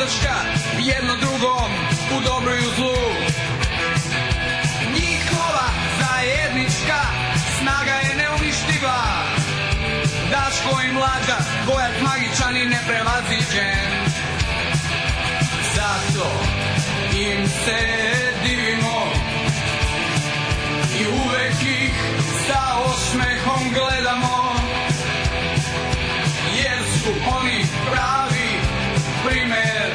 podrška jedno drugom u dobru i u zlu. Njihova zajednička snaga je neuništiva. Daško i Mlađa, dvojac magičan i neprevaziđen. Zato im se divimo i uvek ih sa osmehom gledamo, jer su oni pravi primer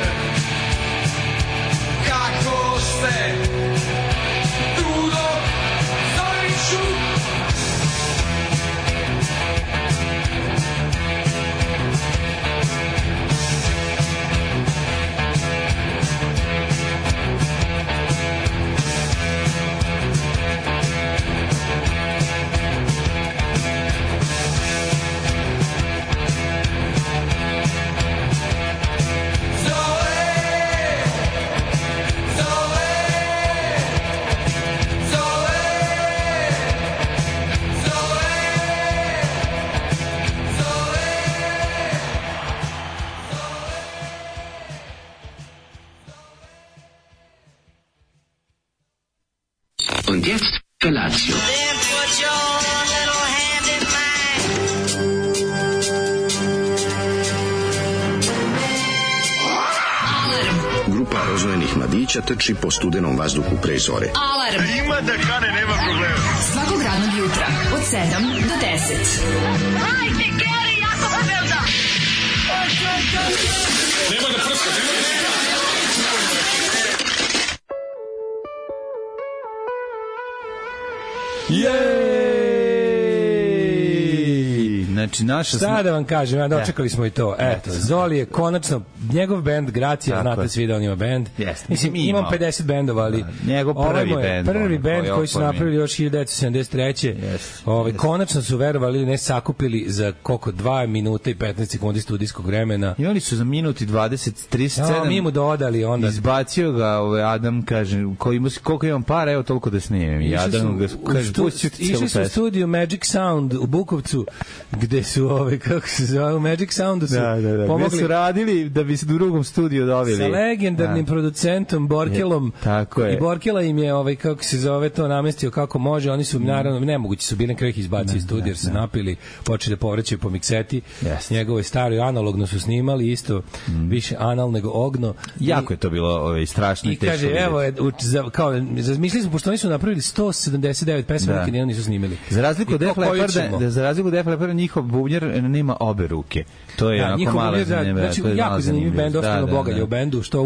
kako se trudo zoriču. Und jetzt Felatio. Then put your little hand in mine. Grupa rozvojenih mladića trči po studenom vazduhu pre zore. Alarm. Ima da kane, nema problema. Svakog radnog jutra od 7 do 10. Hajde, Geri, jako se velda. Nema da prska, nema da prska. Jej! Znači, naša... Šta da vam kažem, dočekali smo i to. Eto, Zoli je konačno, njegov bend, Gracija, znate svi da on ima bend. Mislim, imam 50 bendova, ali njegov prvi bend. Prvi bend koji su napravili još 1973. Konačno su verovali, ne sakupili za koliko 2 minuta i 15 sekundi studijskog vremena. I oni su za minut i 37 mi mu dodali onda. Izbacio ga Adam, kaže, koliko imam para, evo toliko da snimem. I Adam ga kaže, išli su u studiju Magic Sound u Bukovcu, gde su kako se zove, Magic Soundu su pomogli. Gde su radili da bi se u drugom studiju dobili. Sa legendarnim producentom Borkelom. Tako je. I Borkela im je, kako se zove, to namestio kako može. Oni su, naravno, nemogući su bili na kraju ih izbacili iz studija, jer se napili, počeli da povraćaju po mikseti. Njegovo je staro i analogno su snimali, isto više anal nego ogno. Jako je to bilo strašno i teško. I kaže, evo, kao, razmišljali smo, pošto oni su napravili 179 pesama, nikad nijedno nisu snimili. Za razliku od Def Lepparda, njihov bubnjar nema obe ruke. To je onako malo zanimljivo. Znači, jako zanimljiv bend, ostalo bogalje u bendu, što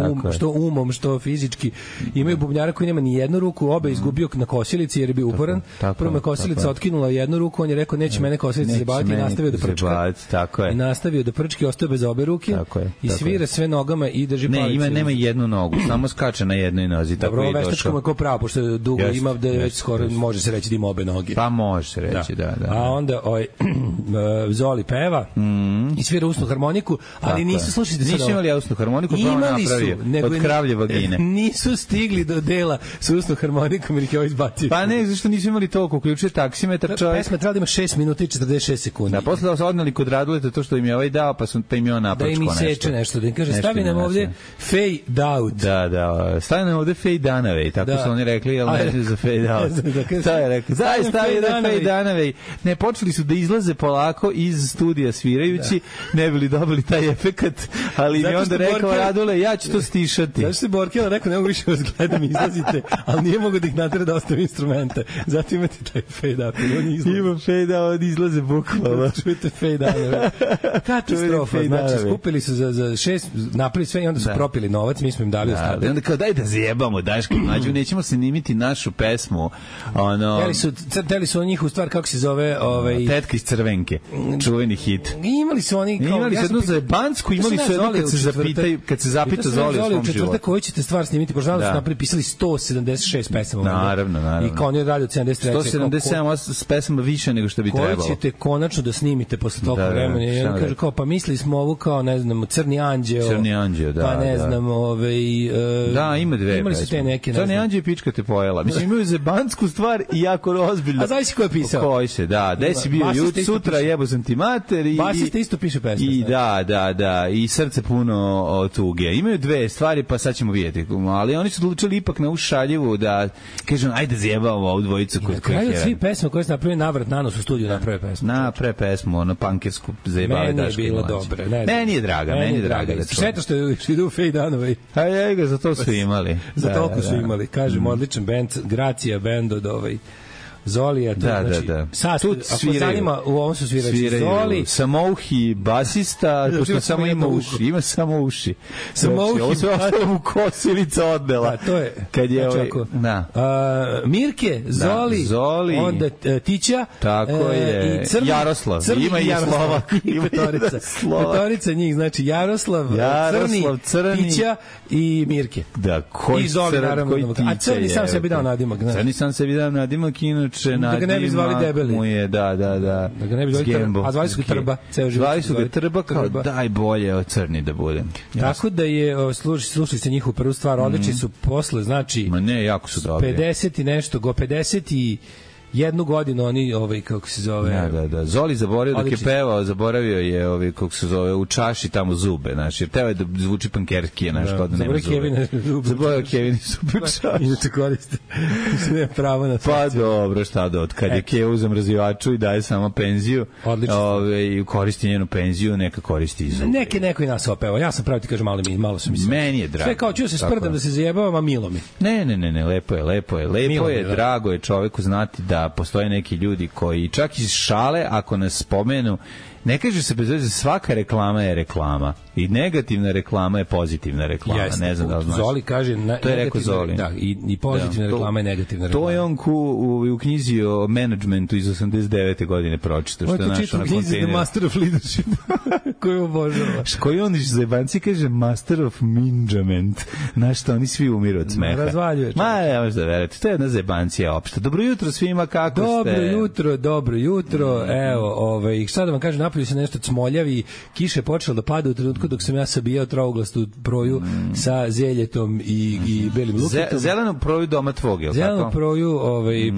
umom, što fizički. Imaju bubnjara koji nema ni jednu ruku, obe izgubio na kosilici jer je bio uporan. Prvo me kosilica otkinula jednu ruku, on je rekao neće mene kosilica zabaviti i nastavio da prčka. I nastavio da prčka i ostao bez obe ruke i svira sve nogama i drži palicu. Nema jednu nogu, samo skače na jednoj nozi. Dobro, veštačkom je ko pravo, pošto je dugo ima da već skoro može se reći da ima obe noge. Pa može se reći, da. A onda Zoli peva i svira usnu harmoniku, ali nisu, slušajte sad. Nisu imali usnu harmoniku, pa on napravio od kravlje vagine. Nisu stigli do dela sa usnu harmonikom jer ih je ovo izbacio. Pa ne, zašto nisu imali toliko, uključuje taksimetar čovjek. Pesma trebala da ima 6 minuta i 46 sekundi. Da, posle da se odnali kod Raduleta to što im je ovaj dao, pa im je on napračko nešto. Da im seče nešto, da im kaže stavi nam ovdje fade out. Da, stavi nam ovdje fade danaway, tako su oni rekli, ali ne za fade out. Šta je rekli? Stavi da fade danaway. Ne, počeli su da izlaze polako iz studija svirajući, ne bili dobili taj efekat, ali mi onda rekao Radule, ja ću to stišati. Zašto se Borkela rekao, ne mogu više vas gledam, izlazite, ali nije mogu da ih natera da ostave instrumente. Zato imate taj fade out. Ima fade out, izlaze bukvalno. Čujete fade out. Katastrofa. Znači, skupili su za 6, napravili sve i onda su propili novac, mi smo im dali ostatak. Onda kao daj da zjebamo, Daško mlađu, nećemo se nimiti našu pesmu. Hteli su njih u stvar, kako se zove... Tetka iz Crvenke, čuveni hit. Imali su oni... Imali su jednu za Bansku, imali su jednu kad se zapita Zoli u svom životu. Koju ćete stvar snimiti, pošto da su napisali 176 pesama. Naravno. I kao oni radi od 73. 177 pesama više nego što bi trebalo. Koju ćete konačno da snimite posle toliko vremena? I on kaže kao, pa mislili smo ovu kao, ne znam, Crni anđeo, pa ne znam, da, ima dve pesme. Imali su te neke, ne znam. Crni anđeo i pička te pojela. Mislim, imaju za Bansku stvar i jako ozbiljno. A znaš si ko je pisao? Koji se, da. Gde si bio sutra, jebo sam ti mater i basista isto piše pesme. I da, i srce puno tuge. Imaju dve stvari, pa sad ćemo vidjeti. Ali oni su odlučili ipak na ušaljivu da kažem ajde zajebamo ovu dvojicu kod kojih je. Svi pesme koje su napravili navrat na nos u studiju naprave pesmu. Naprave pesmu, ono pankersku zajebale Daške. Meni je bilo dobro. Meni je draga. Šteta što idu u Fej Danove. A ja ga za to su imali. Za toliko su imali. Kažem, odličan bend, Gracija bend od Zolija, to znači. Tu ako zanima, u ovom su svirači Zoli. Samouhi basista, pošto samo ima uši. Ima samo uši. Samouhi. Ovo se ostalo u Kosilica odnela. To je. Kad je Mirke, Zoli, onda Tića. Tako je. Jaroslav. Ima i Slovak. Ima petorica njih, znači Jaroslav, Crni, Tića i Mirke. Da, koji Crni, a Crni sam sebi dao nadimak. Crni sam sebi dao nadimak, da ga ne bi zvali debeli. Mu je, da ga ne bi zvali Trba. A zvali su ga Trba. Zvali su ga Trba kao daj bolje od Crni da budem. Tako da je, slušali ste njihovu prvu stvar, odlični su posle, znači... Ma ne, jako su dobri. 50 i nešto, 50 i jednu godinu oni kako se zove. Da. Zoli zaboravio dok je pevao, zaboravio je kako se zove u čaši tamo zube, znači jer teo je da zvuči pankerski, znači kao da nema zube. Zaboravio Kevin zube čaši. I da te koriste. Ne pravo na to. Pa dobro, šta da od kad je Kev uzem razvivaču i daje samo penziju. I koristi njenu penziju, neka koristi i zube. Neko i nas opeva. Ja sam pravo ti kažem malo su mi sve. Meni je drago. Sve kao ću se sprdam da se zajebavam, a milo mi. Ne, lepo je, drago je čoveku znati da postoje neki ljudi koji čak iz šale ako nas spomenu, ne kaže se bez veze, svaka reklama je reklama i negativna reklama je pozitivna reklama. Jeste, ne znam da li znaš. Zoli kaže to je rekao Zoli. Da, i pozitivna reklama je negativna reklama. To je on u knjizi o managementu iz 89. godine pročitao, što je našao na kontejneru. The Master of Leadership koju obožava. Koji on iz zajebanci kaže Master of Management. Znaš što, oni svi umiru od smeha. Razvaljuje. Ne možeš da verujete, to je jedna zajebancija opšta. Dobro jutro svima, kako ste? Dobro jutro. Evo, šta da vam kažem, napolju se nešto cmoljavi, kiše počela da pada u trenutku dok sam ja sabijao trouglastu proju sa zeljetom i belim luketom. Zelenu proju doma tvog, je li tako? Zelenu proju,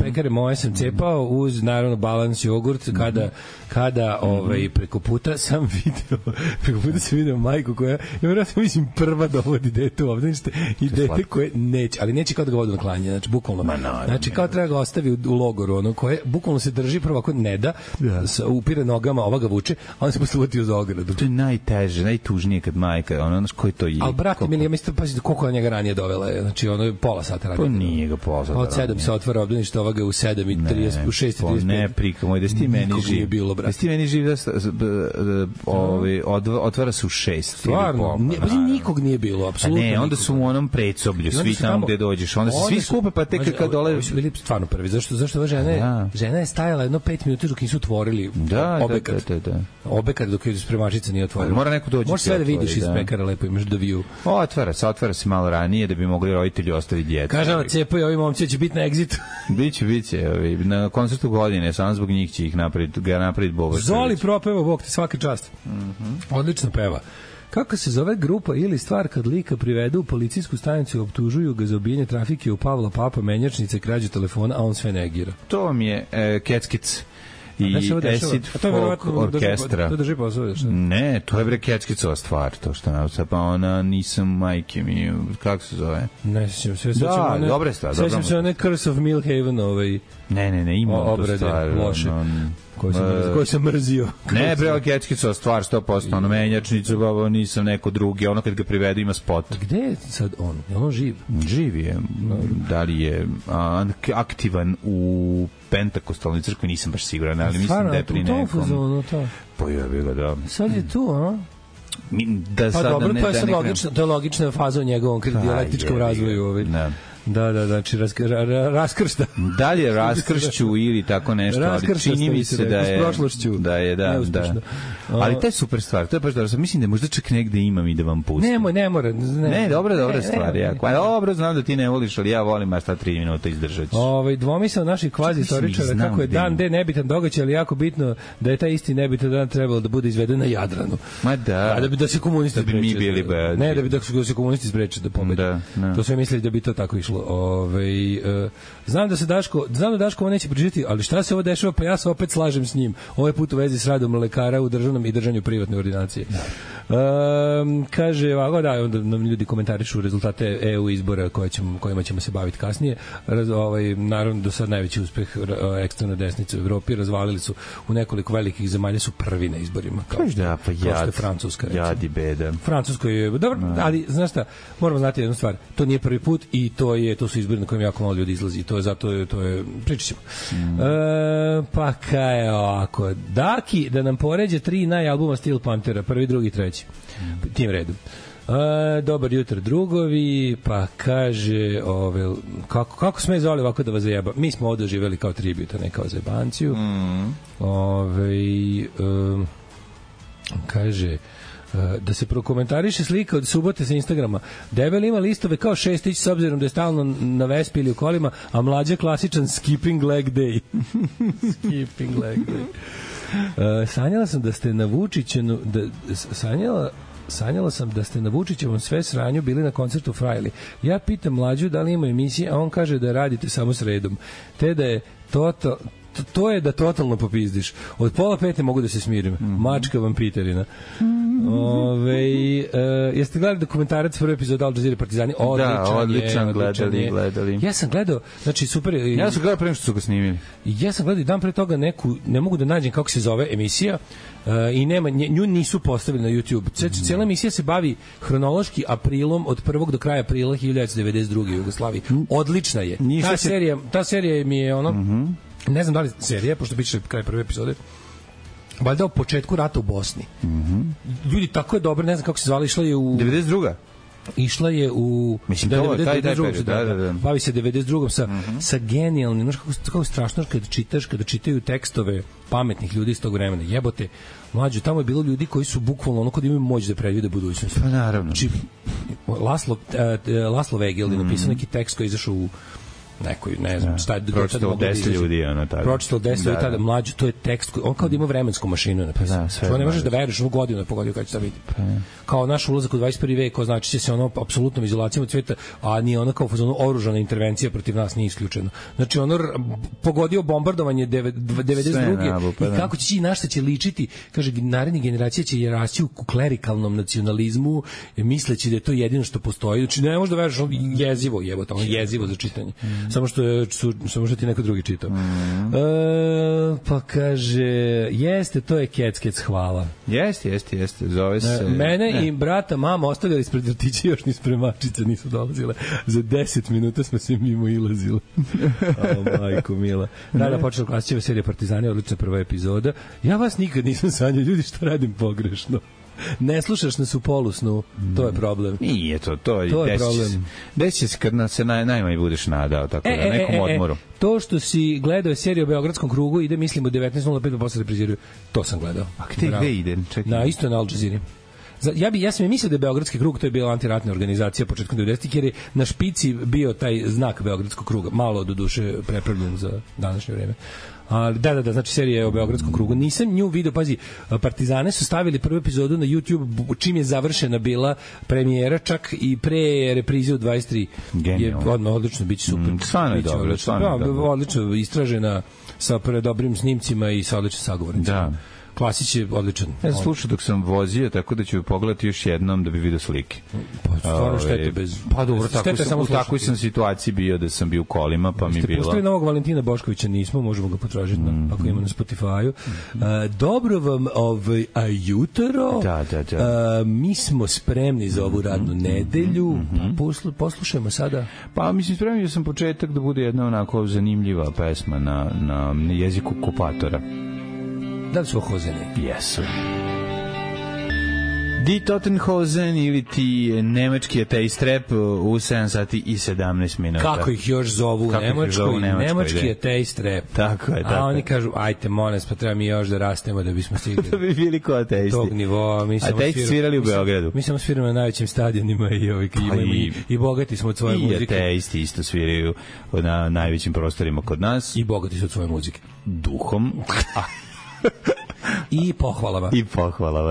pekare moje sam cepao uz, naravno, balans jogurt, kada preko puta sam video majku koja, ja vjerojatno mislim, prva dovodi dete ovdje, i dete koje neće, ali neće kao da ga vodu na klanje, znači, bukvalno. Znači, kao treba ga ostavi u logoru, ono koje, bukvalno se drži prvo ako ne da, upire nogama, ova ga vuče, a on se posle uvati uz ogradu. To je najteže, najtužnije kad majka, ono, znaš, koji to je. Ali, brate, mili, ja mislim, pazite, koliko je njega ranije dovela, znači, ono je pola sata ranije. Pa nije ga pola sata. Od 7 se otvara obdanište, ova ga u 7:30, u 6:35. Ne, prika moj, da si ti meni živ. Da si ti meni živ, otvara se u 6. Stvarno, nikog nije bilo, apsolutno. Ne, onda su u onom predsoblju, svi tamo gde dođeš, onda se svi skupe, pa tek kad dole... Ovi su bili stvarno prvi, zašto ova žena je stajala jedno 5 minuta dok nisu otvorili obekat. Obekat dok je spremačica nije otvorila. Mora neko dođi. Možeš sve da vidiš iz pekara, lepo imaš da view. Otvara se malo ranije da bi mogli roditelji ostaviti djecu. Kaže ona, cepaju, ovi momci će biti na egzitu. Biće. Na koncertu godine, samo zbog njih će ih napraviti Boba. Zoli propeva, Bog te, svaka čast. Odlično peva. Kako se zove grupa ili stvar kad lika privedu u policijsku stanicu i optužuju ga za ubijanje trafike u Pavla Papa, menjačnice, krađu telefona, a on sve negira? To vam je Keckic i Acid Folk orkestra. To drži posao? Ne, to je Kecskicova stvar, to što nauca, pa ona nisam majke mi, kako se zove? Ne sjećam se. Da, dobra stvar. Sjećam se one Curse of Millhaven, Ne, ima to stvar. Loše. Koji sam mrzio. Ne, bre, Kecskicova stvar, 100%, ono menjačnicu, babo, nisam neko drugi, ono kad ga privedu ima spot. Gde je sad on? Je on živ? Živ je. Da li je aktivan u Pentakostalnoj crkvi, nisam baš siguran, ali mislim da je pri nekom. Pojavi ga, da. Sad je tu, a? Pa dobro, to je logična faza u njegovom dijalektičkom razvoju. Da, znači raskršta. Dalje raskršću ili tako nešto, ali čini mi se da je, da. Ali to je super stvar, to je baš dobro. Mislim da možda čak negde imam i da vam pustim. Ne mora. Ne, dobra stvar. Dobro, znam da ti ne voliš, ali ja volim, a šta 3 minuta izdržat ću. Dvomisao naših kvazi istoričara kako je dan D nebitan događaj, ali jako bitno da je taj isti nebitan dan trebalo da bude izveden na Jadranu. Ma da. Da se komunisti spreče. Ne, da se komunisti spreče da pobede. To sve mislili da bi to tako išlo. prošlo. Znam da Daško ovo neće pričati, ali šta se ovo dešava, pa ja se opet slažem s njim. Ovaj put u vezi s radom lekara u državnom i držanju privatne ordinacije. Kaže, ovako, da, onda nam ljudi komentarišu rezultate EU izbora kojima ćemo se baviti kasnije. Naravno, do sad najveći uspeh ekstremne desnice u Evropi, razvalili su u nekoliko velikih zemalja, su prvi na izborima. Kao što je Francuska. Jadi beda. Francuska je, dobro, ali, znaš šta, moramo znati jednu stvar, to nije prvi put i to su izbori na kojima jako malo ljudi izlazi. To je pričat ćemo. Pa kaj je ovako, Daki da nam poređe 3 najalbuma Steel Panthera, prvi, drugi, treći. Tim redom. Dobar jutro drugovi, pa kaže kako sme zvali ovako da vas zajeba. Mi smo ovde živeli kao tribut, a ne kao zajebanciju. Kaže da se prokomentariše slika od subote sa Instagrama. Debel ima listove kao Šestić s obzirom da je stalno na Vespi ili u kolima, a Mlađa klasičan skipping leg day. Skipping leg day. Sanjala sam da ste na Vučićenu sanjala sam da ste na Vučićevom sve sranju bili na koncertu Frajli. Ja pitam Mlađu da li ima emisije, a on kaže da radite samo sredom. Te da je to je da totalno popizdiš. Od 4:30 mogu da se smirim. Mačka vam Piterina. Jeste gledali dokumentarac prvi epizod Al Jazeera Partizani? Odličan, gledali. Ja sam gledao, znači super. Ja sam gledao pre nego što su ga snimili. Ja sam gledao i dan pre toga neku, ne mogu da nađem kako se zove emisija, i nema, nju nisu postavili na YouTube. Cijela emisija se bavi hronološki aprilom od 1. do kraja aprila 1992. u Jugoslaviji. Odlična je. Ta serija mi je ne znam da li serija, pošto biće kraj prve epizode, valjda o početku rata u Bosni. Ljudi, tako je dobro, ne znam kako se zvala, išla je u 92. Išla je u bavi se 92. sa genijalnim, znaš kako strašno kada čitaju tekstove pametnih ljudi iz tog vremena. Jebote, mlađo, tamo je bilo ljudi koji su bukvalno kod imaju moć da predvide budućnost. Pa naravno. Znači, Laslo Vegel je napisao neki tekst koji je izašao u nekoj, ne znam, pročitalo 10 ljudi, pročitalo 10 ljudi tada, mlađo, to je tekst, on kao da ima vremensku mašinu napisao. To ne možeš da veruješ, godinu je pogodio kad će to vidjeti. Kao naš ulazak u 21. vek, ko znači će se apsolutnom izolacijom od sveta, a nije ona kao oružana intervencija protiv nas nije isključeno. Znači pogodio bombardovanje 92. I kako će na šta će ličiti, kaže, naredni generacija će rasti u klerikalnom nacionalizmu, misleći da je to jedino što postoji. Znači ne možeš da veruješ, jezivo za čitanje. Samo što ti neko drugi čitao. Pa kaže, jeste, to je Kec, hvala. Jeste, zove se... Mene i brata mama ostavljali ispred vrtića, još ni spremačice nisu dolazile. Za 10 minuta smo se mimo ilazili. Majko mila. Da, počela klasičeva serija Partizani, odlična prva epizoda. Ja vas nikad nisam sanjao, ljudi, što radim pogrešno. Ne slušaš nas u polusnu, to je problem. Nije to je problem. Desi se kad se najmanje budeš nadao, tako da nekom odmoru. To što si gledao seriju o Beogradskom krugu ide, mislim, u 19.05 pa posle repriziraju. To sam gledao. A gde ide? Na isto na Al Jazeera. Ja sam mislio da je Beogradski krug, to je bila antiratna organizacija početkom 90-ih, jer je na špici bio taj znak Beogradskog kruga, malo do duše prepravljen za današnje vreme. Ali da, znači serija je o Beogradskom krugu. Nisam nju video, pazi, Partizane su stavili prvu epizodu na YouTube čim je završena bila premijera, čak i pre reprize u 23. Je odmah odlično, biće super. Stvarno je dobro. Odlično istražena sa dobrim snimcima i sa odličnim sagovornicima. Da. Klasić je odličan. Ja sam slušao dok sam vozio, tako da ću pogledati još jednom da bi vidio slike. Pa stvarno štete bez... Pa dobro, u takvoj sam situaciji bio da sam bio u kolima, pa mi bilo... Ste pustili novog Valentina Boškovića, nismo, možemo ga potražiti ako ima na Spotify-u. Dobro vam jutro. Da. Mi smo spremni za ovu radnu nedelju. Poslušajmo sada. Pa mislim, spremio sam početak da bude jedna onako zanimljiva pesma na jeziku okupatora. Da li su Hozeni? Jesu. Die Totenhosen ili ti nemački ateist rap u 7 sati i 17 minuta. Kako ih još zovu u Nemačkoj? Nemački ateist rap. Tako je. A oni kažu, ajte, molim, pa treba mi još da rastemo da bismo stigli. Da bi bili ko ateisti. Tog nivoa. Ateisti svirali u Beogradu. Mi samo sviramo na najvećim stadionima i bogati smo od svoje muzike. I ateisti isto sviraju na najvećim prostorima kod nas. I bogati su od svoje muzike. Duhom. I pohvalama.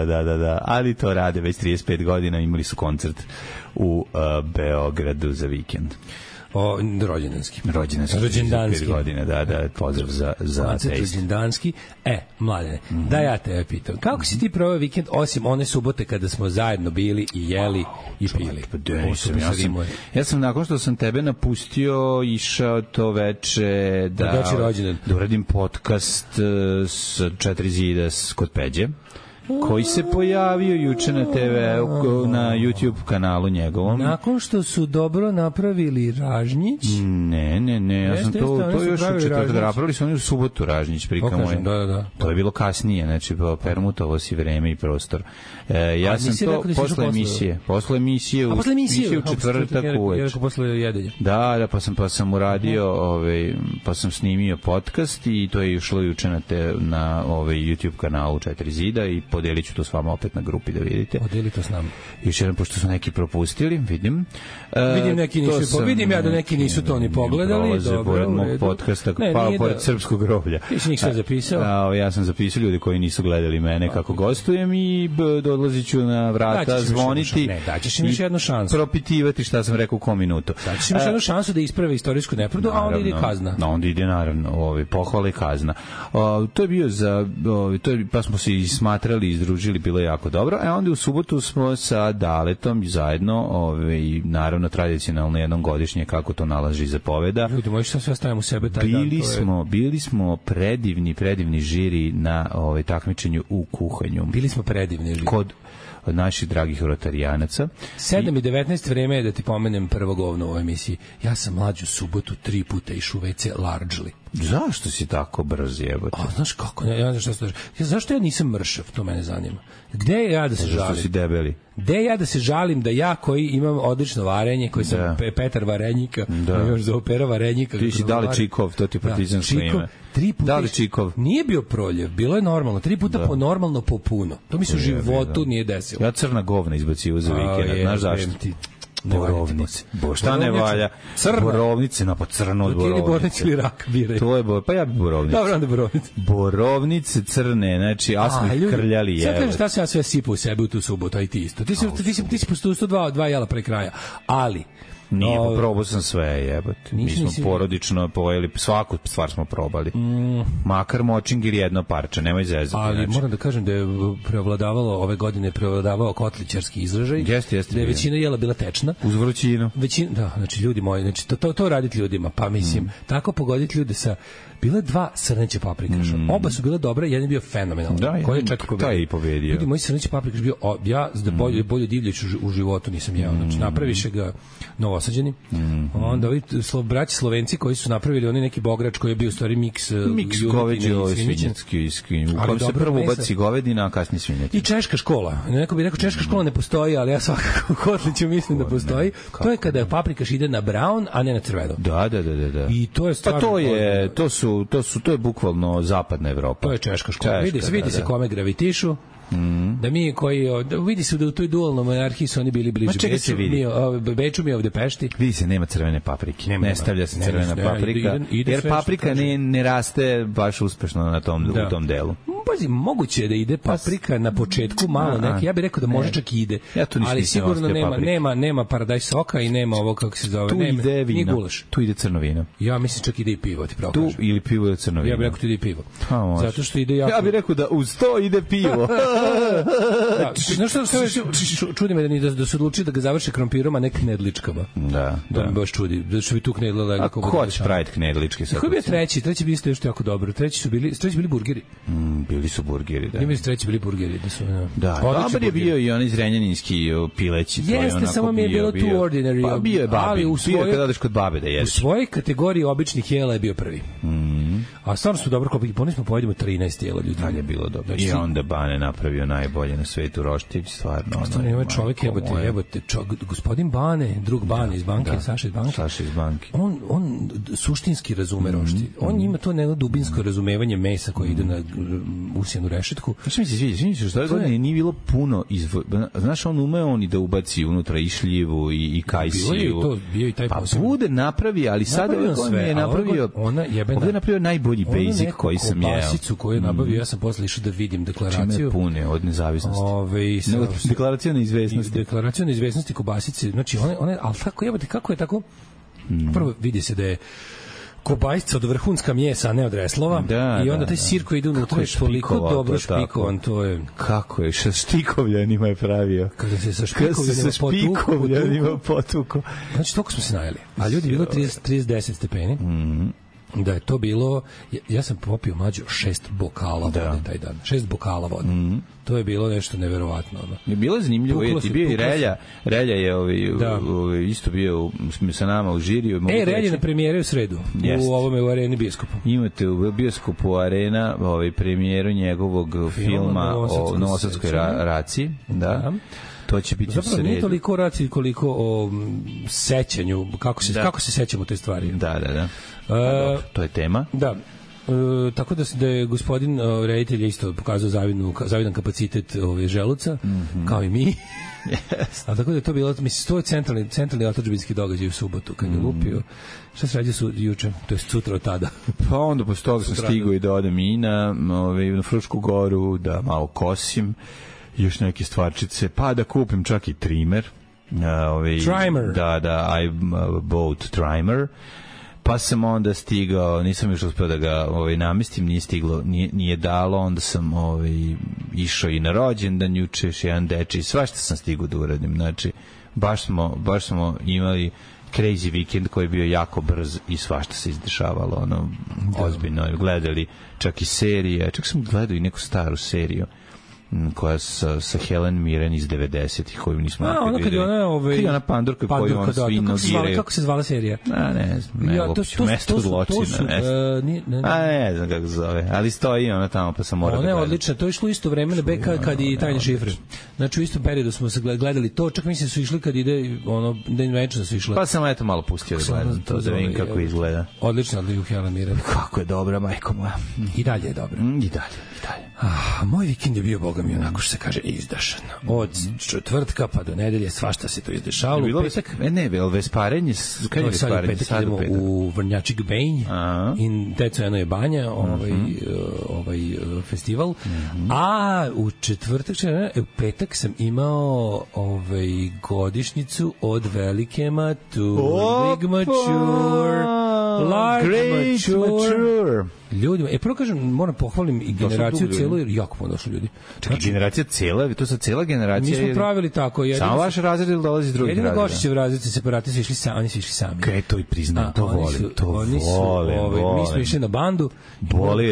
Da. Ali to rade već 35 godina, imali su koncert u Beogradu za vikend. Rođendanski. Rođendanski. Godine, da, pozdrav za koncert rođendanski. Mladene, da ja tebe pitam, kako si ti proveo vikend, osim one subote kada smo zajedno bili i jeli i pili? Ja sam nakon što sam tebe napustio išao to veče da uradim podcast s 4 zida kod Peđe, koji se pojavio juče na TV, na YouTube kanalu njegovom. Nakon što su dobro napravili Ražnjić? Ne, ja sam to još u četvrtak napravili su oni u subotu Ražnjić prikamo. Da. To je bilo kasnije, znači permutovo si vreme i prostor. Ja sam to posle emisije u četvrtak uveče. Ja posle jedenja. Da, pa sam uradio, pa sam snimio podcast i to je išlo juče na YouTube kanalu 4 zida i podelit ću to s vama opet na grupi da vidite. Podeli to s nama. Još jedan, pošto su neki propustili, vidim. Vidim ja da neki nisu to ni pogledali. Dobro, pored mog podcasta, pored Srpskog groblja. Ti si njih sve zapisao? Ja sam zapisao ljudi koji nisu gledali mene kako gostujem i dolazit ću na vrata, zvoniti daćeš im još jednu šansu. Propitivati šta sam rekao u kom minutu. Daćeš im još jednu šansu da isprave istorijsku nepravdu, a onda ide kazna. Onda ide naravno pohvala i kazna. To je bio pa smo se smatrali, izdružili, bilo je jako dobro. Onda u subotu smo sa Daletom zajedno, naravno tradicionalno jednom godišnje, kako to nalaži zapoveda. Ljudi, možeš sve stavimo u sebe taj dan. Bili smo predivni žiri na takmičenju u kuhanju. Bili smo predivni žiri. Kod naših dragih rotarijanaca. 7:19 vreme je da ti pomenem prvo govno u ovoj emisiji. Ja sam mlađu subotu 3 puta išao u WC largely. Zašto si tako brz, jebote? Znaš kako? Ja ne znam šta se zašto ja nisam mršav, to mene zanima. Gde je ja da se žalim? Zašto si debeli? Gde je ja da se žalim da ja koji imam odlično varenje, koji sam Petar Varenjika, još za opera Varenjika. Ti si Dali Čikov, to ti partizansko ime. 3 puta. Dali Čikov. Nije bio proljev, bilo je normalno. 3 puta po normalno, po puno. To mi se u životu nije desilo. Ja crna govna izbacio za vikend, znaš zašto? Borovnice. Šta ne valja? Borovnice, pa crno od borovnice. Ili borovnice ili rak biraj. To je pa ja bi borovnice. Dobro, onda borovnice. Borovnice crne, znači, a smo ih krljali. Sad kažem šta sam ja sve sipao u sebe u tu subotu, a i ti isto. Ti si postupio 2 jela pre kraja. Ali nije, probao sam sve, jebote. Mi smo porodično pojeli, svaku stvar smo probali. Makar močing ili jedno parče, nemoj zezati. Ali moram da kažem da je ove godine prevladavao kotlićarski izražaj. Jeste. Da je većina jela bila tečna. Uz vrućinu. Da, znači ljudi moji, znači to raditi ljudima, pa mislim, tako pogoditi ljude sa bile 2 srneće paprikaša. Oba su bile dobre, jedan je bio fenomenalan. Koji je čak i pobedio. Ljudi, moj srneće paprikaš bio, ja za bolju divljić u životu nisam jeo. Znači, napraviše ga Novosađani. Onda ovi braći Slovenci koji su napravili oni neki bograč koji je bio u stvari miks goveđe i svinjetski. U kojem se prvo ubaci govedina, a kasnije svinjetina. I češka škola. Neko bi rekao češka škola ne postoji, ali ja svakako u Kotliću mislim da postoji. To je kada paprikaš ide na brown, a ne na crveno. Da. I to je stvarno... To je bukvalno zapadna Evropa. To je češka škola. Vidi se kome gravitišu. Da mi koji vidi se da u toj dualnoj monarhiji su oni bili bliže Beču, mi ovde Pešti. Vidi se, nema crvene paprike. Ne stavlja se crvena paprika. Jer paprika ne raste baš uspešno u tom delu. Pazi, moguće je da ide paprika na početku malo neki. Ja bih rekao da može čak i ide. Ali sigurno nema paradajz soka i nema ovo kako se zove. Tu ide vino. Tu ide crno vino. Ja mislim čak ide i pivo, ti pravo kažem. Tu ili pivo ili crno vino. Ja bih rekao tu ide i pivo. Zato što ide jako... Ja bih rekao da uz to ide pivo. Znaš što čudi me da su odlučili da ga završe krompirom, a ne knedličkama. Da. To me baš čudi. Da su bi tu knedlila. A ko će praviti knedličke? Koji je bio treći? Treći bi isto još jako dobro. Treći su bili burgeri. Bili su burgeri, da. Ima treći bili burgeri. Da, dobar je bio i onaj zrenjaninski pileći. Jeste, samo mi je bilo too ordinary. Pa bio je babi, bio je kada odeš kod babe da jedeš. U svojoj kategoriji običnih jela je bio prvi. A stvarno su dobro kopiki. Ponis smo pojedimo 13 jela ljudi. Dalje je bilo dobro. I onda Bane napravio najbolje na svetu roštić, stvarno. Stvarno ima čovjek, jebote, gospodin Bane, drug Bane iz banke, Saša iz banke. On suštinski razume roštilj. On ima to neko dubinsko razumevanje mesa koje ide na usijanu rešetku. Znaš mi se sviđa, što godine nije bilo puno znaš, on umeo i da ubaci unutra i šljivu i kajsiju. Bio i taj posebno. Pa bude napravi, ali sada je napravio ovdje je napravio najbolji basic koji sam jeo. Basicu koju je nabavio, ja sam posle išao da vidim deklaraciju. Čime pune od nezavisnosti. Deklaracija neizvesnosti. Deklaracija neizvesnosti kobasice. Znači, one, ali tako jebate, kako je tako? Prvo vidi se da je kobajsca od vrhunska mjesa, a ne od reslova. I onda taj sir koji ide unutra je toliko dobro špikovan. To je... Kako je? Špikovljanima je pravio. Kada se sa špikovljanima potuko. Znači, toliko smo se najeli. A ljudi je bilo 30-10 stepeni. Da je to bilo, ja sam popio mlađo 6 bokala vode taj dan. 6 bokala vode. To je bilo nešto neverovatno. Je bilo zanimljivo, je ti bio i Relja je isto bio sa nama u žiriju. Relja je na premijeri u sredu u ovome u Areni Bioskopu. Imate u Bioskopu Arena premijeru njegovog filma o Novosadskoj raciji. Da. To će biti zapravo nije toliko o raciji koliko o sećanju, kako se sećamo te stvari. Da. To je tema. Da. Tako da je gospodin reditelj isto pokazao zavidan kapacitet želuca, kao i mi. A tako da je to bilo, mislim, to je centralni otadžbinski događaj u subotu, kad je lupio. Šta se rađe juče, to je sutra od tada? Pa onda posle toga sam stigao i da odem i na Frušku goru, da malo kosim, još neke stvarčice, pa da kupim čak i trimer. Trimer. Da, I bought trimer. Pa sam onda stigao, nisam još uspeo da ga namestim, nije stiglo, nije dalo, onda sam išao i na rođendan juče, još jedan dečiji, svašta sam stigao da uradim, znači baš smo imali crazy weekend koji je bio jako brz i svašta se izdešavalo, ozbiljno, gledali čak i serije, čak sam gledao i neku staru seriju koja sa Helen Mirren iz 90-ih koju nismo ona kad je ona pandurka koju on svi nogiraju. Kako se zvala serija? Ne znam, mesto zločina. Ne znam kako se zove, ali stoji ona tamo pa sam morao da gledam. Ona je odlična, to je išlo isto vremena kad i Tajne šifre. Znači u istom periodu smo se gledali to, čak mislim su išli kad ide Dan Venture su išli. Pa sam eto malo pustio da gledam to, da vidim kako izgleda. Odlično, ali Helen Mirren. Kako je dobra, majko moja. I dalje je dobra. I dalje. Moj vikend je bio, boga mi, onako što se kaže, izdašan. Od četvrtka pa do nedelje svašta se to izdešavalo. U petak? Vesparenje? Kad je vesparenje? Petak idemo u Vrnjačik Benj i Teco Eno je banja, festival. A u četvrtak, u petak sam imao godišnjicu od velike mature. Big mature. Large mature. Ljudima, prvo kažem, moram pohvalim i generaciju celu, jer jako puno došlo ljudi. Čekaj, generacija cela, to sa cela generacija. Mi smo pravili tako. Samo vaš razred ili dolazi iz drugih razreda? Jedino Gošićev razred, separati su išli sami, oni su išli sami. Kaj, to i priznam, to volim. Mi smo išli na bandu,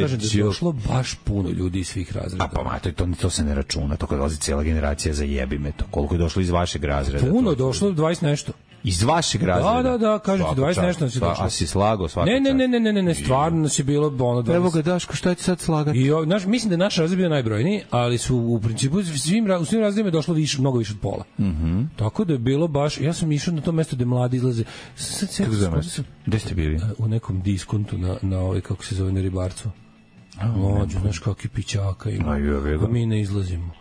kažem da je došlo baš puno ljudi iz svih razreda. A pa, to se ne računa, to kad dolazi cela generacija, zajebi me to. Koliko je došlo iz vašeg razreda? Puno, došlo 20 nešto. Iz vašeg razreda? Da, kažete, 20 nešto si došlo. A si slagao svaka čast? Ne, stvarno nas je bilo ono 20. Evo ga, Daško, šta ti sad slagati? Mislim da je naš razred bio najbrojniji, ali su u principu u svim razredima je došlo mnogo više od pola. Tako da je bilo baš, ja sam išao na to mesto gde mladi izlaze. Kako zove mesto? Gde ste bili? U nekom diskontu na kako se zove, na Ribarcu. Mlađu, znaš kakvi pićaka ima. A mi ne izlazimo.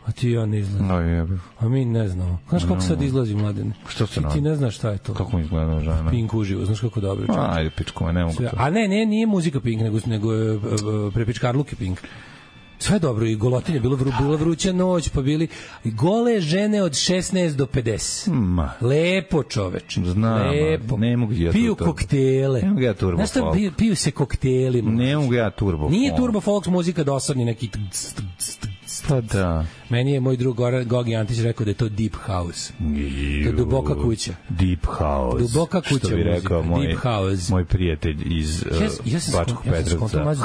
A ti ja ne izlazim. A mi ne znamo. Znaš kako sad izlazi, Mladene? Što se ti ne znaš šta je to. Kako mi izgleda žena? Pink uživo, znaš kako dobro. Ajde, pičko, ne mogu to. A ne, nije muzika Pink, nego je prepičkarluke Pink. Sve dobro, i golotinje, bila vruća noć, pa bili gole žene od 16 do 50. Lepo, čoveč. Znam, lepo. Ne mogu ja piju koktele. Ne mogu ja turbo folk. Piju se koktelima. Ne mogu ja turbo folk. Nije turbo folk muzika dosadni neki... Pa da. Meni je moj drug Gogi Antić rekao da je to deep house. To je duboka kuća. Deep house. Duboka kuća. Što bi rekao moj prijatelj iz Bačkog Petrovca.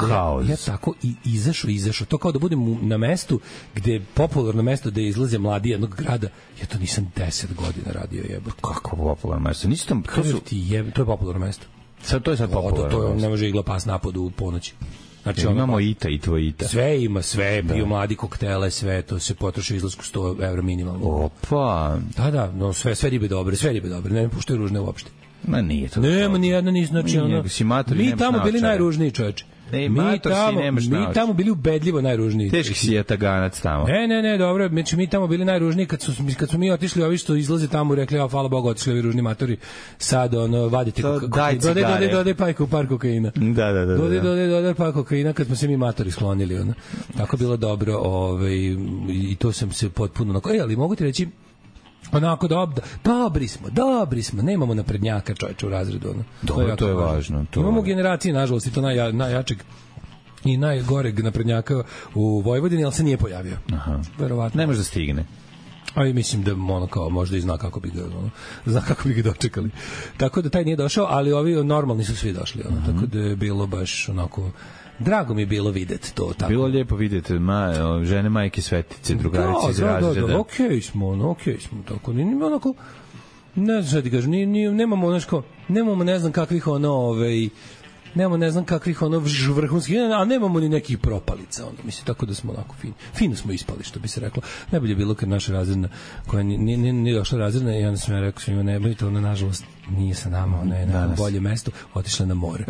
Ja tako i izašao. To kao da budem na mestu gde je popularno mesto gde izlaze mladi jednog grada. Ja to nisam 10 godina radio, jebote. Kako popularno mesto? To je popularno mesto. To je sad popularno. To ne može igla pas napad u ponoći. Znači, imamo Ita i tvoj Ita. Sve ima, piju mladi koktele, sve, to se potroši izlasku 100 evra minimalno. Opa! Da, no, sve ribe dobre, ne puštaju ružne uopšte. Ma nije to. Nema ni jedna, znači ono. Mi tamo bili najružniji, čoveče. Mi tamo bili ubedljivo najružniji. Teški si je taganac tamo. Ne, dobro, znači mi tamo bili najružniji kad smo mi otišli, ovi što izlaze tamo i rekli, hvala Bogu, otišli ovi ružni matori, sad vadite dodaj pajku par kokaina. Da. Dodaj par kokaina kad smo se mi matori sklonili, ono. Tako bilo dobro, i to sam se potpuno ali mogu ti reći, Onako dobri smo, nemamo naprednjaka čoveče u razredu. Ono. Dobro, to je važno. Imamo generacije, nažalost, i to najjačeg i najgoreg naprednjaka u Vojvodini, ali se nije pojavio. Aha. Verovatno. Ne može da stigne. Ali mislim da ono kao možda i zna kako bi ga dočekali. Tako da taj nije došao, ali ovi normalni su svi došli. Tako da je bilo baš onako... Drago mi je bilo videti to tako. Bilo lijepo videti žene majke Svetice, drugarice iz razreda. Da, okej smo, tako. Nije onako, ne znam šta ti kažem, nemamo ne znam kakvih nemamo ne znam kakvih vrhunskih, a nemamo ni nekih propalica, mislim, tako da smo onako fino smo ispali, što bi se reklo. Najbolje je bilo kad naša razredna, koja nije došla razredna, i onda sam ja rekao svima, ne bojite, ona nažalost nije sa nama, ona je na bolje mesto, otišla na more.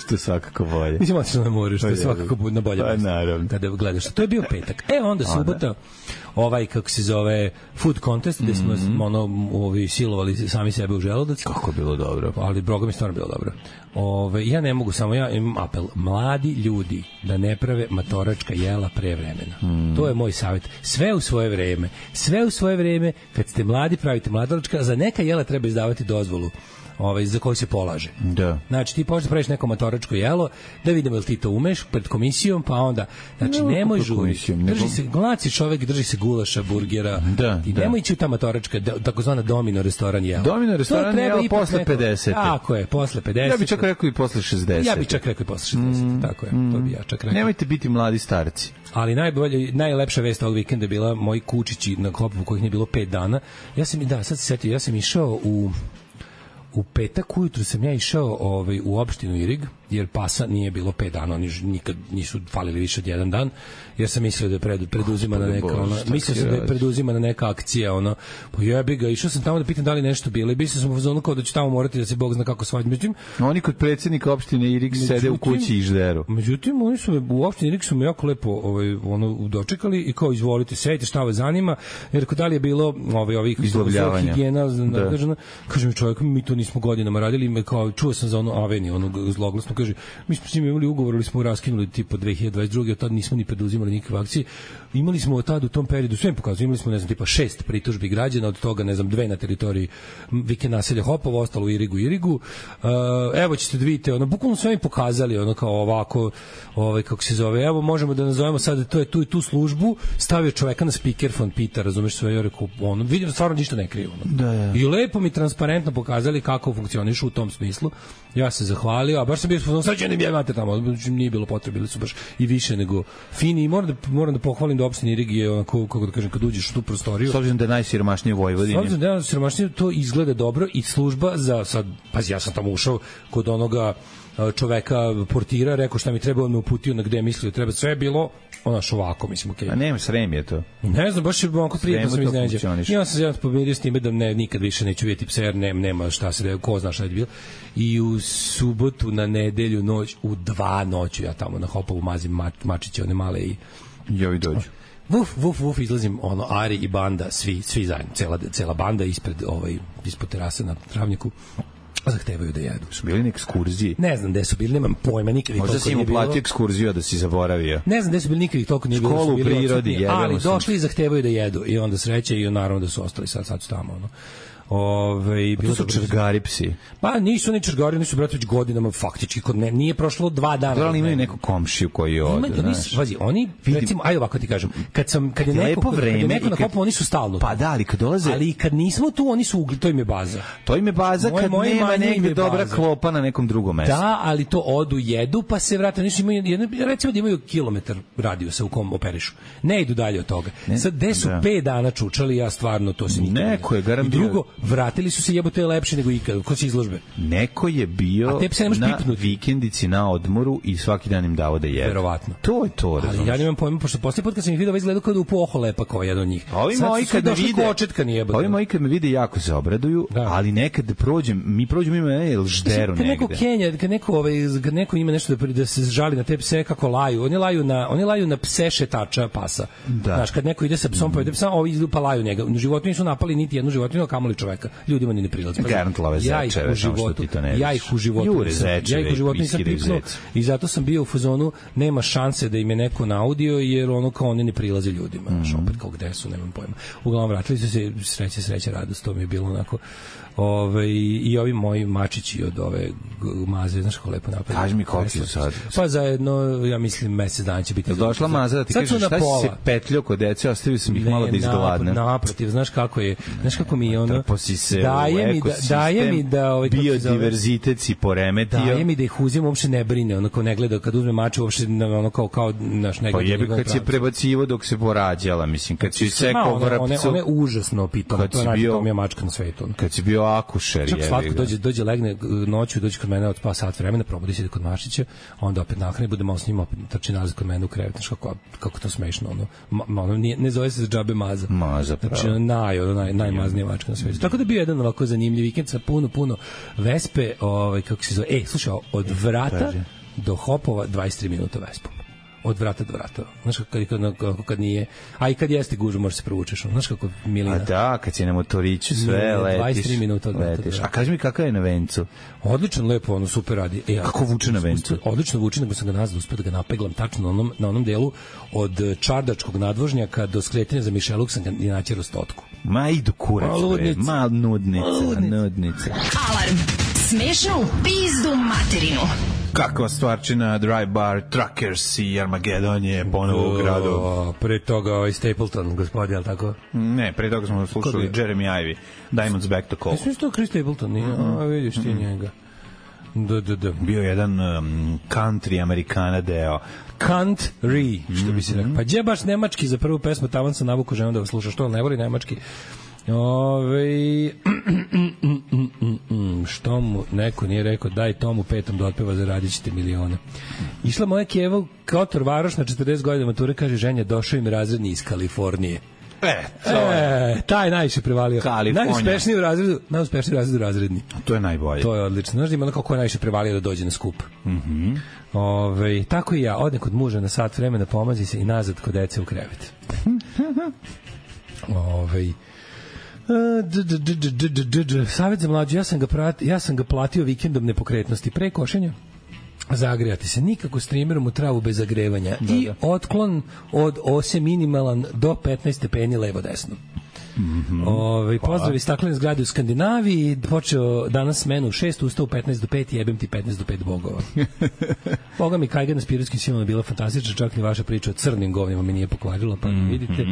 Što je svakako bolje. Mislim, otišla na more, što je svakako na bolje mesto. Naravno. Kada gledaš, to je bio petak. Onda subota, kako se zove, food contest, gde smo silovali sami sebe u želudac. Kako bilo dobro. Ali Boga mi stvarno bilo dobro. Ja ne mogu, samo ja imam apel. Mladi ljudi da ne prave matoračka jela pre vremena. To je moj savjet. Sve u svoje vreme, kad ste mladi, pravite mladoračka, za neka jela treba izdavati dozvolu za koju se polaže. Da. Znači, ti počeš da praviš neko matoračko jelo, da vidimo jel ti to umeš pred komisijom, pa onda, znači, nemoj žuriti. Glaci čovek, drži se gulaša, burgera. I nemoj ići u ta matoračka, takozvana domino restoran jela. Domino restoran jela posle 50. Tako je, posle 50. Ja bih čak rekao i posle 60. Ja bih čak rekao i posle 60. Tako je, to bi ja čak rekao. Nemojte biti mladi starci. Ali najlepša vest ovog vikenda je bila moji kučići na Klopovu kojih nije bilo 5 dana. Sad se setio, ja sam išao u petak ujutru sam ja išao u opštinu Irig, jer pasa nije bilo 5 dana, oni nikad nisu falili više od 1 dan, jer sam mislio da je preduzimana neka akcija, pa jebi ga, išao sam tamo da pitam da li nešto bilo, i mislio sam u fazonu kao da će tamo morati da se Bog zna kako svađa. Međutim, oni kod predsjednika opštine Irig sede u kući i žderu. Međutim, oni su u opštini Irig su me jako lepo dočekali i kao izvolite, sedite, šta vas zanima, jer da li je bilo izlovljavanja, higijena, kaže mi čovjek, mi to nismo godinama radili, kao čuo sam za Aveni, zloglasno, kaže, mi smo s njim imali ugovor, ali smo raskinuli tipa 2022. Od tada nismo ni preduzimali nikakve akcije. Imali smo od tada u tom periodu, sve im pokazuje, imali smo, tipa 6 pritužbi građana, od toga, 2 na teritoriji vikend naselja Hopovo, ostalo u Irigu. Evo ćete da vidite, bukvalno sve im pokazali, kao ovako, kako se zove, evo možemo da nazovemo sad, to je tu službu, stavio čoveka na speakerfon, pita, razumeš sve, ja rekao, vidim, stvarno ništa ne kriju. I lepo mi transparentno pokazali kako funkcionišu u tom smislu. Ja se zahvalio, a baš sam bio srećan da imate tamo, nije bilo potrebe, bili su baš i više nego fini, i moram da pohvalim da opština Irig je, kako da kažem, kad uđeš u tu prostoriju, s obzirom da je najsiromašnije u Vojvodini, s obzirom da je najsiromašnije, to izgleda dobro, i služba za sad, pazi, ja sam tamo ušao kod onoga čoveka portira, rekao šta mi treba, on me uputio na gde mislio treba, sve je bilo ovako, mislim, okej. A nema, Srem je to. Ne znam, baš je onako prijetno sam iznenađen. Ja sam se pomirio s time da nikad više neću vidjeti psa, jer nema šta se, ko zna šta je bilo. I u subotu na nedelju noć, u 2 noću ja tamo na Hopovu mazim mačiće, one male i ovi dođu. Vuf, izlazim, Ari i banda, svi zajedno, cela banda ispred terase na travnjaku. Zahtevaju da jedu. Su bili na ekskurziji? Ne znam gde su bili, nemam pojma, nikad ih toliko nije bilo. Možda si im uplatio ekskurziju, da si zaboravio. Ne znam gde su bili, nikad ih toliko nije bilo. Školu u prirodi, ali došli i zahtevaju da jedu. I onda sreće, i naravno da su ostali, sad su tamo, to su čergari psi. Pa nisu ni čergari, nisu brate već godinama faktički, nije prošlo 2 dana. Da li imaju neku komšiju koji ode, znaš? Vazi, oni, recimo, ajde ovako ti kažem, kad je neko na Hopovu, oni su stalno. Pa da, ali kad dolaze... Ali kad nismo tu, oni su to im je baza. To im je baza kad nema negde dobra klopa na nekom drugom mestu. Da, ali to odu, jedu, pa se vrate. Recimo da imaju kilometar radijusa u kom operišu. Ne idu dalje od toga. Sad, gde su 5 dana čučali, ja stvarno to se nikad... Neko je garantirao. Vratili su se, jebote, je lepše nego ikad. Ko će izložbe? Neko je bio na vikendici na odmoru i svaki dan im dao da jedu. Verovatno. To je to, razumiješ. Ali ja nemam pojma, pošto poslije put kad sam ih vidio, izgledao kao da upoho lepa kao jedan od njih. Ovi moji kad me vide jako se obraduju, ali nekad mi prođemo ima žderu negde. Kad neko ima nešto da se žali na te pse, kako laju. Oni laju na pse šetača pasa. Znaš, kad neko ide sa psom, pa ide psa, ovi pa laju njega. U životu nisu napali niti jednu životinju, a kamoli čoveka. čoveka. Ljudima ni ne prilazi. Garant love zečeve, ja ih u životu nisam pipnuo i zato sam bio u fazonu, nema šanse da im je neko naudio, jer ono kao oni ne prilaze ljudima. Opet kao gde su, nemam pojma. Uglavnom vratili su se, sreća, radost, to mi je bilo onako. I ovi moji mačići od ove maze, znaš kako lepo napravili. Kaži mi koliko su sad? Pa zajedno, ja mislim, mesec dana će biti. Došla maza da ti kažeš šta si se petljao kod dece, ostavio sam ih malo da izgladne. Naprotiv, znaš kako mi je ono... Trposi se daje mi da biodiverzitet si poremetio. Daje mi da ih uzim, uopšte ne brine, ono kao ne gleda, kad uzme mače, uopšte ono kao naš ne gleda. Pa jebi kad si prebacivo dok se porađala, mislim, kad si sekao vrapcu. Ona je užasno pitoma, to je najpitomija mačka na svetu. Kad si bio akušer, čak slatko dođe legne noću, dođe kod mene od pa sat vremena, probudi se kod Mašića, onda opet nahrani, bude malo s njima, opet trči nazad kod mene u krevet, znaš kako to smešno, ono ne zove se za džabe maza. Maza, pravo. Znači, najmaznija mačka na svetu. Tako da bio jedan ovako zanimljiv vikend sa puno vespe, kako se zove, slušaj, od vrata do Hopova 23 minuta vespom. Od vrata do vrata. Znaš kad nije... A i kad jeste gužva, možeš se provučeš. Znaš kako milina. A da, kad si na motoriću sve letiš. 23 minuta od vrata. A kaži mi kakav je na vencu? Odlično, lepo, ono super radi. Kako vuče na vencu? Odlično vuče, nego sam ga nazad uspio da ga napeglam tačno na onom delu od čardačkog nadvožnjaka do skretanja za Mišeluk sam ga inačero stotku. Ma idu kurac, ma nudnica. Alarm. Smešno u pizdu materinu. Kakva stvarčina, Dry Bar, Truckers i Armageddon je ponovo u gradu. Pre toga Stapleton, gospodin, je li tako? Ne, pre toga smo slušali Jeremy Ivy, Diamonds Back to Call. Mislim što Chris Stapleton, nije? Vidiš ti njega. Bio jedan country Amerikana deo. Country, što bi se rekao. Pa gdje baš nemački za prvu pesmu, tavan sam navuku ženu da vas sluša, što ne voli nemački. Što mu neko nije rekao, daj tomu petom da otpeva, zaradit ćete milione. Išla moja Keva Kotor Varoš na 40 godina mature, kaže ženja, došao im razredni iz Kalifornije. Taj najviše prevalio. Najuspešniji u razredu razredni. To je najbolje. To je odlično. Znaš da ima kako je najviše prevalio da dođe na skup. Tako i ja, odem kod muža na sat vremena, pomazi se i nazad kod dece u krevet. Savjet za mlađu, ja sam ga platio vikendom nepokretnosti pre košenja. Zagrejati se, nikako streamerom u travu bez zagrevanja i otklon od ose minimalan do 15 stepeni levo desno. Pozdrav iz staklene zgrade u Skandinaviji, počeo danas smenu u 6, ustao u 15 do 5, jebem ti 15 do 5 bogova. Boga mi Kajga na Spirotskim silama bila fantastična, čak ni vaša priča o crnim govnima mi nije pokvarila, pa vidite.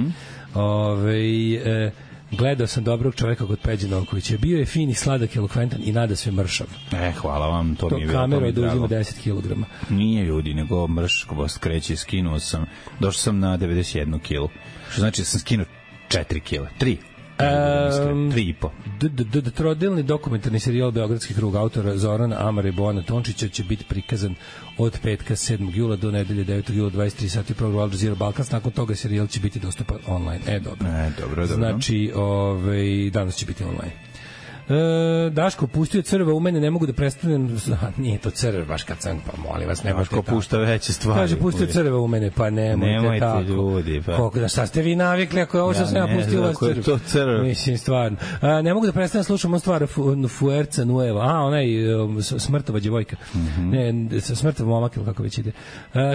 Gledao sam dobrog čoveka kod Peđe Novkovića. Bio je fin i sladak, elokventan i nada sve mršav. Hvala vam, to mi je bilo. Kamera da uzima 10 kg. Nije ljudi, nego mrško skreće, skinuo sam. Došao sam na 91 kg. Što znači da sam skinuo 4 kg. 3. 3,5. Trodelni dokumentarni serijal Beogradski krug autora Zorana Amara i Bojana Tončića će biti prikazan od petka 7. jula do nedelje 9. jula 23 sati program Al Jazeera Balkans. Nakon toga serijal će biti dostupan online. Dobro. Znači, danas će biti online. Daško pustio crva u mene, ne mogu da prestanem. Nije to crv baš kad sam, pa molim vas, nemojte tako. Daško pušta veće stvari. Kaže pustio crva u mene, pa nemojte tako. Ljudi, pa. Koliko da šta ste vi navikli ako je ovo što sam ja pustio vas crv? To crv. Mislim stvarno. Ne mogu da prestanem, slušam on stvar Fuerza Nueva. Onaj smrtova djevojka. Ne, smrtov momak ili kako već ide.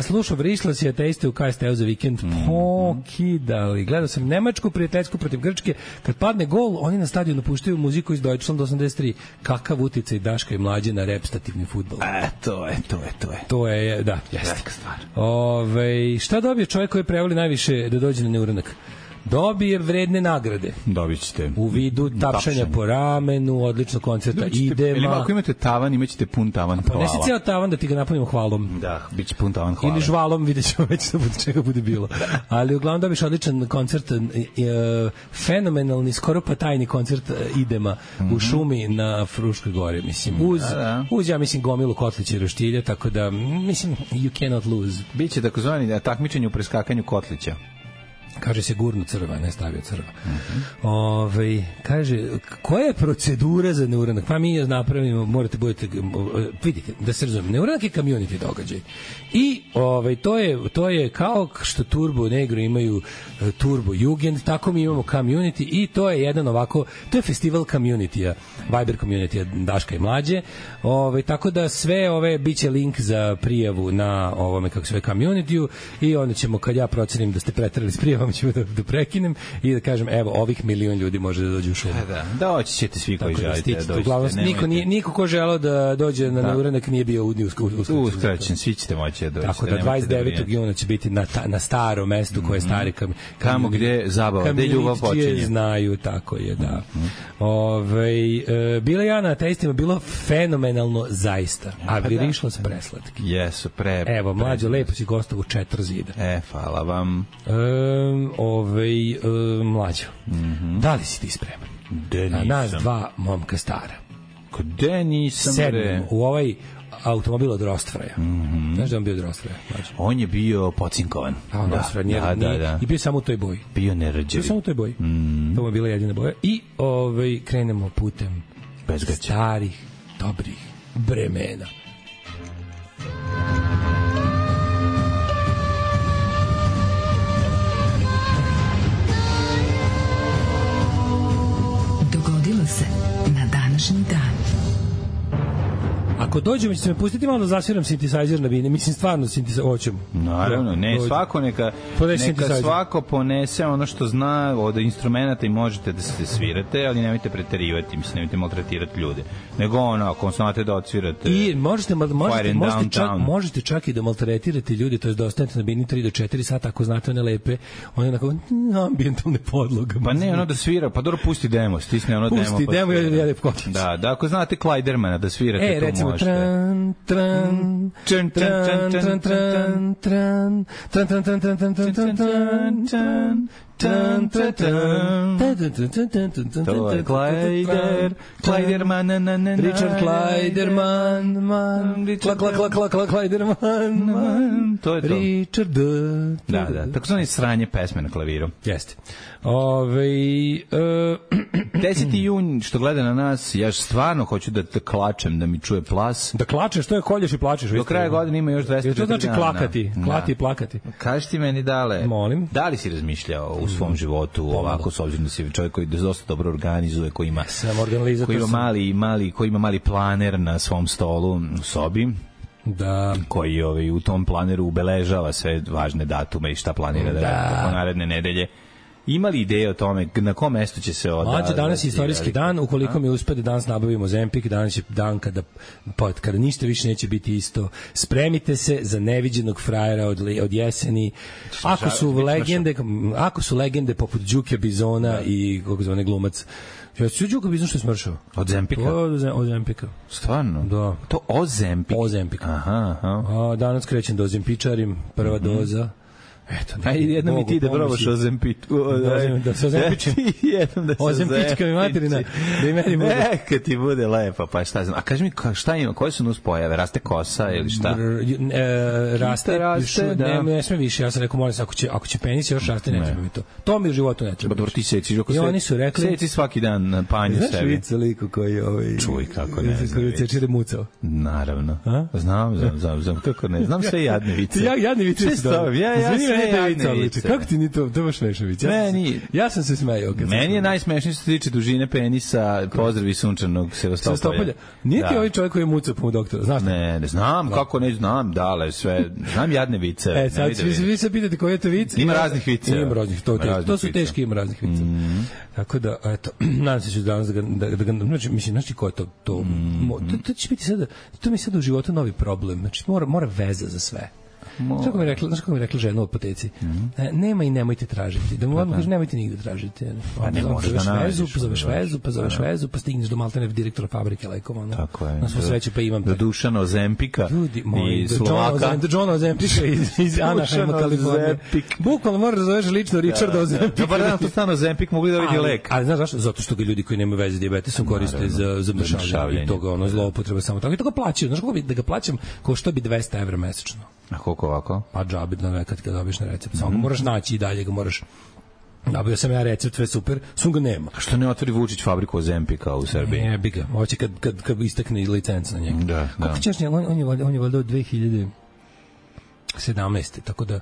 Slušao Vrišlas i ateiste u KST-u za vikend. Pokidali. Gledao sam Nemačku prijateljsku protiv Grčke. Kad padne gol, oni na stadionu puštaju muziku iz Deutschland 83. Kakav uticaj Daška i Mlađe na repstativni fudbal. To je, da, jeste. Šta dobije čovjek koji prevoli najviše da dođe na neuranak? Dobije vredne nagrade. Dobit ćete. U vidu tapšanja po ramenu, odličnog koncerta Idema. Ili ako imate tavan, imaćete pun tavan hvala. Pa nesi cijel tavan da ti ga napunimo hvalom. Da, bit će pun tavan hvala. Ili žvalom, vidjet ćemo već čega bude bilo. Ali uglavnom dobiš odličan koncert, fenomenalni, skoro pa tajni koncert Idema u šumi na Fruškoj gori. Mislim, uz ja mislim gomilu kotlića i roštilja, tako da, mislim, you cannot lose. Biće takozvani takmičenje u preskakanju kotlića. Kaže se gurnu crva, ne stavio crva. Kaže, koja je procedura za neuranak? Pa mi je napravimo, morate budete, vidite, da se razumije, neuranak je community događaj. I to je kao što Turbo Negro imaju Turbo Jugend, tako mi imamo community i to je jedan ovako, to je festival community-a, Viber community-a Daška i Mlađe. Tako da sve biće link za prijavu na ovome, kako se zove, community-u i onda ćemo, kad ja procenim da ste preterali s prijavom, ćemo da prekinem i da kažem, evo, ovih 1.000.000 ljudi može da dođe u šumu. Da, doći ćete svi koji želite da dođete. Uglavnom, niko ko želeo da dođe na neuranak nije bio uskraćen, svi ćete moći da dođete. Tako da 29. juna će biti na starom mestu koje je stari kamo gde zabava, gde ljubav počinje. Znaju, tako je, da. Bila ja na ateistima, bilo fenomenalno zaista, a virišlo se preslatki. Jesu, Evo, Mlađo, lepo si gostao u 4 zida. Hvala vam. Mlađo, da li si ti spreman? Na nas dva momka stara. Gde nisam? Sedmem u ovaj automobil od Rostfraja. Znaš da on bio od Rostfraja? On je bio pocinkovan. I bio samo u toj boji. Bio nerđevi. Bio samo u toj boji. To mu je bila jedina boja. I krenemo putem starih, dobrih vremena. Dogodilo se na današnji dan. Ako dođemo, ćete me pustiti malo da zasviram synthesizer na bine. Mislim, stvarno synthesizer. Naravno, svako neka svako ponese ono što zna od instrumenta i možete da se svirate, ali nemojte preterivati, mislim, nemojte maltretirati ljude. Nego ako znate da odsvirate. I možete čak i da maltretirate ljude, to je da ostanete na bini 3 do 4 sata ako znate one lepe, one onako ambijentalne podloge. Pa ne, ono da svira, pa dobro, pusti demo, stisne ono demo. Pusti demo i jede kokić. Da, ako znate Klajdermana da svirate, to recimo, možete. Tran, tran, tran, tran, tran, tran, tran, tran, tran, tran, tran, tran, tran, tran, to je Klajderman, Richard Klajderman, Klajderman, to je to. Richard, da, tako su oni sranje pesme na klaviru. Jeste. 10. jun, što gleda na nas, ja stvarno hoću da te klačem, da mi čuje plas. Da klačeš, to je kolješ i plačeš. Do kraja godine ima još 200 dana. To znači klakati, klati i plakati. Kaži ti meni, Dale, molim, da li si razmišljao u svom životu ovako, s obzirom da si čovjek koji dosta dobro organizuje, koji ima mali planer na svom stolu u sobi, da, koji u tom planeru ubeležava sve važne datume i šta planira da radi tokom naredne nedelje. Ima li ideje o tome na kom mestu će se Mlađe, danas je istorijski dan, ukoliko mi uspe da danas nabavimo Ozempik, danas je dan kada ništa više neće biti isto. Spremite se za neviđenog frajera od jeseni. Ako su legende poput Đuke Bizona i kako zove glumac, Đuka Bizon što je smršao? Od Zempika? Od Zempika. Stvarno? Da. To Ozempik? Ozempik. Aha. Danas krećem da ozempičarim, prva doza. Eto, jednom mi ti da probaš Ozempičku. Da se ozempičem. Ozempička mi materina. Da i meni bude. Neka ti bude lepa, pa šta znam. A kaži mi, šta ima, koje su nuspojave? Raste kosa ili šta? Raste, da. Ne sme više. Ja sam rekao, molim se, ako će penis još raste, ne treba mi to. To mi u životu ne treba. Dobro, ti seciš. I oni su rekli... Seci svaki dan na panju sebi. Znaš vica liku koji je... Čuj, kako ne znam. Koji cečire mucao. Naravno. Znam, kako ne. Znam sve jadne vice. Jadne vice. Vice. Kako ti ni to baš smešno vice? Ja sam se smejao. Meni je najsmešnije što se tiče dužine penisa, pozdravi sunčanog Sevastopolja. Nije ti ovaj čovjek koji je mucao po doktora, znaš? Ne znam, kako ne znam, Dale, sve, znam jadne vice. Sad vi se pitate koji je to vic? Ima raznih vice. Ima raznih, to su teški, ima raznih vice. Tako da, eto, nadam se ću danas da ga, mislim, znaš ti ko je to? To će biti sada, to mi je sada u životu novi problem, znači mora veza za sve. Znaš kako mi rekla žena u apoteci? Nema i nemojte tražiti. Da mu odmah kaže, nemojte nigde tražiti. Zoveš vezu, pa stigneš do maltene direktora fabrike lekova. Tako je. Na svu sreću pa imam. Do Dušana Ozempika i Slovaka. Do Johna Ozempika iz Anaheima, Kalifornije. Bukvalno moraš da zoveš lično Richarda Ozempika. Dobar dan, to stano Ozempik, mogli da vidi lek. Ali znaš zašto? Zato što ga ljudi koji nemaju veze s dijabetesom koriste za mršavljanje i toga zloupotreba samo tako. I toga plaćaju. Znaš kako bi da ga plaćam, kao što bi 200 € mesečno. koliko ovako? Pa džabe da kad ga dobiješ na recept. Samo moraš naći i dalje ga moraš. Nabavio sam ja recept, sve super, sun ga nema. A što ne otvori Vučić fabriku Ozempika u Srbiji? Ne, bi ga. Hoće kad istakne licenca na njega. Da. Kako ćeš, on je valjda od 2017. Tako da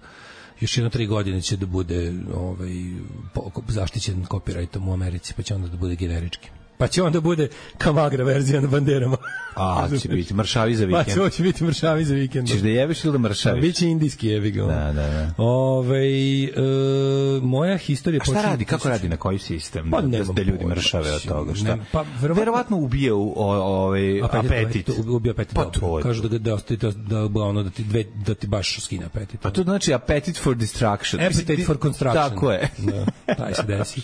još 3 godine će da bude zaštićen copyrightom u Americi, pa će onda da bude generički. Pa će onda bude Kamagra verzija na banderama. Će biti mršavi za vikend. Pa će biti mršavi za vikend. Češ da jebeš ili da mršaviš? Biće indijski jebi ga. Da. Moja historija... A šta radi? Kako radi? Na koji sistem? Da ljudi mršave od toga? Šta? Verovatno ubije apetit. Ubije apetit. Pa to. Kažu da ti baš skine apetit. Pa to znači appetite for distraction. Appetite for construction. Tako je. Taj se desi.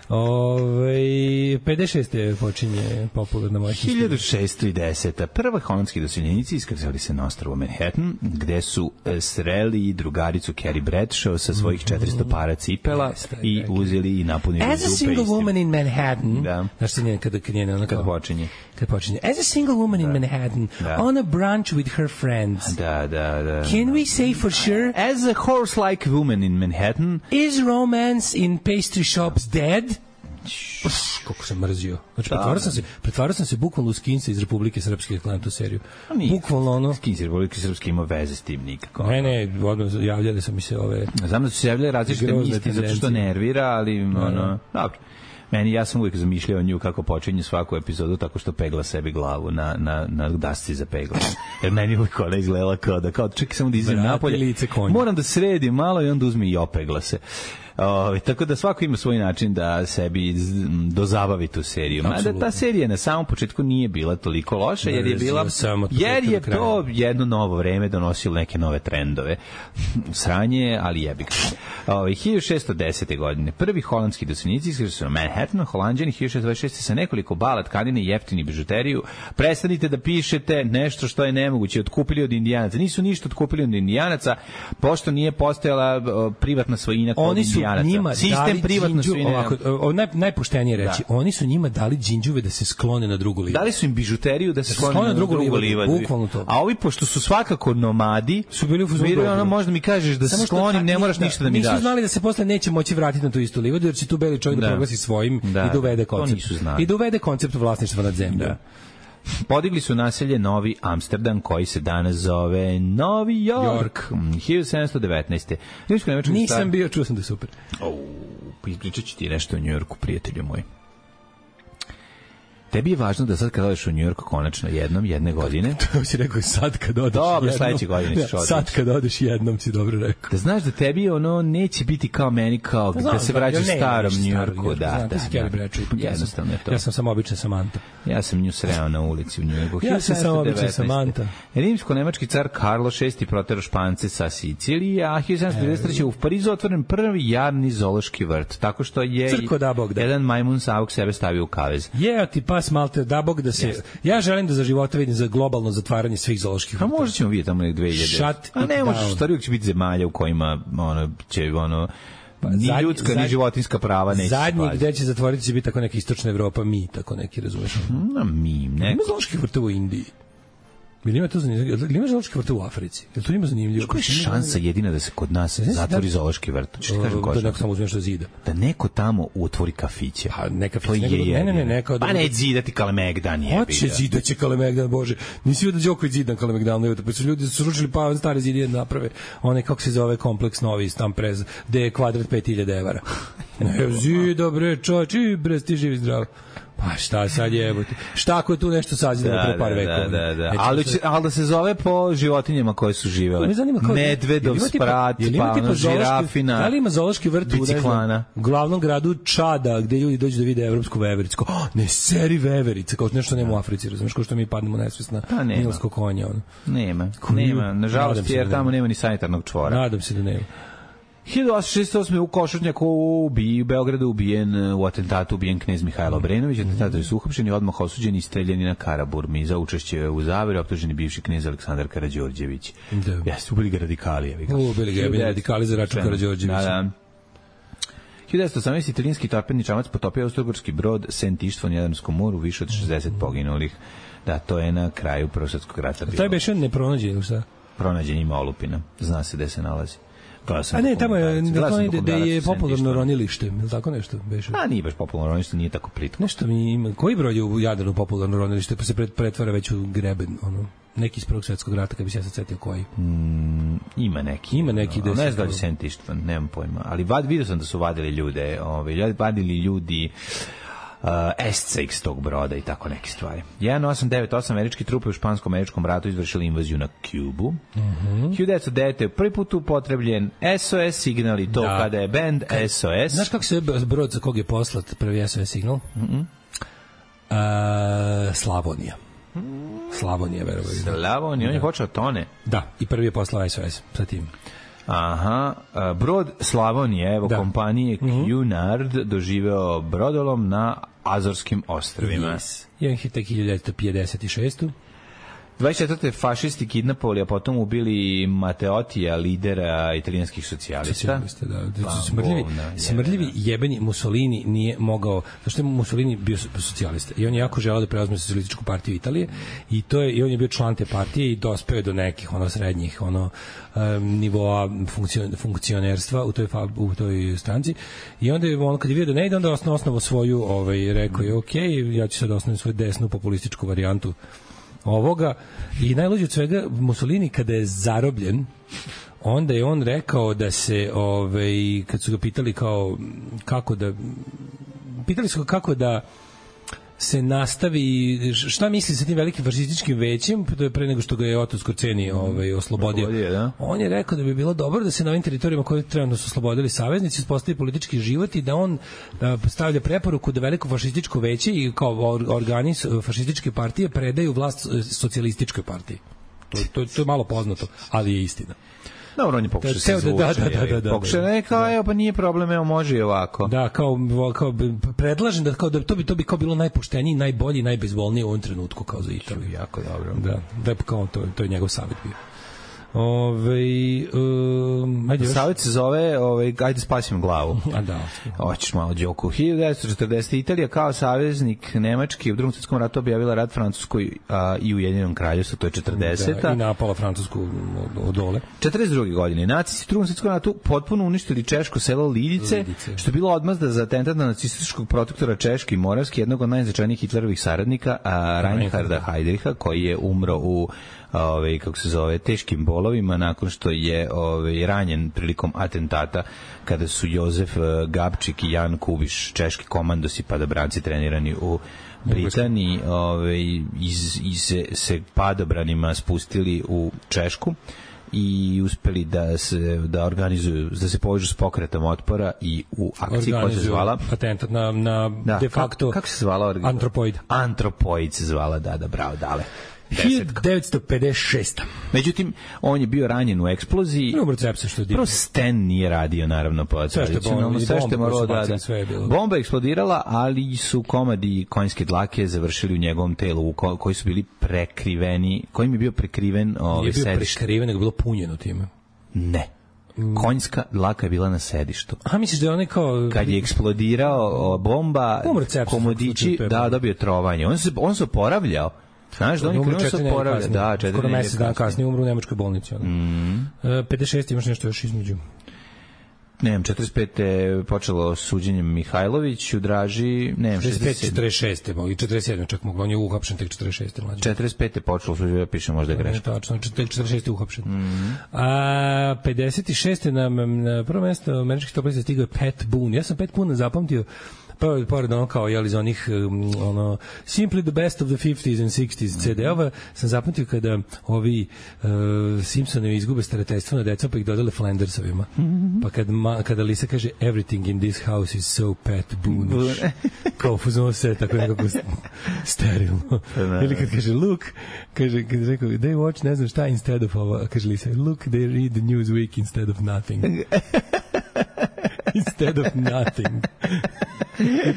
56. počinje popularna moja historija. 1610. Prva holandski doseljenici iskrcali se na ostrvo Manhattan, gde su sreli drugaricu Carrie Bradshaw sa svojih 400 para cipela i uzeli i napunili dupe. As a single woman in Manhattan, znaš se njena kada počinje. As a single woman in Manhattan, on a brunch with her friends. Da. Can we say for sure? As a horse-like woman in Manhattan. Is romance in pastry shops dead? Kako sam mrzio. Znači, pretvarao sam se bukvalno u Skinsa iz Republike Srpske, gledam tu seriju. Bukvalno ono... Skins iz Republike Srpske ima veze s tim nikako. Ne, javljali su mi se ove... Znam da su se javljali različite misli, zato što nervira, ali dobro. Ja sam uvijek zamišljao nju kako počinje svaku epizodu tako što pegla sebi glavu na dasci za pegla. Jer meni uvijek ona izgledala kao čekaj samo da izem napolje. Moram da sredim malo i onda uzme i opegla se. Tako da svako ima svoj način da sebi dozabavi tu seriju. Mada ta serija na samom početku nije bila toliko loša, jer je to jedno novo vreme donosilo neke nove trendove. Sranje, ali jebik. 1610. godine prvi holandski doseljenici iskrcali su na Manhattan, Holanđani 1626. sa nekoliko bala, tkanine i jeftini bižuteriju. Prestanite da pišete nešto što je nemoguće. Otkupili od Indijanaca. Nisu ništa otkupili od Indijanaca, pošto nije postojala privatna svojina kod Indijanaca. Sistem privatno svojine. Najpoštenije reći, oni su njima dali džinđuve da se sklone na drugu livadu. Dali su im bižuteriju da se sklone na drugu livadu. Bukvalno to. A ovi, pošto su svakako nomadi, su bili u fazonu. Možda mi kažeš da se sklonim, ne moraš ništa da mi daš. Nisu znali da se posle neće moći vratiti na tu istu livadu, jer će tu beli čovjek da proglasi svojim i da uvede koncept. I da uvede koncept vlasništva nad zemljom. Podigli su naselje Novi Amsterdam, koji se danas zove Novi York. 1719. Nisam bio, čuo sam da je super. Ispričat ću ti nešto o New Yorku, prijatelju moj. Tebi je važno da sad kad odeš u New York konačno jedne godine. To si rekao sad kad odeš dobro, sledeće godine ćeš otići. Sad kad odeš jednom si dobro rekao. Da znaš da tebi ono neće biti kao meni, kao da se vraćaš u starom New Yorku. Da. Jednostavno je to. Ja sam samo obična Samanta. Ja sam nju sreo na ulici u New Yorku. Ja sam samo obična Samanta. Rimsko-nemački car Karlo VI proterao Špance sa Sicilije, a 1793. u Parizu otvoren prvi javni zoološki vrt, tako što je jedan majmun savog sebe stavio u kavez. Pas Malte, da Bog da se... Ja želim da za života vidim za globalno zatvaranje svih zooloških vrtova. A možda ćemo vidjeti tamo nek 2000. A ne možeš, stvari uvijek će biti zemalja u kojima ni ljudska, ni životinska prava neće se zadnji gde će zatvoriti će biti tako neka istočna Evropa, tako neki, razumeš? Ima zooloških vrtova u Indiji. Ili ima to zanimljivo? Ili ima zoološki vrt u Africi? Jel to ima zanimljivo? Koja je šansa jedina da se kod nas zatvori zoološki vrt? Da neko samo uzmeš do zida. Da neko tamo otvori kafiće. Ne kafiće. Ne. Pa ne zidati Kalemegdan je. Hoće zidaće Kalemegdan, Bože. Nisi vidio da Đoković zidan Kalemegdan, pa su ljudi sručili pa stare zidije naprave. Onaj, kako se zove, kompleks novi, tam prez, gde je kvadrat 5000 evra. Zida, bre, čovječ, bre, ti živi zdravo. Pa šta sad jebote? Šta ako je tu nešto sađeno pre par vekova? Da. Ali da se zove po životinjama koje su živele. Medvedov, sprat, pa žirafina, da li ima zoološki vrt u glavnom gradu Čada, gde ljudi dođu da vide evropsku vevericu? Ne, seri veverice, kao nešto nema u Africi, razumiješ, kao što mi padnemo nesvest na nilsko konja. Nema, nažalost, jer tamo nema ni sanitarnog čvora. Nadam se da nema. 1868. u Košutnjaku u Beogradu u atentatu ubijen knez Mihajlo Obrenović. Atentatori su uhapšeni, odmah osuđeni i streljani na Karaburmi. Za učešće u zaveri optuženi bivši knez Aleksandar Karađorđević. Jeste, ubili ga radikali. Ubili ga radikali za račun Karađorđevića. Da. 1918. italijanski torpedni čamac potopio austrougarski brod St. Ištvon u Jadranskom moru, više od 60 poginulih. Da, to je na kraju Prvog svjetskog rata bilo. To je beše nepronađen, šta? pronađen ima olupina. Zna se gde se nalazi. A ne, tamo je da je popularno ronilište, ili tako nešto? Beše. A nije baš popularno ronilište, nije tako plitko. Nešto mi ima, koji broj je u Jadranu popularno ronilište, pa se pretvara već u greben, ono, neki iz Prvog svetskog rata, kad bi se ja sad setio koji. Ima neki. No, ne znam da li Sentištvan, nemam pojma. Ali vidio sam da su vadili ljude, vadili ljudi esce iz tog broda i tako neke stvari. 1898 američki trupe u špansko-američkom ratu izvršili invaziju na Kubu. 1909 je prvi put upotrebljen SOS signal i to kada je band SOS. Znaš kako se brod za kog je poslat prvi SOS signal? Slavonija. Slavonija, verovali. Slavonija, on je počeo tone. Da, i prvi je poslao SOS sa tim. Aha, brod Slavonije, evo kompanije Cunard doživeo brodolom na Azorskim ostrvima. Yes. I on je tek 1956. 24. fašisti kidnapovali, a potom ubili Matteottija, lidera italijanskih socijalista. Smrdljivi jebeni Mussolini nije mogao, zašto je Mussolini bio socijalista i on je jako želeo da preuzme socijalističku partiju Italije i on je bio član te partije i dospeo do nekih srednjih nivoa funkcionerstva u toj stranci i onda je kad je vidio da ne ide, onda je osnovao svoju, rekao je ja ću sad osnoviti svoju desnu populističku varijantu ovoga i najluđe od svega Mussolini kada je zarobljen onda je on rekao da se kad su ga pitali kako da se nastavi, šta misli sa tim velikim fašističkim većem pre nego što ga je Otto Skorceni oslobodio. On je rekao da bi bilo dobro da se na ovim teritorijama koje trenutno su oslobodili saveznici uspostavi politički život i da on stavlja preporuku da veliko fašističko veće i kao organi fašističke partije predaju vlast socijalističkoj partiji. To je malo poznato, ali je istina. Dobro, on je pokušao se zvuče. Pokušao je kao, pa nije problem, evo može i ovako. Da, kao predlažem da to bi kao bilo najpoštenije, najbolje, najbezbolnije u ovom trenutku kao za Italiju. Jako dobro. Da, kao to je njegov savjet bio. Savjet se zove ajde spasimo glavu. A da. Hoćeš malo džoku. 1940. Italija kao saveznik Nemačke u Drugom svjetskom ratu objavila rat Francuskoj i Ujedinjenom kraljevstvu, to je 40. Da, i napala Francusku od dole. 42. godine. Nacisti u Drugom svjetskom ratu potpuno uništili češko selo Lidice, što je bilo odmazda za atentat na nacističkog protektora Češke i Moravske, jednog od najznačajnijih Hitlerovih saradnika, Reinharda Heydricha, koji je umro u kako se zove, teškim bolovima nakon što je ranjen prilikom atentata kada su Jozef Gabčik i Jan Kubiš, češki komandosi padobranci trenirani u Britaniji, se padobranima spustili u Češku i uspeli da organizuju, da se povežu s pokretom otpora i u akciji koja se zvala atentat na de facto kako se zvala Antropoid se zvala, da, bravo, dale. 1956. Međutim, on je bio ranjen u eksploziji. Prvo Sten nije radio, naravno, po tradicionalno. Sve što je moralo da. Bomba je eksplodirala, ali su komadi konjske dlake završili u njegovom telu, koji su bili prekriveni, kojim je bio prekriven sedište. Nije bio prekriven, nego bilo punjeno time. Ne. Konjska dlaka je bila na sedištu. A misliš da je onaj kao... Kad je eksplodirao bomba, komodići, dobio trovanje. On se oporavljao. Znaš da oni krenuo se oporavlja. Da, 4 skoro mesec dana kasnije umru u nemačkoj bolnici. 56 imaš nešto još između. Ne, 45. je počelo suđenjem Mihajloviću, Draži, ne, 65, 46. i 47. čak moglo, on je uhapšen tek 46. mlađe. 45. je počelo suđenje, ja pišem možda je greška. Tačno, tek 46. je uhapšen. 56. na prvo mjesto američkih toplica stigao je Pat Boone. Ja sam Pat Boone zapamtio pored ono kao iz onih Simply the Best of the 50s and 60s CD-ova sam zapamtio kada ovi Simpsonovi izgube starateljstvo na decom pa ih dodale Flandersovima. Pa kada Lisa kaže everything in this house is so Pat Boone kao fuzon se tako nekako sterilno. Ili kad kaže look, kad rekao they watch ne znam šta instead of ovo, kaže Lisa look they read the Newsweek instead of nothing. Instead of nothing.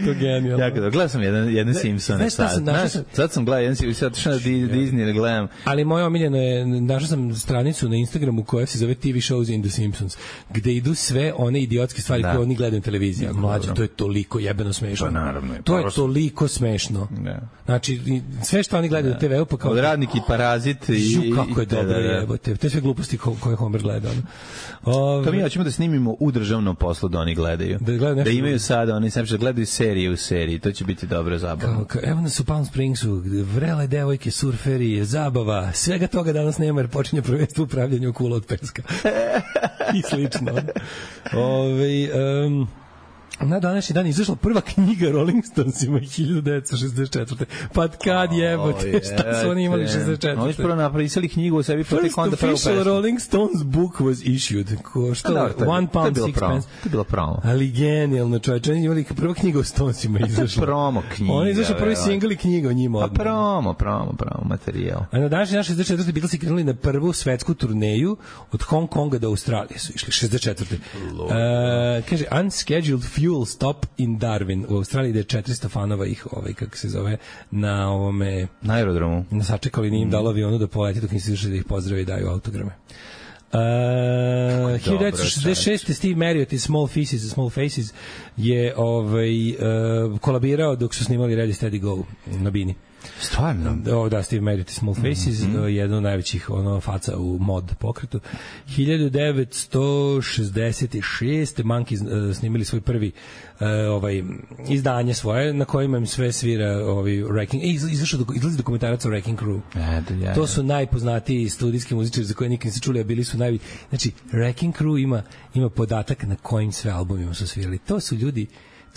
To genijalno. Jako da, gledao sam jedan Simpsone sad sam gledao jedan Simpsone, sad na Disney da gledam. Ali moje omiljeno je, našao sam stranicu na Instagramu koja se zove TV Shows in the Simpsons, gde idu sve one idiotske stvari koje oni gledaju na televiziji. Mlađe, to je toliko jebeno smešno. Pa naravno. To je toliko smešno. Znači, sve što oni gledaju na TV-u, pa kao... Od Radnik i Parazit i... Kako je dobro jebote. To je sve gluposti koje Homer gleda. To mi hoćemo da snimimo u državnom poslu da oni gledaju. Da imaju sada, oni sam gledaju serije u seriji, to će biti dobro zabavno. Evo nas u Palm Springsu, vrele devojke, surferi, zabava, svega toga danas nema jer počinje prvenstvo upravljanja u kula od peska. I slično. Na današnji dan izašla prva knjiga Rolling Stonesima 1964. Pa kad jebote, šta su oni imali 64. Oni su prvo napisali knjigu o sebi, pa tek onda prvo pesmu. First official Rolling Stones book was issued. Što? £1 6 pence. To je bilo promo. Ali genijalno, čovječe. Oni imali prva knjiga o Stonesima izašla. Promo knjiga. Oni izašli prvi singl i knjiga o njima. Pa promo materijal. A na današnji dan 64. Beatlesi krenuli na prvu svetsku turneju od Hong Konga do Australije su išli 64. Kaže, unscheduled fuel stop in Darwin u Australiji, da je 400 fanova ih, kako se zove, na ovome... Na aerodromu. Sačekali, nije im dalo avionu da poleti dok nisi išli da ih pozdrave i daju autograme. 1966. Steve Marriott i Small Faces je kolabirao dok su snimali Ready Steady Go na bini. Stvarno? Da, Steve Marriott i Small Faces, jedno od najvećih faca u mod pokretu. 1966. Monkeys snimili svoj prvi izdanje svoje, na kojima im sve svira Wrecking. Izlazi dokumentarac o Wrecking Crew. To su najpoznatiji studijski muzičari za koje nikad niste čuli, a bili su Znači, Wrecking Crew ima podatak na kojim sve albumima su svirali. To su ljudi...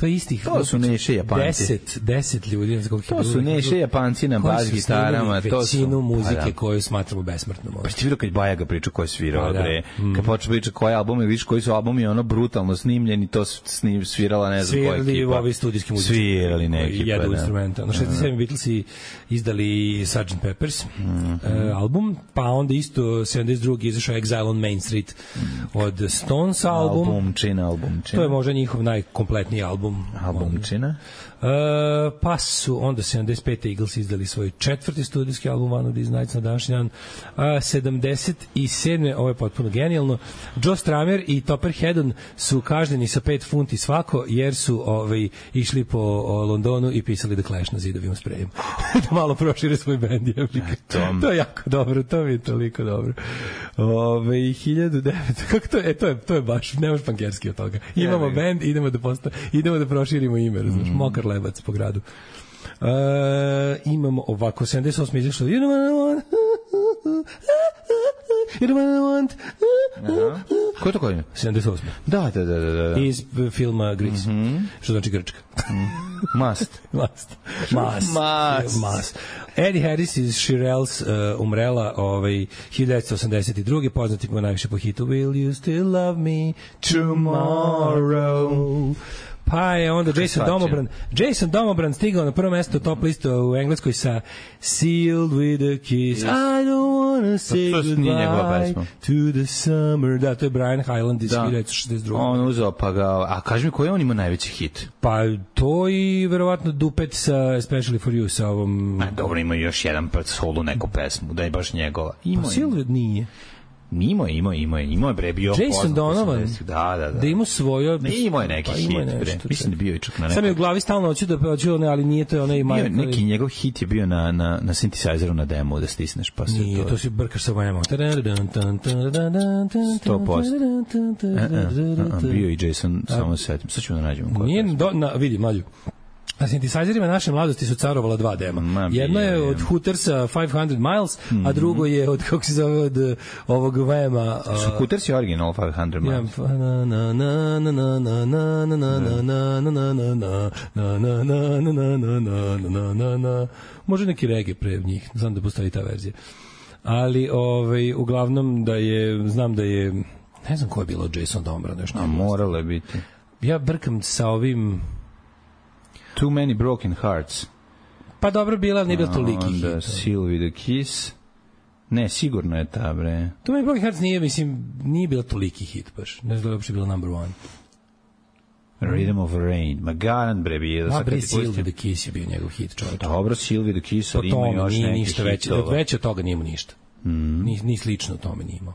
To je istih. To su Neše Japanci. 10 ljudi. To su Neše Japanci na bas gitarama. To su većinu muzike koju smatramo besmrtnom. Pa ti vidio kad Bajaga priča ko je svirao, bre. Kad počne priča koji albumi, vidiš koji su albumi brutalno snimljeni, to svirala ne znam koja ekipa. Svirali ovi studijski muzičari. Svirali ne ekipa. Jedu instrumenta. Na 67. Beatlesi izdali Sgt. Pepper's album, pa onda isto 72. izašao Exile on Main Street od Stones album. Albumčina. To je možda njihov najkompletniji albumčina. Pa su onda 75. Eagles izdali svoj 4. studijski album One of These Nights na današnji dan. 77. ovo je potpuno genijalno. Joe Strummer i Topper Headon su kažnjeni sa 5 funti svako jer su išli po Londonu i pisali The Clash na zidovima sprejem. Da malo prošire svoj bend. To je jako dobro, to mi je toliko dobro. 1900 kako to je baš, nemaš pankerski od toga. Imamo bend, idemo da proširimo ime, znaš, mokar lebac po gradu. Imamo ovako 78. izašlo You don't want Ko je to koji? 78. Da. Iz filma Grease. Što znači Grčka. Must. Eddie Harris iz Shirelles umrela 1982. Poznati po najviše po hitu Will you still love me tomorrow? Pa je onda Jason Domobran stigao na prvo mesto top listu u Engleskoj sa Sealed with a Kiss. I don't wanna say goodbye to the summer. Da, to je Brian Hyland iz 1962. On uzeo pa ga... A kaži mi, koji on ima najveći hit? Pa to i verovatno Dupet sa Especially for You sa ovom... Dobro, ima još jedan solo neku pesmu, da je baš njegova. Pa Sealed nije. Imao je bre, bio Jason Donovan. Da ima svoje. Imao je neki hit, bre. Mislim da bio i čak na nekom. Sam je u glavi stalno hoću da ali nije to onaj Mike. Neki njegov hit je bio na synthesizeru na demo da stisneš pa se to. Nije, to si brkaš sa vojama. 100%. Bio i Jason, samo setim. Sad ćemo da nađemo. Nije, vidi, mlađu. Na synthesizerima naše mladosti su carovala 2 dema. Jedno je od Hootersa 500 Miles, a drugo je od, kako se zove, od ovog Vema. Su Hooters je original 500 Miles. Može neki reggae pre njih, znam da postoji ta verzija. Ali, uglavnom znam da je, ne znam ko je bilo Jason Domobran. Moralo je biti. Ja brkam sa ovim... Too Many Broken Hearts. Pa dobro bila, nije bilo toliki hit. Onda Seal with a Kiss. Ne, sigurno je ta, bre. Too Many Broken Hearts nije bilo toliki hit baš. Ne znam da je uopšte bilo number one. Rhythm of Rain. Ma garant bre bio. Bre, Sylvie the Kiss je bio njegov hit, čovječ. Dobro, Sylvie the Kiss, ali ima još neki ništa veće od toga nije imao ništa. Ni slično tome nije imao.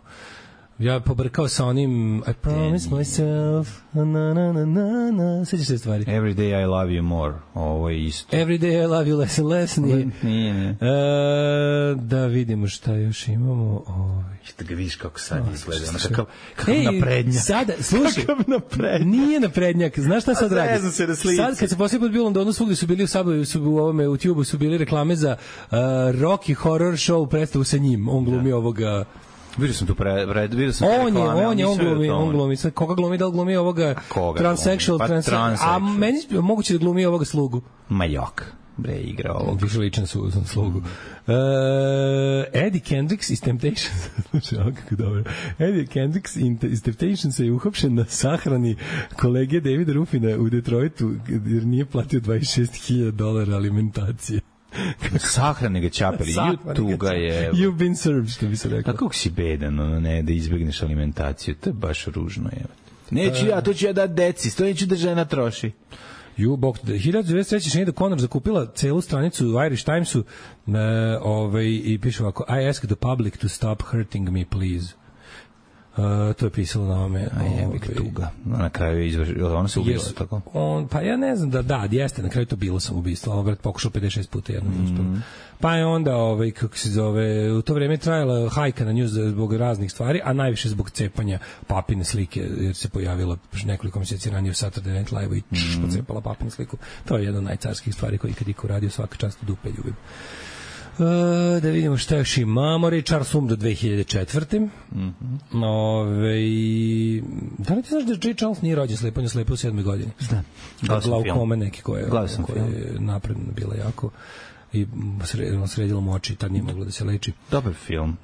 Ja pobrkao sa onim I promise myself na. Sećaš se stvari? Every day I love you more. Ovo je isto. Every day I love you less and less. Nije. Da vidimo šta još imamo. Da ga vidiš kako sad izgleda. Kakav naprednjak. Sada, slušaj. Nije naprednjak. Znaš šta sad radi? Sad kad se poslije put bilo u Londonu, svugdje su bili u ovome, u Tube-u su bili reklame za Rocky Horror Show predstavu sa njim. On glumi ovoga... Vidio sam tu vidio sam on glumi. Koga glumi, da li glumi ovoga transsexual, a meni moguće da glumi ovoga slugu. Majok. Bre, igra ovog. Više ličan su za slugu. Eddie Kendricks iz Temptations. Kako dobro. Eddie Kendricks iz Temptations je uhapšen na sahrani kolege Davida Ruffina u Detroitu jer nije platio $26,000 alimentacije. Sahrane ga ćapeli, YouTube ga je... You've been served, što bi se rekao. Kako si bedan, ne, da izbegneš alimentaciju, to je baš ružno, je. Neću ja, to ću ja dati deci, to neću da žena troši. 1993. Sinead O'Connor zakupila celu stranicu u Irish Timesu i piše ovako, I ask the public to stop hurting me, please. To je pisalo na ome. Tuga. Na kraju je izvršila, ona se ubila, tako? Pa ja ne znam jeste, na kraju to bilo samoubistvo, ali brat pokušao 56 puta jednom uspelo. Pa je onda, kako se zove, u to vreme je trajala hajka na nju zbog raznih stvari, a najviše zbog cepanja papine slike, jer se pojavila nekoliko mjeseci ranije u Saturday Night Live i pocepala papinu sliku. To je jedna od najcarskih stvari koji kad iko radio, svaka čast u dupe ljubim. Da vidimo šta još imamo. Richard Sum do 2004. Da li ti znaš da J. Charles nije rođen slepo, on je slepo u 7. godini? Znam. Glaukome neki koje je napredno bila jako i sredilo mu oči, tad nije moglo da se leči. Dobar film.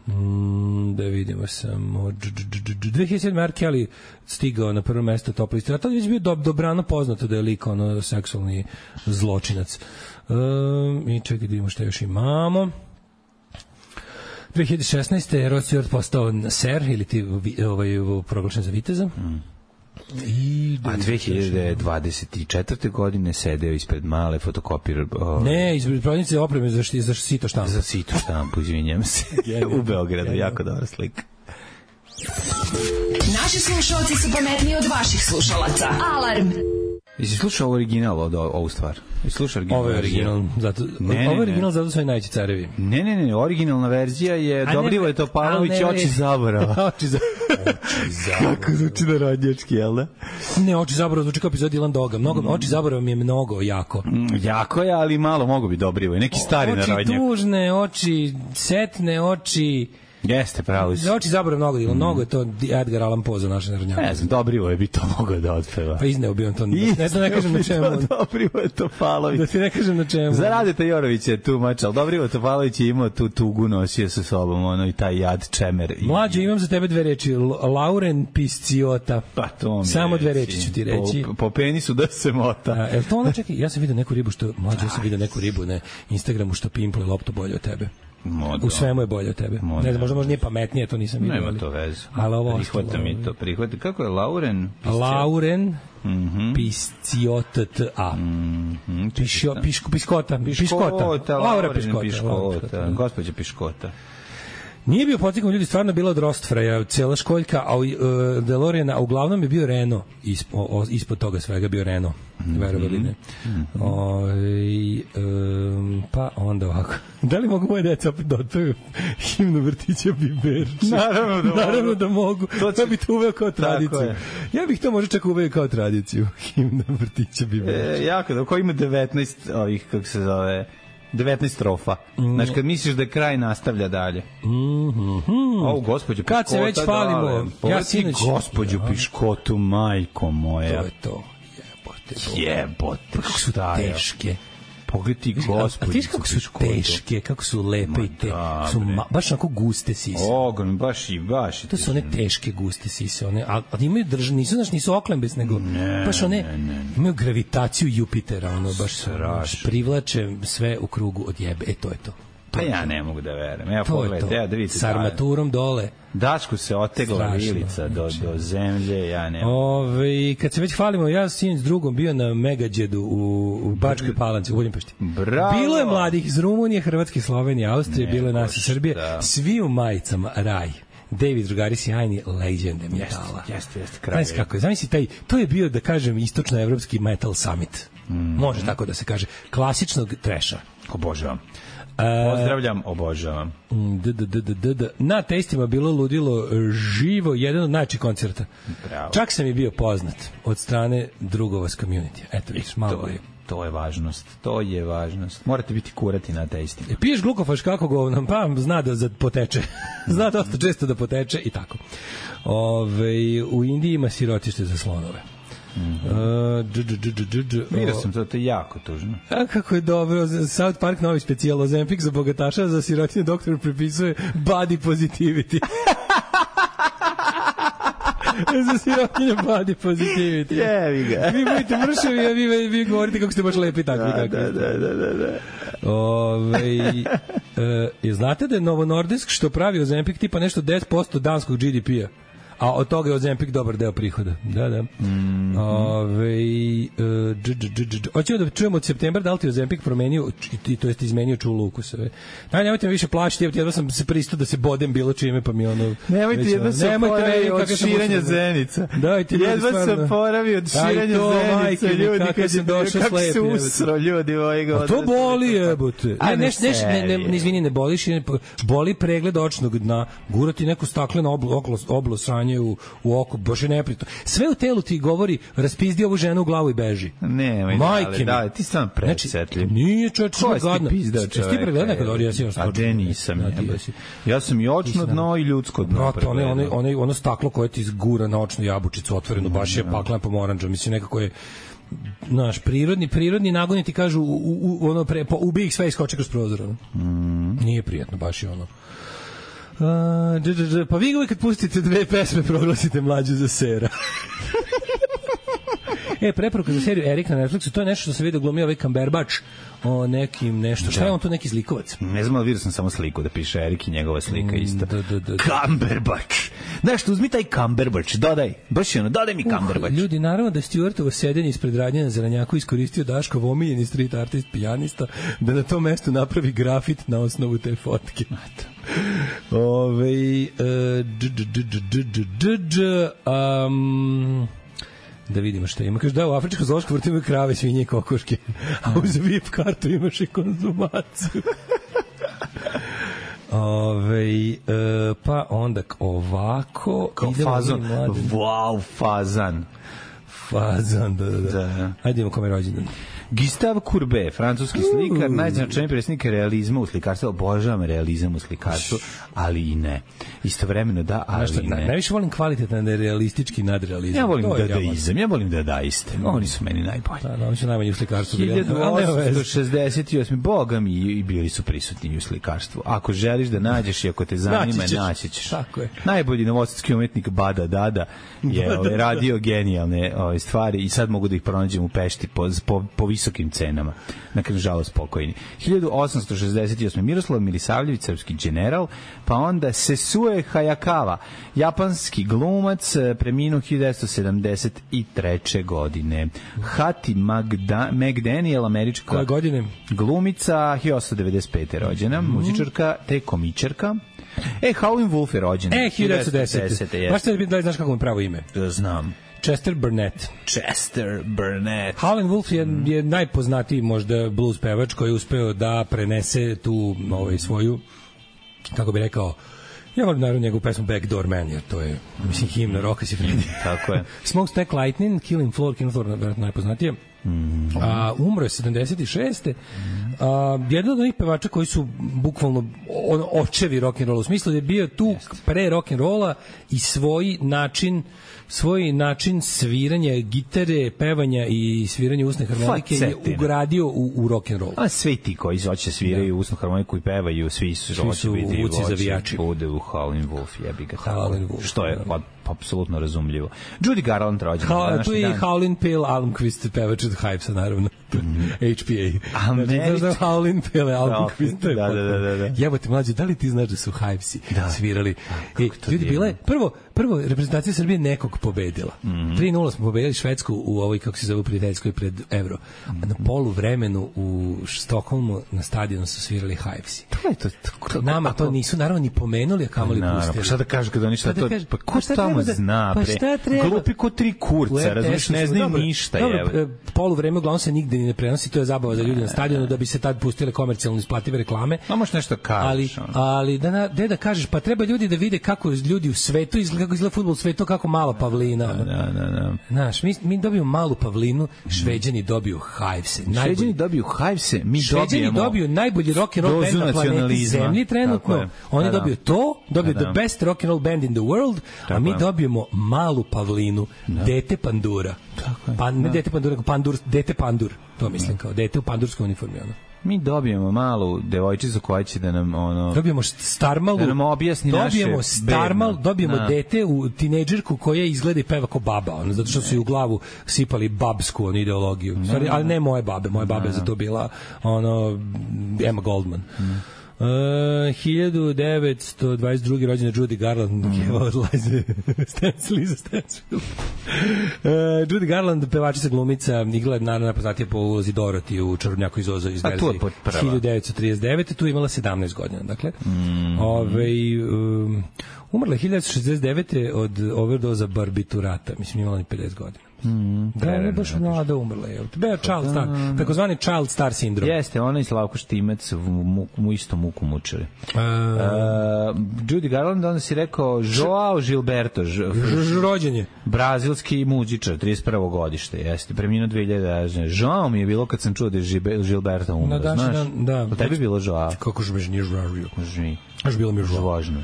Da vidimo samo 2007. R. Kelly stigao na prvo mesto top liste, a tad je već bio dobrano poznato da je lik seksualni zločinac. I čekaj da vidimo šta još imamo. 2016. Rod Stewart postao ser ili ti proglašen za viteza. A 2024. godine sedeo ispred male fotokopir... Ne, ispred prodavnice opreme za sito štampu. Za sito štampu, izvinjam se. U Beogradu, jako dobra slika. Naši slušalci su pametniji od vaših slušalaca. Alarm! Jesi slušao original ovu stvar? Ovo je original, zato su i najveći carevi. Ne, originalna verzija je Dobrivoje Topalović Oči zaborava. Oči zaborava. Kako zvuči narodnjački, jel da? Ne, Oči zaborava zvuči kao epizod Dylan Doga. Oči zaborava mi je mnogo jako. Jako je, ali malo mogu bi Dobrivoje. Neki stari narodnjak. Oči tužne, oči setne, oči... Jeste, pravo si. Oči zaborav mnogo je to Edgar Allan Poe za naše narodnjake. Ne znam, Dobrivoje bi to mogao da otpeva. Pa izneo bi on to. Ne znam, ne kažem na čemu. Dobrivoje Topalović. Da ti ne kažem na čemu. Za Radeta Jorovića je tu mač, ali Dobrivoje Topalović je imao tu tugu, nosio sa sobom, i taj jad čemer. Mlađo, imam za tebe dve reči. Lauren Pisciota. Pa to mi samo dve reči ću ti reći. Po penisu da se mota. Evo to ono, čekaj, ja sam vidio neku ribu na Instagramu što pimple loptu bolje od tebe. U svemu je bolje od tebe. Ne znam, možda nije pametnije, to nisam vidio. Nema to veze. Ali ovo prihvata mi to. Prihvata. Kako je Lauren? Lauren Pisciota. Piškota. Laura Piškota. Gospođa Piškota. Nije bio podsjećam, ljudi stvarno bila od Rostfreja, cela školjka, a DeLoreana, a uglavnom je bio Renault, ispod toga svega bio Renault, verovali ne. Pa onda ovako. Da li mogu moje deca opet dotaju himnu vrtića Biber? Naravno da mogu. Ja bih to uveo kao tradiciju. Ja bih to možda čak uveo kao tradiciju, himna vrtića Biber. Jako da, ko ima 19 ovih, kako se zove... 19 strofa. Znači, kad misliš da je kraj, nastavlja dalje. Ovo, gospođu Piškota. Kad se već palimo, ja sinoć... Gospođu Piškotu, majko moja. To je to. Jebote. Kako su teške. Pogledaj gospođu. A ti kako su teške, kako su lepe i te. Baš onako guste sise. Ogon, baš. To su one teške guste sise. Ali imaju nisu oklembes, nego baš one imaju gravitaciju Jupitera. Baš privlače sve u krugu od jebe. To je to. Pa ja ne mogu da verujem. Evo pogledajte, da vidite. S armaturom dole. Dašku se otegla vilica do zemlje, ja ne. Kad se već hvalimo, ja sin s drugom bio na Megađedu u Bačkoj Palanci, u Budimpešti. Bravo! Bilo je mladih iz Rumunije, Hrvatske, Slovenije, Austrije, bilo je nas iz Srbije. Svi u majicama, raj. David, drugari, sjajni legende metala. Jeste, kraj. Znaš kako je, zamisli to je bio, da kažem, istočnoevropski metal summit. Može tako da se kaže. Klasičnog treša. Obožavam. Pozdravljam, obožavam. Na testima bilo ludilo živo, jedan od najčešćih koncerta. Bravo. Čak sam i bio poznat od strane drugova s community. Eto vidiš, malo je. To je važnost. Morate biti kurati na testima. Piješ glukofaš kako govnam, pa zna da poteče. Zna dosta često da poteče i tako. U Indiji ima sirotište za slonove. Vidio sam to je jako tužno. A kako je dobro, South Park novi specijal Ozempic za bogataša, za sirotinje doktor prepisuje body positivity. Za sirotinje body positivity. Jevi ga. Vi budete mršavi, a vi govorite kako ste baš lepi takvi. Da. Znate da je Novo Nordisk što pravi Ozempic tipa nešto 10% danskog GDP-a? A od toga je Ozempic dobar deo prihoda. Da. Hoćemo da čujemo od septembra da li ti Ozempic promenio, to jest izmenio čulu ukusove. Nemojte me više plašiti, jedva sam se pristao da se bodem bilo čime, pa mi ono... Nemojte jedva se oporavi od širenja zenica. Jedva se oporavi od širenja zenica, ljudi, kako se usro, ljudi ovojega odreda. To boli, jebote. Ne, izvini, ne boliš, boli pregled očnog dna, gurati neku staklenu oblo sranje u oko, baš je neprijatno. Sve u telu ti govori, raspizdi ovu ženu u glavu i beži. Majke, ti sam presetljiv. Nije čovječ, što je gadno. Jesi ti pregledao nekad orijasio? A gde nisam. Ja sam i očno dno i ljudsko dno pregledao. Ono staklo koje ti zgura na očnu jabučicu otvorenu, baš je paklena pomoranđa. Mislim, nekako je naš prirodni nagoni ti kažu ubij ih sve i skoče kroz prozor. Nije prijatno, baš je ono. Pa vi uvijek kad pustite dve pesme proglasite mlađu za sera. Preporuka za seriju Erik na Netflixu, to je nešto što se vidio glumio ovaj Cumberbatch o nekim nešto. Šta je on tu, neki zlikovac? Ne znam, ali vidio sam samo sliku da piše Erik i njegova slika isto. Cumberbatch. Znaš, uzmi taj Cumberbatch, dodaj. Baš je ono, dodaj mi Cumberbatch. Ljudi, naravno da Stewartovo sedenje ispred radnje na Zelenjaku iskoristio Daškov omiljeni street artist, pijanista, da na tom mestu napravi grafit na osnovu te fotke. Da vidimo šta ima. Kaže da u afričkom zoološkom vrtu imaju krave, svinje i kokoške, a uz VIP kartu imaš i konzumaciju. Pa onda ovako kao fazan. Wow, fazan. Da. Ajde imamo kome rođendan. Gustave Courbet, francuski slikar, najznačajniji predstavnik realizma u slikarstvu. Obožavam realizam u slikarstvu, ali i ne. Istovremeno da, ali i ne. Najviše volim kvalitetan realistički nadrealizam. Ja volim dadaizam, ja volim dadaiste. Oni su meni najbolji. Da, oni su najmanji u slikarstvu. 1868. Boga mi i bili su prisutni u slikarstvu. Ako želiš da nađeš i ako te zanima, naći ćeš. Tako je. Najbolji novosadski umetnik Bada Dada je radio genijalne stvari i sad mogu da ih pronađem u Pešti po visokim cenama. Nakon žalost pokojni. 1868. Miroslav Milisavljević, srpski general, pa onda Sesue Hayakawa, japanski glumac, preminuo 1973. godine. Hattie McDaniel, američka glumica, 1895. rođena, muzičarka te komičarka. Howlin' Wolf je rođen. 1910. Baš te da znaš kako mu pravo ime? Znam. Chester Burnett. Howlin' Wolf je najpoznatiji možda blues pevač koji je uspeo da prenese tu svoju, kako bi rekao, ja volim naravno njegovu pesmu Backdoor Man, jer to je, mislim, himna roka si Freddy. Tako je. Smokestack Lightning, Killing Floor najpoznatije. Umro je 76. Jedan od onih pevača koji su bukvalno očevi rock'n'rolla, u smislu da je bio tu pre rock'n'rolla i svoj način sviranja gitare, pevanja i sviranja usne harmonike je ugradio u rock'n'roll. A svi ti koji hoće sviraju usnu harmoniku i pevaju, svi su vuci zavijači. Bude u Howlin' Wolf, jebi ga tako. Što je apsolutno razumlljivo. Judy Garland rođena. Tu je i Howlin' Pale Almquist, pevač od Hypesa, naravno. HPA. Znači, Howlin' Pele album quiz. Da. Jebote, mlađe, da li ti znaš da su Hivesi svirali? Ljudi, bila prvo reprezentacija Srbije nekog pobedila. 3-0 smo pobedili Švedsku u ovoj, kako se zove, prijateljskoj pred Euro. Na poluvremenu u Stokholmu na stadionu su svirali Hivesi. Nama to nisu naravno ni pomenuli, a kamoli pustili. Pa šta da kažeš kada oni šta to... Pa ko tamo zna, bre? Glupi ko tri kurca, razumiješ, ne znaju ništa. Poluvreme uglavnom se nigde ni ne prenosi, to je zabava za ljudi na stadionu da bi se tad pustile komercijalno isplative reklame. A možeš nešto kažeš. Ali da kažeš, pa treba ljudi da vide kako ljudi u svetu izgleda, kako izgleda fudbal u svetu, kako mala pavlina. Da. Znaš, mi dobijemo malu pavlinu, Šveđani dobiju Hivese. Šveđani dobiju Hivese, mi dobijemo... Šveđani dobiju najbolji rock and roll band na planeti Zemlji trenutno. Oni dobiju to, dobiju the best rock and roll band in the world, a mi dobijemo malu pavlinu, dete pandura. Pa ne dete pandura, dete pandur. To mislim kao dete u pandurskoj uniformi, ono. Mi dobijemo malu devojčicu koja će da nam dobijemo starmalu, da nam objasni naše dobijemo dete u tinejdžerku koja izgleda i peva kao baba, zato što su u glavu sipali babsku ideologiju. Sorry, ali ne moje babe za to bila Emma Goldman. 1922. rođena Judy Garland, Liza Stansfield. Judy Garland, pevačica, glumica, igrala naravno najpoznatija po ulozi Dorothy u Čarobnjaku iz Oza iz verzije 1939. Tu imala 17 godina. Dakle, umrla je 1969. od overdoza barbiturata. Mislim, imala ni 50 godina. Da, ona je baš mlada umrla. Child star, takozvani child star sindrom. Jeste, ona i Slavko Štimec mu isto muku mučili. Judy Garland, onda si rekao Joao Gilberto, rođenje. Brazilski muzičar, 31. godište, jeste, preminuo 2000. Joao mi je bilo kad sam čuo da je Gilberto umro, znaš? Da. O tebi bilo Joao? Kako žmeš nije žvažio? Až bilo mi je žvažno.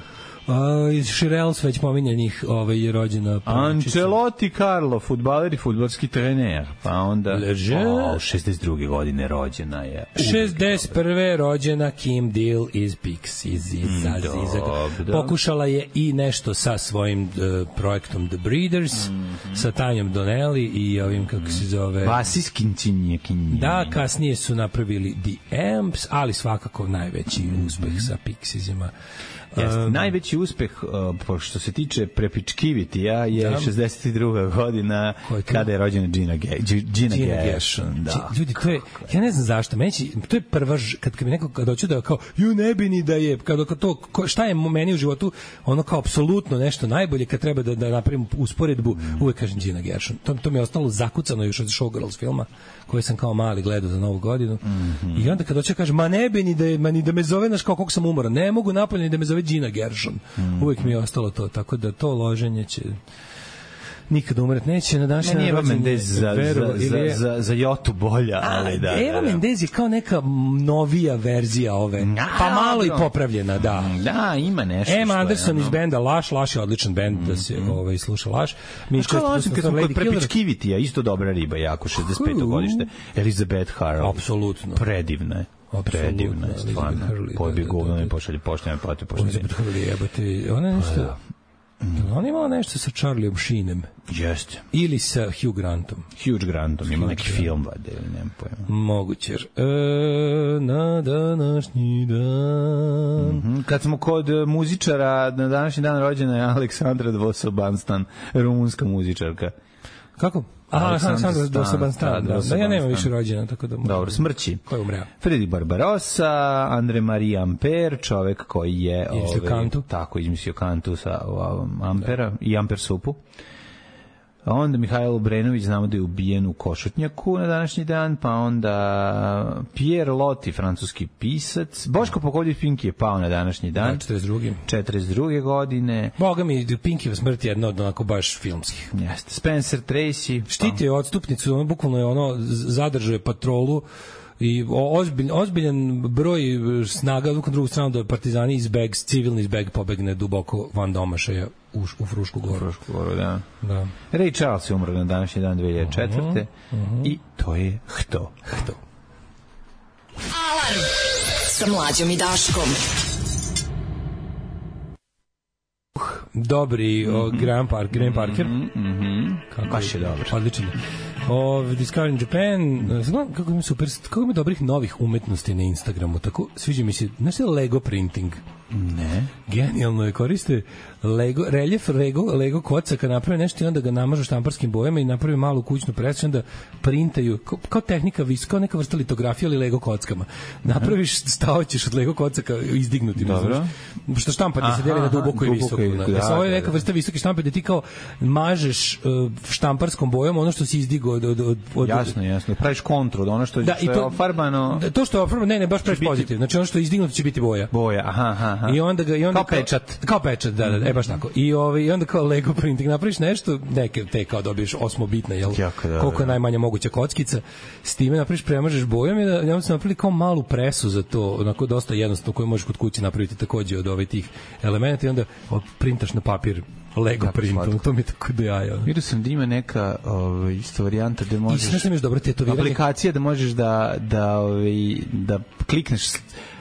Iz Shirelles već pominjanih je rođena Ancelotti Carlo, fudbaler i fudbalski trener, pa onda 62. godine rođena je 61. rođena Kim Deal iz Pixies pokušala je i nešto sa svojim projektom The Breeders, sa Tanjom Donnelly i ovim, kako se zove, basiskim činjekinjem. Da, kasnije su napravili The Amps, ali svakako najveći uspeh sa Pixiesima. Najveći uspeh što se tiče prepičkivitija je 62. godina kada je rođena Gina Gershon. Ljudi, to je, ja ne znam zašto, to je prva, kad mi neko dođe da kao, ne bi ni da je, šta je meni u životu, ono kao apsolutno nešto najbolje, kad treba da napravim usporedbu, uvek kažem Gina Gershon. To mi je ostalo zakucano još od Showgirls filma, koji sam kao mali gledao za Novu godinu. I onda kad dođe kaže, ne bi ni da me zove, znaš kao koliko sam umoran, ne mogu napolje ni da me zove Gina Gershon. Uvijek mi je ostalo to, tako da to loženje će nikad umret neće. Na današnji način Eva Mendez za Jotu bolja, ali da. Eva Mendez je kao neka novija verzija ove, pa malo i popravljena, da. Da, ima nešto. Emma Anderson iz benda Laš je odličan bend da se sluša Laš. Mi što smo kod prepičkivitija, isto dobra riba, jako 65. godište. Elizabeth Harley. Apsolutno. Predivna je. Predivna je, stvarno. Pobi govno ne pošalje poštene plate poštene. Elizabeth Harley, jebate, ona nešto... On imala nešto sa Charlieom Sheenem. Jeste. Ili sa Hugh Grantom. Hugh Grantom, ima neki film vade, ili nemam pojma. Moguće. Na današnji dan... Kad smo kod muzičara, na današnji dan rođena je Aleksandra Dvosobanstan, rumunska muzičarka. Kako? Aleksandra Dvosobanstan. Da, ja nemam više rođena, tako da... Dobro, smrći. Ko je umreo? Fredi Barbarossa, Andre Marie Ampere, čovek koji je... Izmislio kantu. Tako, izmislio kantu sa Ampera i Amper supu. A onda Mihajlo Obrenović, znamo da je ubijen u Košutnjaku na današnji dan, pa onda Pierre Loti, francuski pisac. Boško Pokoljev Pinki je pao na današnji dan. 42. godine. Boga mi, Pinkiva smrt je jedna od onako baš filmskih. Jeste. Spencer Tracy. Štitio odstupnicu, ono bukvalno je zadržao je patrolu i ozbiljan broj snaga na drugu stranu da partizani civilni izbeg pobegne duboko van domašaja u Frušku goru. Da. Ray Charles je umro na današnji dan 2004. I to je Hto. Alarm sa Mlađom i Daškom. Dobri Graham Parker. Baš je dobro. Odličan. Discovering Japan, kako ima dobrih novih umetnosti na Instagramu, tako sviđa mi se, znaš li Lego printing? Ne. Genijalno je, koriste reljef Lego kocaka, naprave nešto i onda ga namažu štamparskim bojama i naprave malu kućnu presu, onda printaju, kao tehnika kao neka vrsta litografije, ali Lego kockama. Napraviš, stavaćeš od Lego kocaka izdignutim. Dobro. Što štampati se deli na duboko i visoko. Ovo je neka vrsta visoke štampe da ti kao mažeš štamparskom bojom ono što si izdigao od... Jasno. Praviš kontru od ono što je ofarbano... To što je ofarbano, ne, baš praviš pozitiv. Znači ono što je izdignuto će biti boja. Aha. I onda kao pečat. Kao pečat, da, baš tako. I onda kao Lego printing napraviš nešto, te kao dobiješ 8-bitna, jel? Koliko je najmanja moguća kockica. S time napraviš, premažeš bojom i onda se napravili kao malu presu za to, onako dosta jednostavno, koju možeš kod kuće napraviti takođe od tih elementa i onda printaš na papir Lego print, to mi je tako da jaja. Vidio sam da ima neka isto varijanta da možeš... I sve što imaš dobro tetoviranje. Aplikacija da možeš da klikneš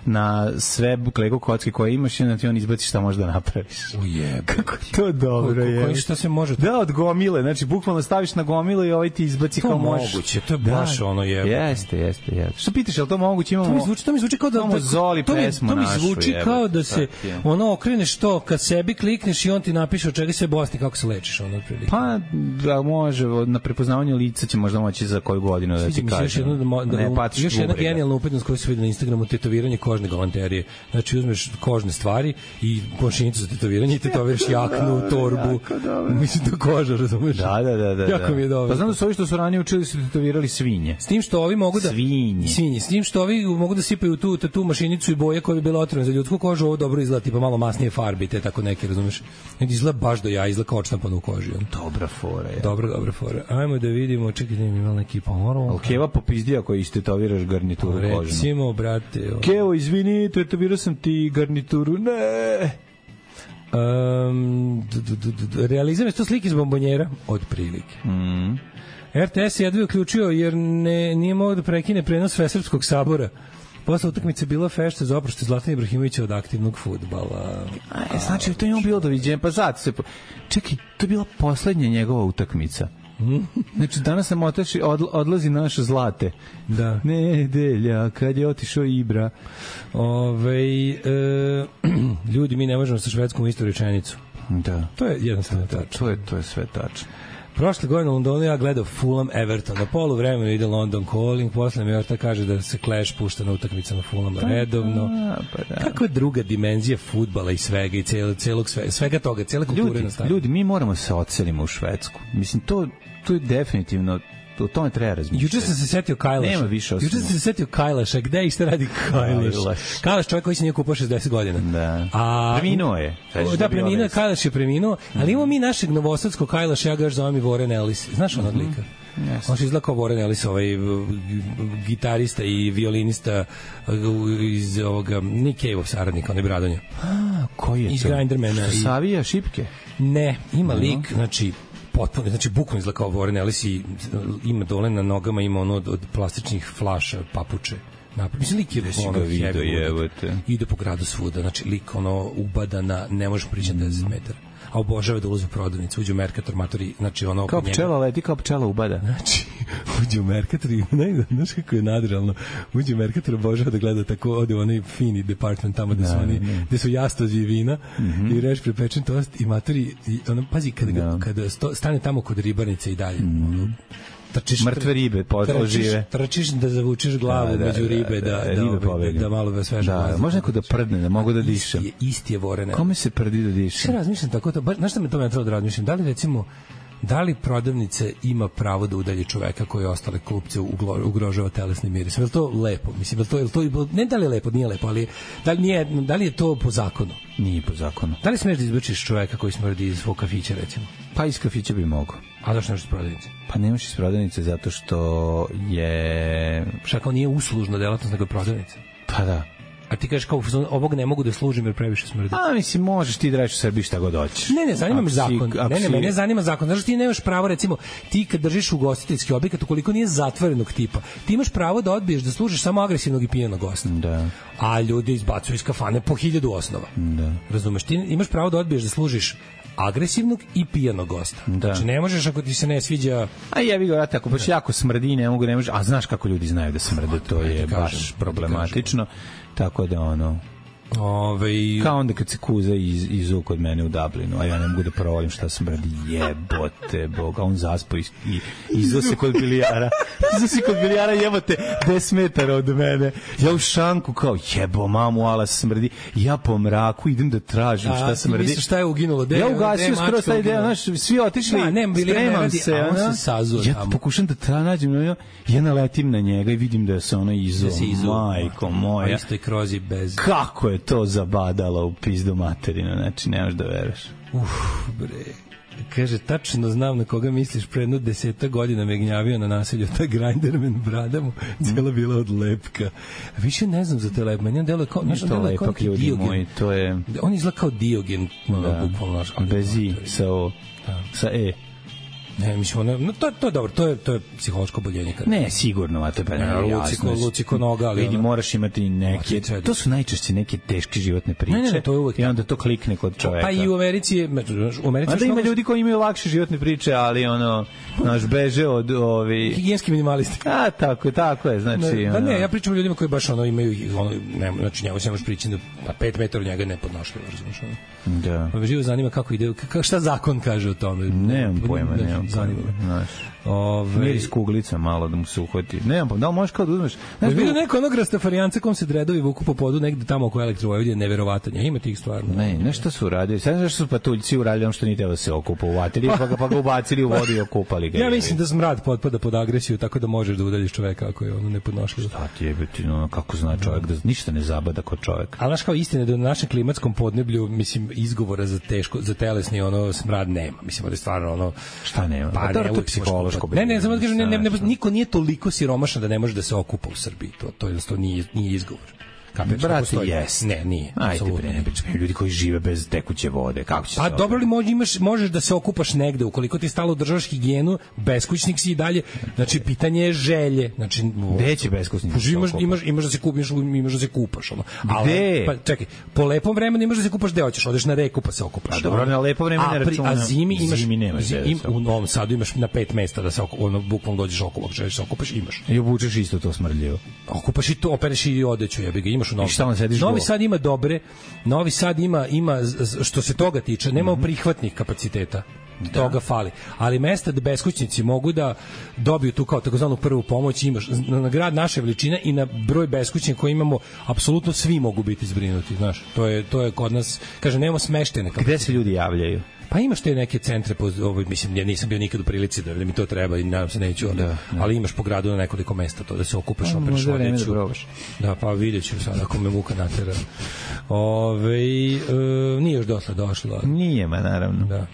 na sve Lego kocke koje imaš i onda ti on izbaci šta možeš da napraviš. Kako to dobro je. Šta se može? Da, od gomile, znači bukvalno staviš na gomilu i ti izbaci kao možeš. Moguće, to je baš ono je. Jeste. Što pitaš, je li to moguće? To mi zvuči kao da... Zoli pesmu našu. To mi zvuči kao da se okreneš to, kad sebi klikneš i on ti napiše od čega se bolesti, kako se lečiš, ono otprilike. Pa, da može, na prepoznavanju lica će možda moći za koju godinu da ti kaže. Još jedna genijalna upetnost koju se vidi na Instagramu, tetoviranje kožne galanterije. Znači, uzmeš kožne stvari i mašinicu za tetoviranje i tetoviraš jaknu, torbu. Mislim da koža, razumeš? Da. Jako mi je dobro. Pa znam da su ovi što su ranije učili su tetovirali svinje. S tim što ovi mogu da... Svinje. S tim što ovi mogu da sipaju tu mašinicu i boje koje bi bile otrovne za ljudsku kožu, ovo dobro izgleda, tipa malo masnije farbi, te tako neke, razumeš? Izgleda baš do izgleda kao odštampano u koži. Dobra fora je. Dobra fora. Ajmo da vidimo, čekaj, da imam neki pomoro. Ali Keva popizdija koji istetoviraš garnituru kožnu. Recimo, brate... Kevo, izvini, tetovirao sam ti garnituru. Ne! Realizam je to slike iz bombonjera, od prilike. RTS je jedva uključio jer nije mogao da prekine prenos Svesrpskog sabora. Posle utakmice bila fešta za oproštaj Zlatana Ibrahimovića od aktivnog fudbala. Znači, to je on bilo doviđenje. Pa zato se... Čekaj, to je bila poslednja njegova utakmica. Znači, danas nam odlazi naš Zlate. Da. Nedelja, kad je otišao Ibra. Ljudi, mi ne možemo sa Švedskom u istu rečenicu. Da. To je jednostavno tačno. To je sve tačno. Prošle godine u Londonu ja gledao Fulham Everton. Na polu vremenu ide London Calling, posle mi Orta kaže da se Clash pušta na utakmicama Fulhama redovno. Kakva je druga dimenzija fudbala i svega i svega toga, cele kulture na stadionu. Ljudi, mi moramo se odselimo u Švedsku. Mislim, to je definitivno o tome treba razmišljati. Juče sam se setio Kajlaša. Nema više osim. Juče sam se setio Kajlaša. Gde i šta radi Kajlaš? Kajlaš čovjek koji se nije kupao 60 godina. Da. Preminuo je. Da, preminuo, Kajlaš je preminuo, ali imamo mi našeg novosadskog Kajlaša, ja ga još zovem i Warren Ellis. Znaš on odlika? On se izgleda kao Warren Ellis, ovaj gitarista i violinista iz ovoga Nick Cave-ov saradnika, onaj Bradonja. Koji je to? Iz Grindermana. Savija šipke? Ne, ima lik, potpuno, znači bukvalno izgleda kao Warren Ellis i ima dole na nogama, ima ono od plastičnih flaša, papuče. Mislim, lik je ono heavy, ide po gradu svuda, znači lik ono ubada ne može prići 10 metara. A obožava da ulazi u prodavnicu, uđe u Mercator, matori, znači ono... Kao pčela leti, kao pčela ubada. Znači, uđe u Mercator i znaš kako je nadrealno, uđe u Mercator, obožava da gleda tako, ode u onaj fini department tamo gde su jastođi vina i reš prepečen tost i matori, ono, pazi, kada stane tamo kod ribarnice i dalje, mrtve ribe žive. Trčiš da zavučeš glavu među ribe, da malo sveža. Može neko da prdne, da mogu da dišem. Isti je Warren. Kome se prdi da dišem? Sve razmišljam tako, znaš šta me to trebalo da razmišljam? Da li recimo, da li prodavnice ima pravo da udalji čoveka koji ostale klupce ugrožava telesni miris? Je li to lepo? Mislim, ne da li je lepo, nije lepo, ali da li je to po zakonu? Nije po zakonu. Da li smeš da izbačiš čoveka koji smrdi iz svog kafića, recimo? Pa iz kafića bi mogao. A zašto nemaš iz prodavnice? Pa nemaš iz prodavnice zato što je... Šta kao nije uslužna delatnost, nego je prodavnica? Pa da. A ti kažeš kao, ovog ne mogu da služim jer previše smrdi. A mislim, možeš ti da reći u Srbiji šta god hoćeš. Ne, zanima me zakon. Mene zanima zakon. Znaš, ti nemaš pravo, recimo, ti kad držiš ugostiteljski objekat, ukoliko nije zatvorenog tipa, ti imaš pravo da odbiješ da služiš samo agresivnog i pijenog gosta. Da. A ljudi izbacuju iz kafane po 1000 osnova. Da. Razumeš, ti imaš pravo da odbiješ da služiš agresivnog i pijanog gosta. Znači, ne možeš ako ti se ne sviđa... A jebi ga, ako baš jako smrdi, ne može... A znaš kako ljudi znaju da smrde, to je baš problematično. Tako da, kao onda kad se kuza izu kod mene u Dublinu, a ja ne mogu da provalim šta smrdi, jebote Boga, on zaspo i izu se kod bilijara, jebote 10 metara od mene, ja u šanku kao jebo mamu, ala smrdi, ja po mraku idem da tražim šta smrdi. Misliš šta je uginulo? Ja ugasio skoro taj deo, znaš, svi otišli, spremam se, ja pokušam da nađem, ja naletim na njega i vidim da se ono izu, majko moja. Isto je krozi bez... Kako je to zabadalo u pizdu materinu, znači nemaš da veruješ. Bre. Kaže, tačno znam na koga misliš, pre jedno 10 godina me gnjavio na naselju, ta Grinderman brada mu cijela bila od lepka. Više ne znam za te lepke, meni on deluje kao... Ništa lepak, ljudi moji, to je... On izgleda kao Diogen, bukvalno. Bez i, sa e. Ne, mislim, to je dobro, to je psihološko boljenje. Ne, sigurno, a to je jasno. Luciko noga, ali... Vidi, moraš imati neke... To su najčešće neke teške životne priče. Ne, to je uvek. I onda to klikne kod čoveka. Pa i u Americi je... A da ima ljudi koji imaju lakše životne priče, ali naš beže od ovi... Higijenski minimalisti. A, tako je, znači... Da ne, ja pričam o ljudima koji baš imaju... Znači, njegu se možeš pričati da 5 metara od njega je nepodnošljivo, razumiješ? Da. Pa me živo zanima kako ide... Šta zakon kaže o tome? Nemam pojma, zanima me. Miris kuglica malo da mu se uhvati. Nemam, da li možeš kao da uzmeš... Vidio neko onog rastafarijanca kom se dredovi vuku po podu negde tamo oko Elektrovojvodije, neverovatno. Ima tih stvarno. Ne, nešto su uradili. Sad znaš što su patuljci uradili ono što nije teo da se okupa u vatri, pa ga ubacili u vodu i okupali ga. Ja mislim da smrad potpada pod agresiju, tako da možeš da udaljiš čoveka ako je ono nepodnošljivo. Šta ti je biti, kako zna čovek da ništa ne zabada kod čoveka. Ali znaš kao istina da u našem klimatskom podneblju, mislim, izgovora za telesni smrad nema. Mislim da je stvarno šta nema? Pa to je psihološko. Ne, samo da kažem, niko nije toliko siromašan da ne može da se okupa u Srbiji. To jednostavno nije izgovor. Brate, jes. Ne, nije. Ajde, bre, ne pričam. Ljudi koji žive bez tekuće vode, kako će se... Pa dobro li možeš da se okupaš negde, ukoliko ti stalo držaš higijenu, beskućnik si i dalje, znači pitanje je želje. Znači, gde će beskućnik? Imaš da se kupiš, imaš da se kupaš. Gde? Pa čekaj, po lepom vremenu imaš da se kupaš, gde hoćeš, odeš na reku pa se okupaš. A dobro, na lepo vreme ne računam. A zimi nemaš. U Novom Sadu imaš na 5 mesta da se bukvalno dođeš okupaš, želiš se okupaš, imaš. I obučeš isto to smrdljivo. Okupaš i to, opereš i odeću, jebi ga, imaš u Novom Sadu. Novi Sad ima dobre, Novi Sad ima što se toga tiče, nema prihvatnih kapaciteta. Toga fali. Ali mesta da beskućnici mogu da dobiju tu kao takozvanu prvu pomoć, imaš na grad naše veličine i na broj beskućnika koji imamo, apsolutno svi mogu biti zbrinuti, znaš. To je kod nas, kaže, nemamo smeštene kapacitete. Gde se ljudi javljaju? Pa imaš te neke centre, mislim, ja nisam bio nikad u prilici da mi to treba i nadam se neću, ali imaš po gradu na nekoliko mesta to da se okupaš, opereš odeću. Da, pa vidjet ću sad ako me muka natera. Nije još došla. Nije, ma naravno. Da.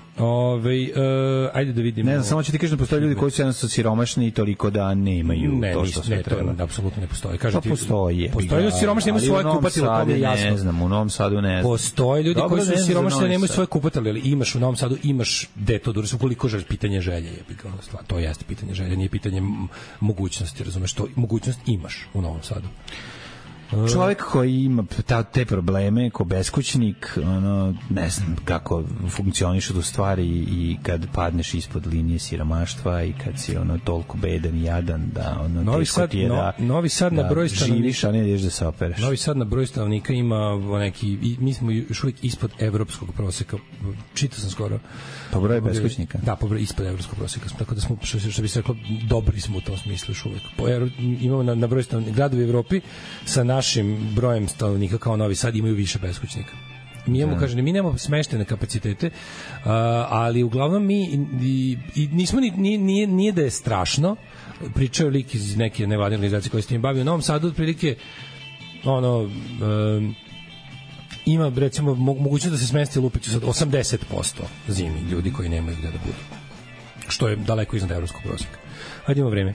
Ajde da vidimo. Ne znam, samo ću ti kažem da postoje ljudi koji su jednostavno siromašni i toliko da nemaju to što sve treba. Ne, to apsolutno ne postoji. Pa postoji. Postoje ljudi siromašni, nemaju svoje kupatilo, to mi je jasno. Ne znam, u Novom Sadu ne znam. Postoje ljudi koji su siromašni, nemaju svoje kupatilo, ali imaš u Novom Sadu, imaš deto, koliko želiš, pitanje želje je. To jeste pitanje želje, nije pitanje mogućnosti, razumeš, to mogućnost imaš u Novom Sadu. Čovjek koji ima te probleme, ko beskućnik, ne znam kako funkcionišu tu stvari i kad padneš ispod linije siromaštva i kad si toliko bedan i jadan da Novi Sad na broj stanovnika živiš, a ne ideš da se opereš. Novi Sad na broj stanovnika ima neki, mi smo još uvijek ispod evropskog proseka, čitao sam skoro. Po broju beskućnika? Da, po broju ispod evropskog proseka, tako da smo, što bi se reklo, dobri smo u tom smislu još uvijek. Imamo na broj stanovnika, gradovi u Evropi sa našim brojem stanovnika kao Novi Sad imaju više beskućnika. Mi imamo, mi nemamo smeštene kapacitete, ali uglavnom mi nismo nije da je strašno. Pričao lik iz neke nevladine organizacije koje se tim bavi u Novom Sadu, otprilike ima recimo mogućnost da se smesti lupiću sad 80% zimi ljudi koji nemaju gde da budu. Što je daleko iznad evropskog proseka. Hajde, ima vreme.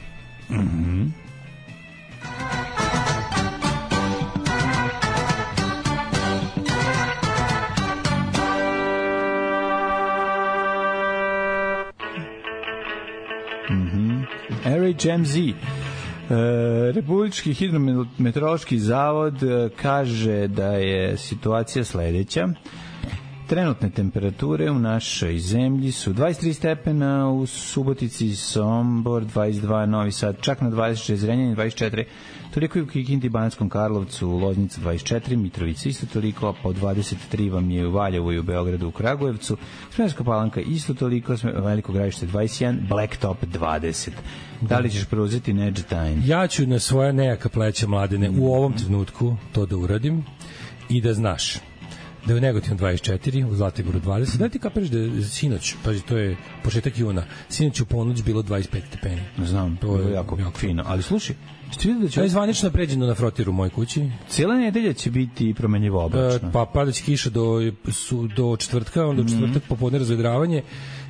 RHMZ, Republički hidrometeorološki zavod kaže da je situacija sledeća. trenutne temperature u našoj zemlji su 23 stepena, u Subotici, Sombor 22, Novi Sad čak na 26, Zrenjanin 24, toliko i u Kikindi, Banatskom Karlovcu, Loznica 24, Mitrovica isto toliko, po 23 vam je u Valjevu i u Beogradu, u Kragujevcu, Smederevska Palanka isto toliko, Veliko Gradište 21, Blacktop 20. Da li ćeš preuzeti Nedge Time? Ja ću na svoja nejaka pleća, Mladene, u ovom trenutku to da uradim i da znaš da je u Negotinu 24, u Zlatiboru 20. Da ti kapiraš da je sinoć, pazi, to je početak juna, sinoć u ponoć bilo 25 stepeni. Znam, to je jako fino. Ali slušaj, da je zvanično pređeno na frotiru u mojoj kući. Cijela nedelja će biti promenljivo oblačno. Pa padaće kiša do četvrtka, onda u četvrtak popodne razvedravanje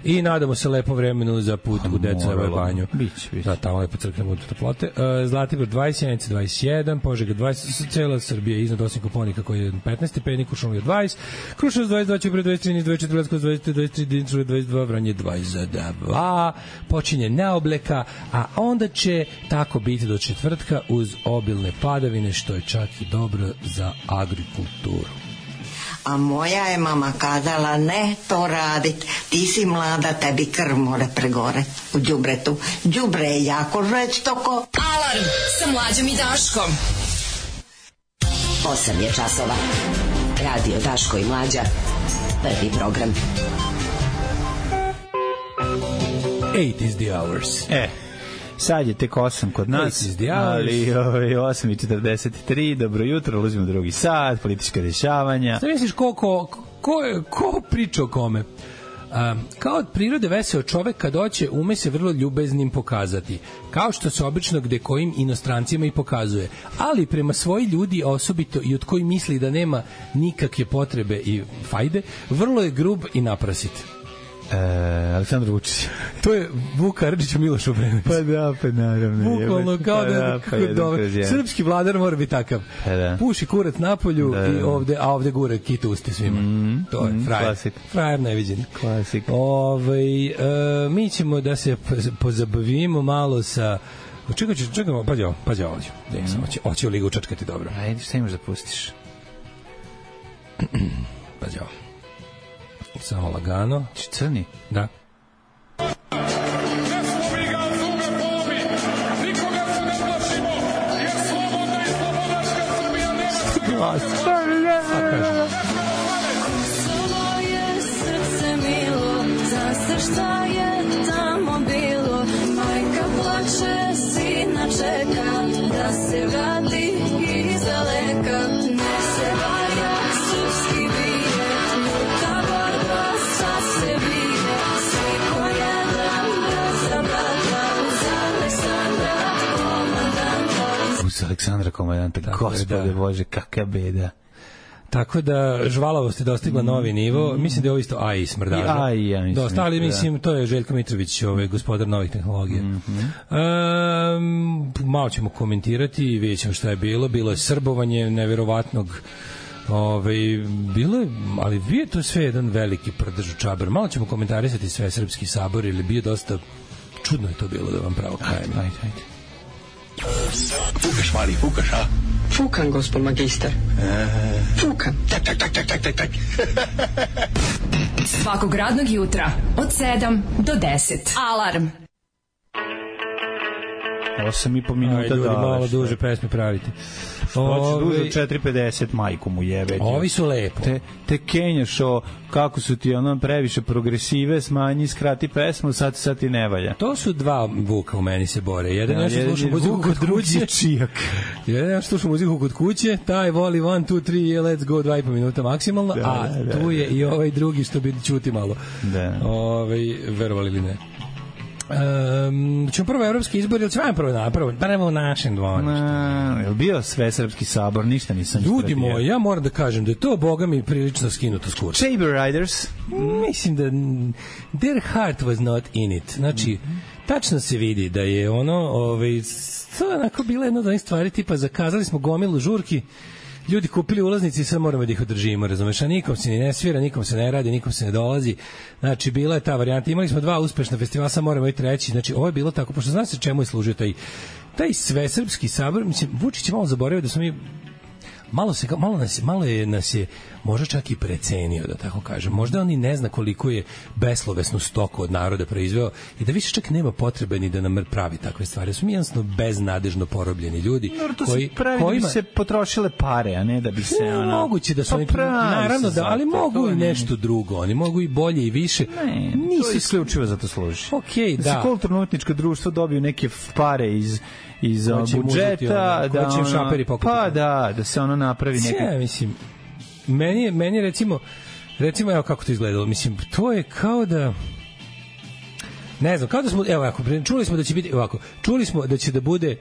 i nadamo se lepo vremenu za put u Decojevoj banju. Biće. Da, tamo lepo crknemo od toplote. Zlatibor 20, Sjenica 21, Požega 20, cela Srbija iznad osim Koponika koji je 15 stepeni, Kuršumlija 20, Kruševac 22, Ćuprija 23, 24, Leskovac 23, Dimitrovgrad 22, Vranje 22, počinje neobleka, a onda će tako biti do četvrtka uz obilne padavine, što je čak i dobro za agrikulturu. A moja je mama kazala, ne to radit, ti si mlada, tebi krv more pregore u đubretu. Đubre je jako žestoko. Alarm sa Mlađom i Daškom. 8 je časova. Radio Daško i Mlađa. Prvi program. 8 is the hours. Sad je tek 8 kod nas, ali 8:43, dobro jutro, ulazimo u drugi sat, politička dešavanja. Šta misliš ko priča o kome? Kao od prirode veseo čovek kad hoće ume se vrlo ljubeznim pokazati, kao što se obično gde kojim inostrancima i pokazuje, ali prema svoji ljudi osobito i od koji misli da nema nikakve potrebe i fajde, vrlo je grub i naprasit. Aleksandar Vučić. To je Vuk Karadžić u Milošu Obrenović. Pa naravno. Bukvalno kao srpski vladar mora biti takav. Puši kurac napolju i ovde gure kitu uste svima. To je frajer. Frajer neviđen. Klasik. Mi ćemo da se pozabavimo malo sa... Čekamo, pađe ovdje. Oće u ligu čačkati dobro. Ajde, šta imaš da pustiš? Pađe ovo. Samo lagano. Crni? Da. Ne smo mi ga zume polomi, nikoga se ne plašimo, jer slobodna i slobodačka Srbija nema Kosovo je srce milo, za se šta je tamo bilo, majka plače, sina čeka, da se vrati iz daleka, ne se valja srpski bije, luta borba sa se bije, svi ko jedan brat za brata, uz Aleksandra komandanta. Uz Aleksandra komandanta, gospode Bože, kakva beda. Tako da žvalavost je dostigla novi nivo. Mislim da je ovo isto AI smrdaža. Ja mislim. Dosta, ali mislim, to je Željko Mitrović, gospodar novih tehnologija. Malo ćemo komentirati i vidjet ćemo šta je bilo. Bilo je srbovanje neverovatnog. Bilo je, ali bio je to sve jedan veliki prdež u čabar. Malo ćemo komentarisati sve srpski sabor, ili bio dosta čudno je to bilo, da vam pravo kajem. Ajde. Fukaš, mali, fukaš, a? Fukan, gospod magister. Fukan. Tak. Svakog radnog jutra od 7 do 10. Alarm. 8,5 minuta da. Malo duže pesme praviti. Hoće duže 4,50, majku mu jebe. Ovi su lepo. Te kenjaš kako su ti previše progresive, smanji, skrati pesmu, sad ti ne valja. To su dva Vuka u meni se bore. Jedan nešto sluša muziku kod kuće. Jedan nešto sluša muziku kod kuće, taj voli 1, 2, 3, let's go, 2,5 minuta maksimalno, a tu je i ovaj drugi što bi čuti malo. Verovali ili ne. Ćemo prvo evropski izbor, ili ćemo prvo u našem dvorištu? Je li bio sve srpski sabor? Ništa nisam ljudi moji, ja moram da kažem da je to, boga mi, prilično skinuto s kursa. Chamber Riders? Mislim da their heart was not in it. Znači, tačno se vidi da je to je onako bila jedna od onih stvari, tipa zakazali smo gomilu žurki, ljudi kupili ulaznici i sad moramo da ih održimo, razumeš, a nikom se ni ne svira, nikom se ne radi, nikom se ne dolazi. Znači, bila je ta varijanta. Imali smo 2 uspešna festivala, sad moramo i treći. Znači, ovo je bilo tako, pošto zna se čemu je služio taj svesrpski sabor. Mislim, Vučić je malo zaboravio da smo mi nas je možda čak i precenio, da tako kažem. Možda on i ne zna koliko je beslovesnu stoku od naroda proizveo i da više čak nema potrebe ni da nam pravi takve stvari. Su mi jednostavno beznadežno porobljeni ljudi koji se potrošile pare, a ne da bi se moguće da su oni naravno da, ali mogu i nešto drugo. Oni mogu i bolje i više. Nisu isključivo za to služi. Okej, da. Da se kulturno-umetničko društvo dobiju neke pare iz budžeta, da će šaperi pokupiti. Pa da se ono napravi neka. Ja mislim, meni recimo evo kako to izgledalo. Mislim, to je kao da ne znam, kao da smo, evo ako čuli smo da će biti ovako, čuli smo da će da bude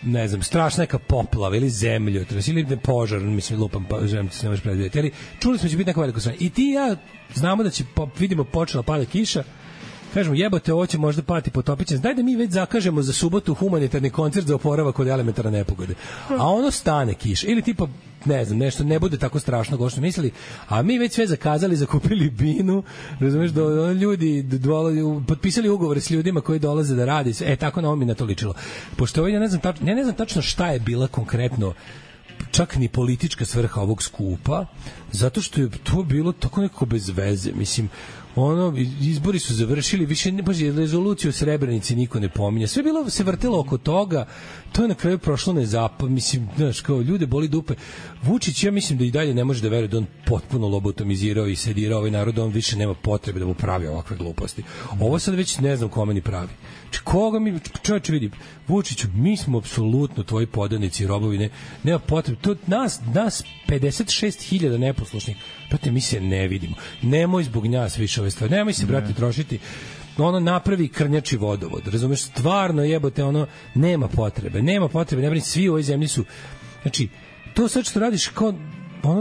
ne znam, strašna neka poplava ili zemljotres ili požar, mislim lupam, pa želim se ne može predvidjeti, ali čuli smo da će biti neka velika sranja. I ti ja znamo da će, vidimo počela pada kiša, kažemo jebote, ovo će možda pati potopiće. Daj da mi već zakažemo za subotu humanitarni koncert za oporavak od elementarne nepogode. A ono stane kiša. Ili tipa, ne znam, nešto ne bude tako strašno kao što mislili, a mi već sve zakazali, zakupili binu, razumeš, da ljudi potpisali ugovore s ljudima koji dolaze da radi. Tako na ovo mi na to ličilo. Pošto ja ne znam tačno šta je bila konkretno čak ni politička svrha ovog skupa, zato što je to bilo tako nekako bez veze. Mislim, izbori su završili, više ne baš rezoluciju o Srebrenici niko ne pominje. Sve bilo se vrtelo oko toga. To je na kraju prošlo mislim, znaš, kao ljude boli dupe. Vučić, ja mislim da i dalje ne može da veruje da on potpuno lobotomizirao i sedirao ovaj narod, on više nema potrebe da mu pravi ovakve gluposti. Ovo sad već ne znam kome ni pravi. Koga mi, čovječe, vidi, Vučiću, mi smo apsolutno tvoji podanici i robovi, nema potrebe. To nas 56.000 neposlušnih, brate, mi se ne vidimo. Nemoj zbog nas više ove stvari. Nemoj se, brate, trošiti. Napravi krnjači vodovod. Razumeš, stvarno jebote, nema potrebe, ne brini, svi u ovoj zemlji su, znači, to sad što radiš kao,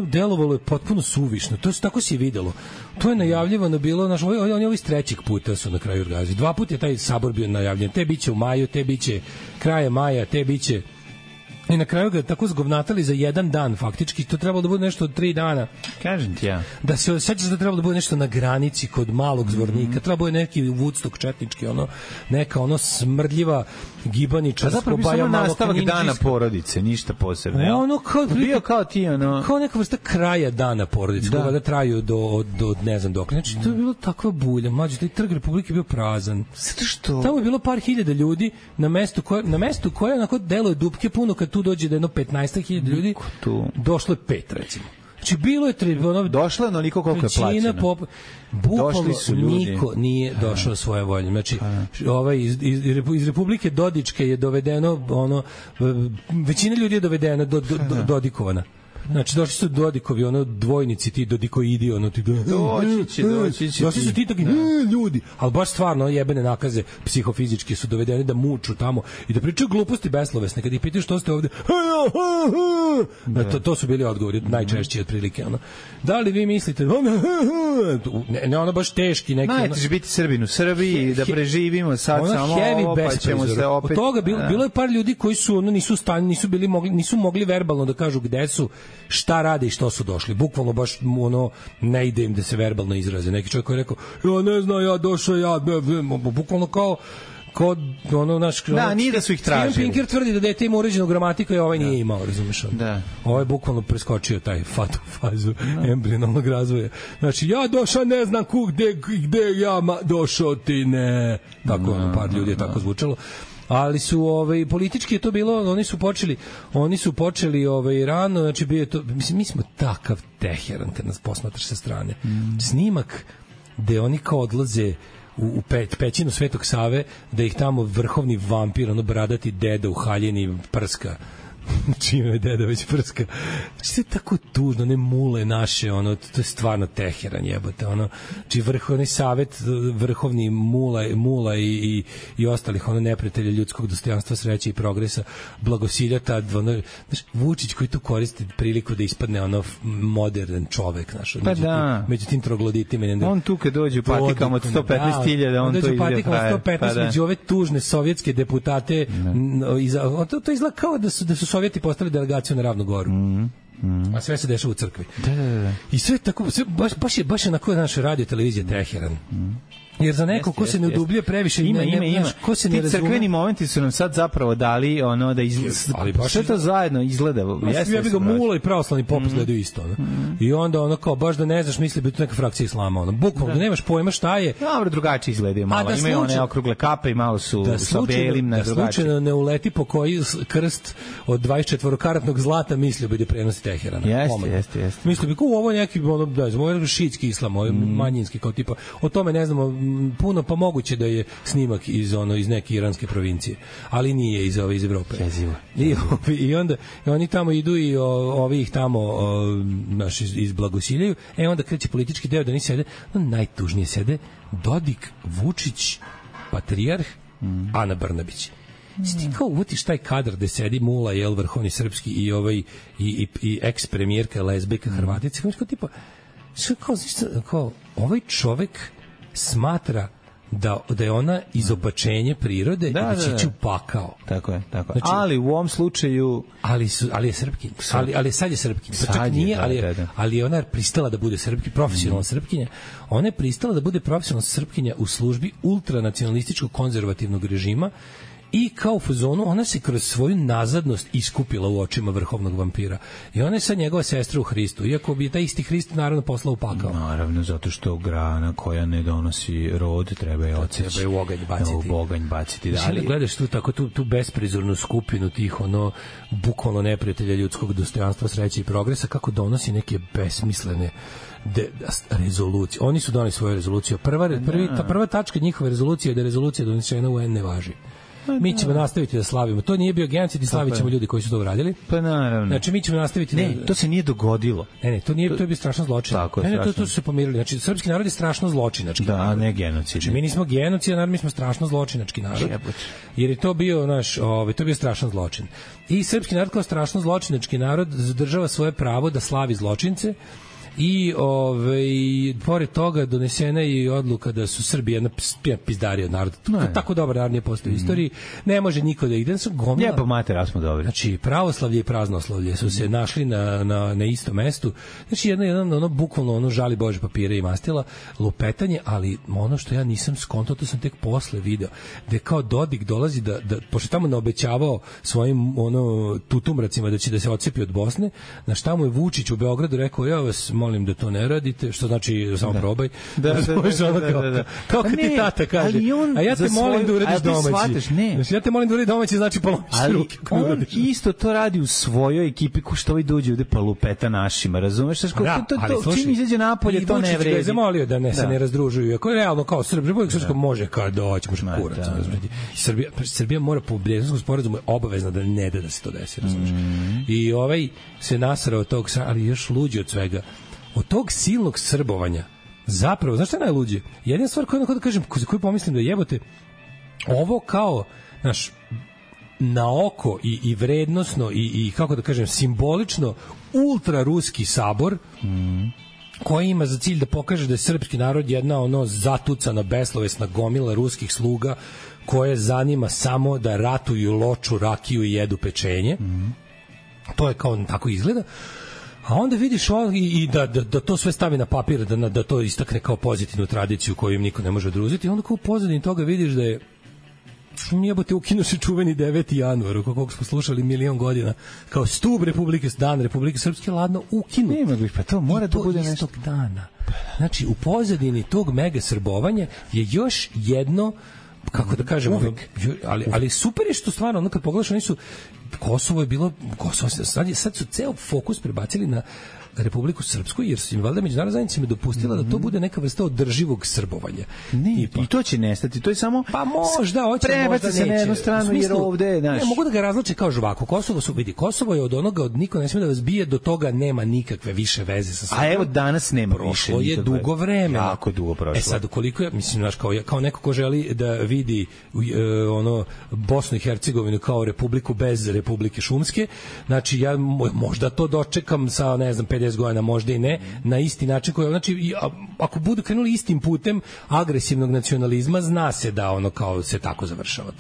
delovalo je potpuno suvišno, tako se je videlo. To je najavljivano bilo, znaš, oni ovi iz trećeg puta su na kraju organizovali. 2 puta je taj sabor bio najavljen, te biće u maju, te biće kraje maja, te biće. I na kraju ga tako zgovnatali za jedan dan, faktički. To trebalo da bude nešto od 3 dana. Kažem ti ja. Da se osjećaš da trebalo da bude nešto na granici kod malog Zvornika. Trebalo bude neki Woodstock četnički, neka smrdljiva gibaničarsko. A zapravo bi samo nastavak dana porodice, ništa posebno. Bio kao ti, kao neka vrsta kraja dana porodice, koja da traju do ne znam dok. Znači, to je bilo takva bulja. Mlađe, taj trg Republike je bio prazan. Zato što? Tamo je bilo par hiljada ljudi na mestu koje onako deluje dupke puno, kad tu dođe da jedno 15.000 ljudi, došlo je 5, recimo. Znači, bilo je došlo je onoliko koliko je plaćeno. Bukvalno niko nije došao svoje volje. Znači, iz Republike Dodičke je dovedeno, većina ljudi je dovedena, dodikovana. Znači, došli su Dodikovi, dvojnici, ti Dodikoidi, doći će. Došli su ti taki ljudi, ali baš stvarno jebene nakaze psihofizički su dovedeni da muču tamo i da pričaju gluposti beslovesne. Kad ih pitaju što ste ovde, to su bili odgovori najčešći otprilike. Da li vi mislite, ne, baš teški neki. Najteže biti Srbin u Srbiji, da preživimo sad samo ovo, pa ćemo se opet. Od toga bilo je par ljudi koji su nisu stani, nisu mogli verbalno da kažu gde su, šta rade i što su došli. Bukvalno baš ne ide im da se verbalno izraze. Neki čovjek koji je rekao, ja ne znam, ja došao, bukvalno kao naš... Da, nije da su ih tražili. Steven Pinker tvrdi da dete ima uređenu gramatiku i ovaj nije imao, razumeš? Da. Ovaj je bukvalno preskočio taj fazu embrionalnog razvoja. Znači, ja došao, ne znam gde ja došao, ti ne. Tako, par ljudi je tako zvučalo. Ali su politički je to bilo, oni su počeli rano, znači bio je to, mislim, mi smo takav Teheran kad nas posmatraš sa strane. Snimak gde oni kao odlaze u pećinu Svetog Save, da ih tamo vrhovni vampir, bradati deda u haljini prska. Čime je deda već prska. Znači, to je tako tužno, ne mule naše, to je stvarno Teheran, jebote, znači vrhovni savet, vrhovni mula i ostalih, neprijatelja ljudskog dostojanstva, sreće i progresa, blagosilja tad, znači, Vučić koji tu koristi priliku da ispadne modern čovek, znaš, među tim trogloditima. On tu kad dođe u patikama od 115.000, on to izgleda frajer. Među ove tužne sovjetske deputate, to izgleda kao da su Sovjeti postali delegaciju na Ravnu Goru. A sve se dešava u crkvi. Da. I sve tako, baš je onako naša radio televizija Teheran. Jer za neko ko se ne udubljuje previše, ima. Ko se ne razume. Ti crkveni momenti su nam sad zapravo dali ono da ali baš sve to zajedno izgleda. Ja bih ga mulo i pravoslavni pop izgledaju isto, ono. I onda ono kao baš da ne znaš, misli bi to neka frakcija islama, ono. Bukvalno da nemaš pojma šta je. Dobro, drugačije izgledaju malo. Imaju one okrugle kape i malo su sa belim na drugačije. Da slučajno ne uleti po koji krst od 24-karatnog zlata mislio bi da prenosi Teherana. Jeste. Mislio bi ovo neki ono da je šiitski islam, manjinski kao tipa. O tome ne znamo puno, pa moguće da je snimak iz neke iranske provincije, ali nije iz Evrope. I onda oni tamo idu i ovi ih tamo izblagosiljaju. Onda kreće politički deo da ni sede, najtužnije sede Dodik, Vučić, Patrijarh, Ana Brnabić. Ti kao uvutiš taj kadar gde sedi Mula, vrhovni srpski i eks-premijerka, lezbijka, Hrvatica, kao tipa kao ovaj čovek smatra da je ona izobačenje prirode i da će ići u pakao. Tako je. Znači, ali u ovom slučaju... Ali je Srpkinja. Ali sad je Srpkinja. Pa čak nije, ali je ona pristala da bude Srpkinja, profesionalna Srpkinja. Ona je pristala da bude profesionalna Srpkinja u službi ultranacionalističkog konzervativnog režima i kao u fazonu ona se kroz svoju nazadnost iskupila u očima vrhovnog vampira. I ona je sad njegova sestra u Hristu, iako bi taj isti Hrist naravno poslao u pakao. Naravno, zato što grana koja ne donosi rod treba je odseći. Treba je u oganj baciti. U oganj baciti. Da, gledaš tu besprizornu skupinu tih bukvalno neprijatelja ljudskog dostojanstva, sreće i progresa, kako donosi neke besmislene rezolucije. Oni su doneli svoju rezoluciju. Prva tačka njihove rezolucije je da je rezolucija donesena u UN ne važi. Mi ćemo nastaviti da slavimo. To nije bio genocid i slavit ćemo ljudi koji su to uradili. Pa naravno. Znači mi ćemo nastaviti. Ne, to se nije dogodilo. Ne, to je bio strašan zločin. To su se pomirili. Znači srpski narod je strašno zločinački. Da, a ne genocid. Znači mi nismo genocid, narod, mi smo strašno zločinački narod. Jer je to bio to je bio strašan zločin. I srpski narod kao strašno zločinački narod zadržava svoje pravo da slavi zločince. I pored toga donesena je i odluka da su Srbi jedna pizdarija od naroda. Tako dobar narod nije postoji u istoriji. Ne može niko da ide. Jebo mater, smo dobri. Znači, pravoslavlje i praznoslavlje su se našli na istom mestu. Znači, jedno bukvalno žali Bože papire i mastila, lupetanje, ali ono što ja nisam skontao, to sam tek posle video, gde kao Dodik dolazi da pošto tamo naobećavao svojim tutumracima da će da se odcepi od Bosne, na šta mu je Vučić u Beogradu rekao, ja vas molim da to ne radite, što znači samo probaj. Da. Kako ti tata kaže. A ja te molim da uradiš domaći. Znači, ja te molim da uradiš domaći, znači polomiš ruke. On isto to radi u svojoj ekipi, ko što ovi dođe ovde pa lupeta našima, razumeš? To čim izađe napolje, to ne vredi. I Vučić ga je zamolio da se ne razdružuju. Ako je realno kao Republika Srpska može kao doći, može kurac. Srbija mora po Brijenskom sporazumu je obavezna da ne da se to desi, razumeš? I se nasrao od tog, ali još luđi od svega. Od tog silnog srbovanja, zapravo, znaš šta je najluđe? Jedina stvar koju kažem, koju pomislim da jebote, ovo kao, na oko i vrednosno i kako da kažem, simbolično ultraruski sabor, koji ima za cilj da pokaže da je srpski narod jedna zatucana, beslovesna gomila ruskih sluga koje zanima samo da ratuju, loču, rakiju i jedu pečenje. To je kao tako izgleda. A onda vidiš i da to sve stavi na papir, da to istakne kao pozitivnu tradiciju koju im niko ne može oduzeti. Onda kao u pozadini toga vidiš da je jebote ukinu se čuveni 9. januar, o koliko smo slušali milion godina, kao stub Republike, dan Republike Srpske, ladno ukinu. Nema bih, pa to mora da bude nešto. Istog dana. Znači, u pozadini tog mega srbovanja je još jedno, kako da kažemo, ali super je što stvarno, kad pogledaš, oni su Kosovo je bilo, sad su ceo fokus prebacili na Republiku Srpsku, jer su im valjda međunarodna zajednica dopustila da to bude neka vrsta održivog srbovanja. I to će nestati, to je samo možda hoće, možda neće. Se na jednu stranu, jer ovde ne mogu da ga razluče kao žvaku. Kosovo je od onoga, od niko ne sme da vas bije, do toga nema nikakve više veze sa Srbijom. A evo danas nema više. Prošlo je dugo vremena. Jako dugo prošlo. Sad, koliko je, mislim, kao neko ko želi da vidi Bosnu i Hercegovinu kao republiku bez Republike Šumske, znači ja možda to dočekam sa, ne znam, 50 godina, možda i ne, na isti način koji, znači, ako budu krenuli istim putem agresivnog nacionalizma, zna se da ono kao se tako završava.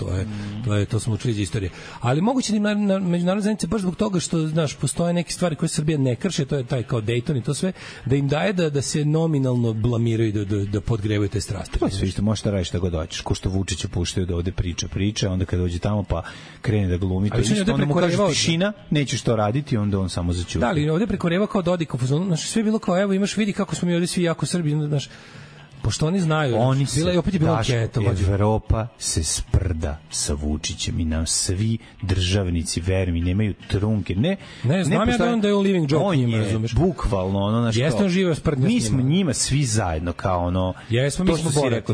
To smo učili iz istorije. Ali moguće da im na međunarodnoj zajednici baš zbog toga što, znaš, postoje neke stvari koje Srbija ne krše, to je taj kao Dayton i to sve, da im daje da se nominalno blamiraju, da podgrevaju te strasti. To sve što možeš da radiš šta god hoćeš. Ko što Vučića puštaju da ovde priča, onda kada dođe tamo pa krene da glumi, to isto, onda mu kaže tišina, nećeš to raditi, onda on samo zaćuti. Da, ali ovde preko Reva kao Dodik, znači sve je bilo kao, evo imaš, vidi kako smo mi ovde svi jako Srbi, znaš, pošto oni znaju, bila je opet je bila anketa. Evropa se sprda sa Vučićem i nam svi državnici, verujem, nemaju trunke. Ne, znam ja da je on living joke, on je bukvalno ono, znaš, jeste on živeo sprdnja s njima. Mi smo njima svi zajedno kao ono, jesmo, mi smo borati,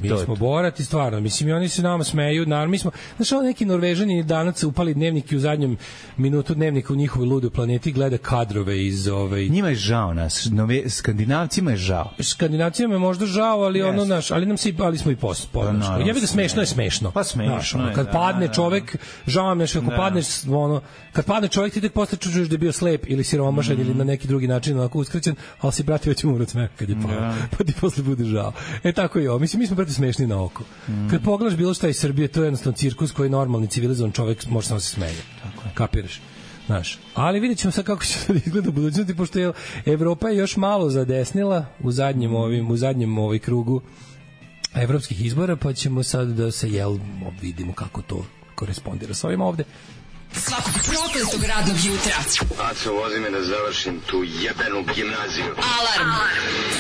mi smo borati stvarno, mislim i oni se nama smeju, naravno mi smo, znaš, ono neki Norvežani danas upali dnevnik i u zadnjem minutu dnevnika u njihovoj ludoj planeti gleda kadrove iz njima je žao nas, Skandinavcima je žao. Skandinavcima je možda žao, ali ono naš, ali smo i podrška. Ja bih da smešno je smešno. Pa smešno je. Kad padne čovek, žao mi je što ako padneš, ono, kad padne čovek ti tek posle čuješ da je bio slep ili siromašan ili na neki drugi način onako uskraćen, al si brate već umro od smeha kad je pao. Pa ti posle bude žao. Tako je ovo. Mislim mi smo brate smešni na oko. Kad pogledaš bilo šta iz Srbije, to je jednostavno cirkus koji normalni civilizovan čovek može samo se smeje. Tako je. Kapiraš? Znaš, ali vidjet ćemo sad kako će to izgleda u budućnosti, pošto je Evropa još malo zadesnila u zadnjem krugu evropskih izbora, pa ćemo sad da se vidimo kako to korespondira sa ovim ovde. Svakog prokletog radnog jutra. Aco, vozi me da završim tu jebenu gimnaziju. Alarm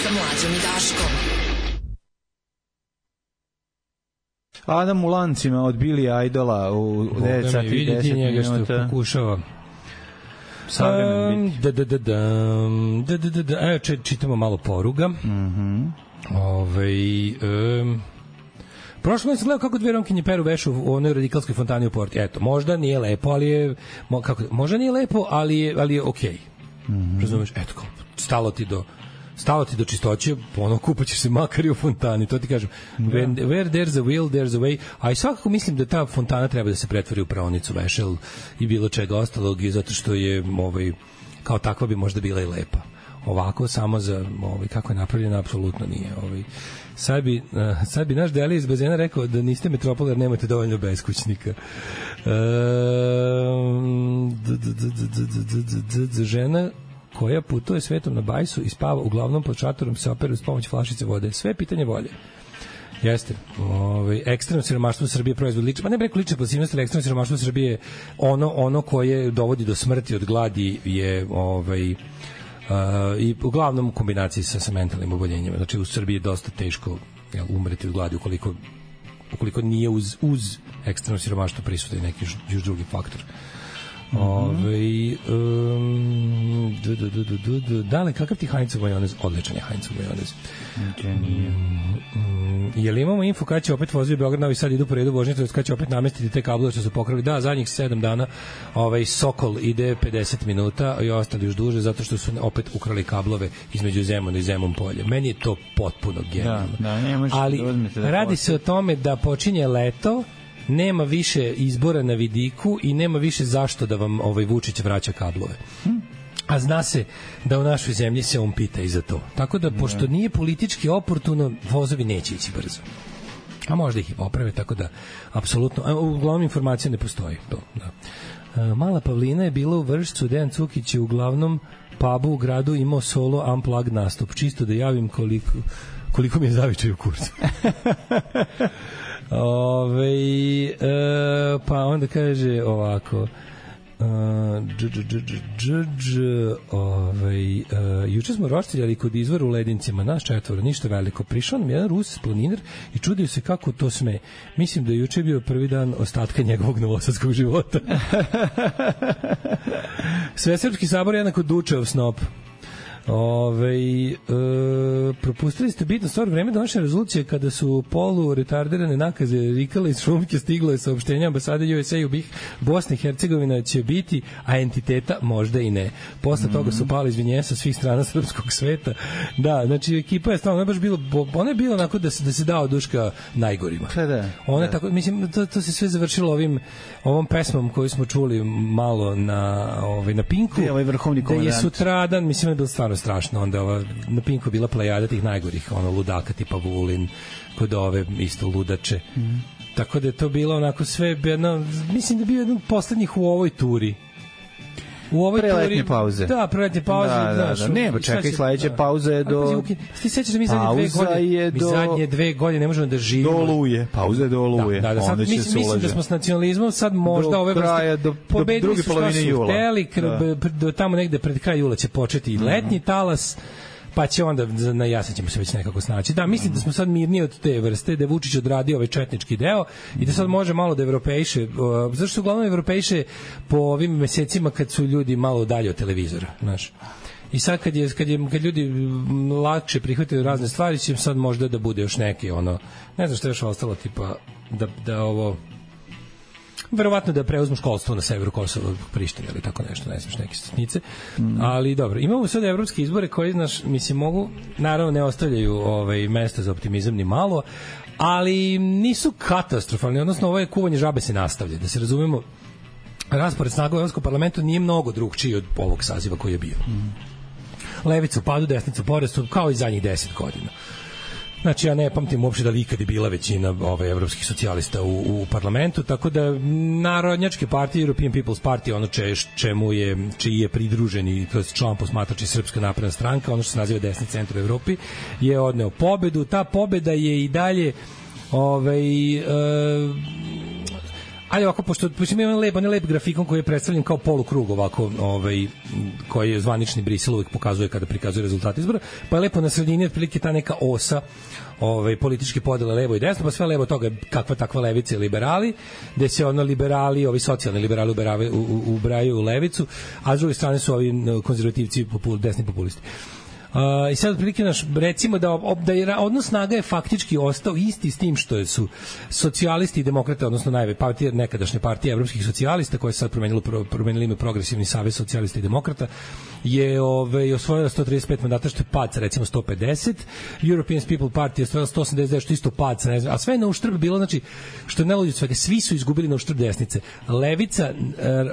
sa Mlađom i Daškom. Adam u lancima od Billy Idola u 9 sati i 10 minuta. Vidite što pokušava. Čitamo malo poruga. Prošlo sam gledao kako dve romkinje peru vešu u onoj radikalskoj fontani u Porti. Eto, možda nije lepo, ali je možda nije lepo, ali je okej. Razumeš? Eto, kao stalo ti do čistoće, ono kupaćeš se makar i u fontani, to ti kažem. Where there's a will, there's a way. A i svakako mislim da ta fontana treba da se pretvori u praonicu vešel i bilo čega ostalog, i zato što je kao takva bi možda bila i lepa. Ovako samo za kako je napravljena apsolutno nije. Sad bi naš Deli iz bazena rekao da niste metropol jer nemate dovoljno beskućnika. Žena koja putuje svetom na bajsu i spava uglavnom pod šatorom se opere uz pomoć flašice vode. Sve je pitanje volje. Jeste. Ekstremno siromaštvo u Srbiji je proizvod lične, pa ne bih rekao lične pasivnosti, ali ekstremno siromaštvo u Srbiji je ono koje dovodi do smrti od gladi je i uglavnom u kombinaciji sa mentalnim oboljenjima. Znači u Srbiji je dosta teško umreti od gladi ukoliko nije uz ekstremno siromaštvo prisutan neki još drugi faktor. Dale, kakav ti Heinzov majonez? Odličan je Heinzov majonez. Je li imamo info kada će opet voziti Beograd, Novi Sad idu po redu vožnje, kada će opet namestiti te kablove što su pokrali? Da, zadnjih 7 dana Sokol ide 50 minuta i ostali još duže zato što su opet ukrali kablove između Zemuna i Zemun polje. Meni je to potpuno genijalno. Ali radi se o tome da počinje leto, nema više izbora na vidiku i nema više zašto da vam Vučić vraća kablove. A zna se da u našoj zemlji se on pita i za to. Tako da, pošto nije politički oportuno, vozovi neće ići brzo. A možda ih i poprave, tako da, apsolutno, uglavnom informacija ne postoji. Mala Pavlina je bila u Vršcu, Dejan Cukić je u glavnom pubu u gradu imao solo unplugged nastup. Čisto da javim koliko mi je zavičaj u kurcu. Pa onda kaže ovako juče smo roštiljali kod izvora u Ledincima, naš 4, ništa veliko. Prišao nam jedan Rus planiner i čudio se kako to sme. Mislim da je juče bio prvi dan ostatka njegovog novosadskog života. Svesrpski sabor je jednako Dučev snop. Propustili ste bitno stvar vreme donošenja rezolucije kada su polu retardirane nakaze rikale iz Šumke, stiglo je saopštenje ambasade USA u BiH, Bosna i Hercegovina će biti, a entiteta možda i ne. Posle toga su pali izvinjenja sa svih strana srpskog sveta. Da, znači ekipa je stvarno baš bilo, ona je bila onako da se dao duška najgorima. Ona tako, mislim to se sve završilo ovom pesmom koju smo čuli malo na Pinku. Vrhovni komandant. Da je sutradan, mislim da je bilo stvarno strašno. Onda na Pinku bila plejada tih najgorih, ludaka tipa Vulin, kod ove isto ludače. Tako da je to bilo onako sve jedno, mislim da je bio jedan od poslednjih u ovoj turi. U ovoj preletnje pauze. Da, preletnje pauze. Da. Ne, pa čekaj, sledeća pauza je do... Ti sećaš da mi zadnje 2 godine ne možemo da živimo. Do Oluje. Pauza je do Oluje. Da, sad mislim da smo s nacionalizmom sad možda ove vrste... Do druge polovine jula. Do tamo negde pred kraj jula će početi i letnji talas, pa će onda na jasen ćemo se već nekako snaći. Da, mislim da smo sad mirniji od te vrste, da je Vučić odradio ovaj četnički deo i da sad može malo da evropejše, zašto su uglavnom evropejše po ovim mesecima kad su ljudi malo dalje od televizora, znaš. I sad kad ljudi lakše prihvataju razne stvari, će sad možda da bude još neke, ne znam što je još ostalo, tipa da ovo verovatno da preuzmu školstvo na severu Kosova, Prištine ili tako nešto, ne znaš, neke sitnice. Ali dobro, imamo sad evropske izbore koji, znaš, mislim, mogu, naravno ne ostavljaju mesta za optimizam ni malo, ali nisu katastrofalni, odnosno ovo je kuvanje žabe se nastavlja, da se razumemo, raspored snaga u Evropskom parlamentu nije mnogo drugčiji od ovog saziva koji je bio. Levica u padu, desnica u porastu, kao i zadnjih 10 godina. Znači, ja ne pamtim uopšte da li ikad je bila većina evropskih socijalista u parlamentu, tako da narodnjačke partije, European People's Party, ono čiji je pridružen i kroz član posmatrač i Srpska napredna stranka, ono što se naziva desni centar u Evropi, je odneo pobedu. Ta pobeda je i dalje ali ovako, pošto ima lep grafikon koji je predstavljen kao polukrug ovako, koji je zvanični Brisel uvijek pokazuje kada prikazuje rezultate izbora, pa je lepo na sredini otprilike ta neka osa političke podele levo i desno, pa sve levo toga kakva takva levica i liberali, gde se liberali, ovi socijalni liberali ubrajaju u levicu, a s druge strane su ovi konzervativci, desni populisti. I sad otprilike recimo da je odnos snaga je faktički ostao isti s tim što su socijalisti i demokrate, odnosno nekadašnje partije evropskih socijalista koje se sad promenili ime Progresivni savez socijalista i demokrata, je osvojila 135 mandata, što je pad sa recimo 150. European People's Party je osvojila 189, što isto pad sa, ne znam, a sve je na uštrb bilo, znači, što je najluđe od svega, svi su izgubili na uštrb desnice. Levica,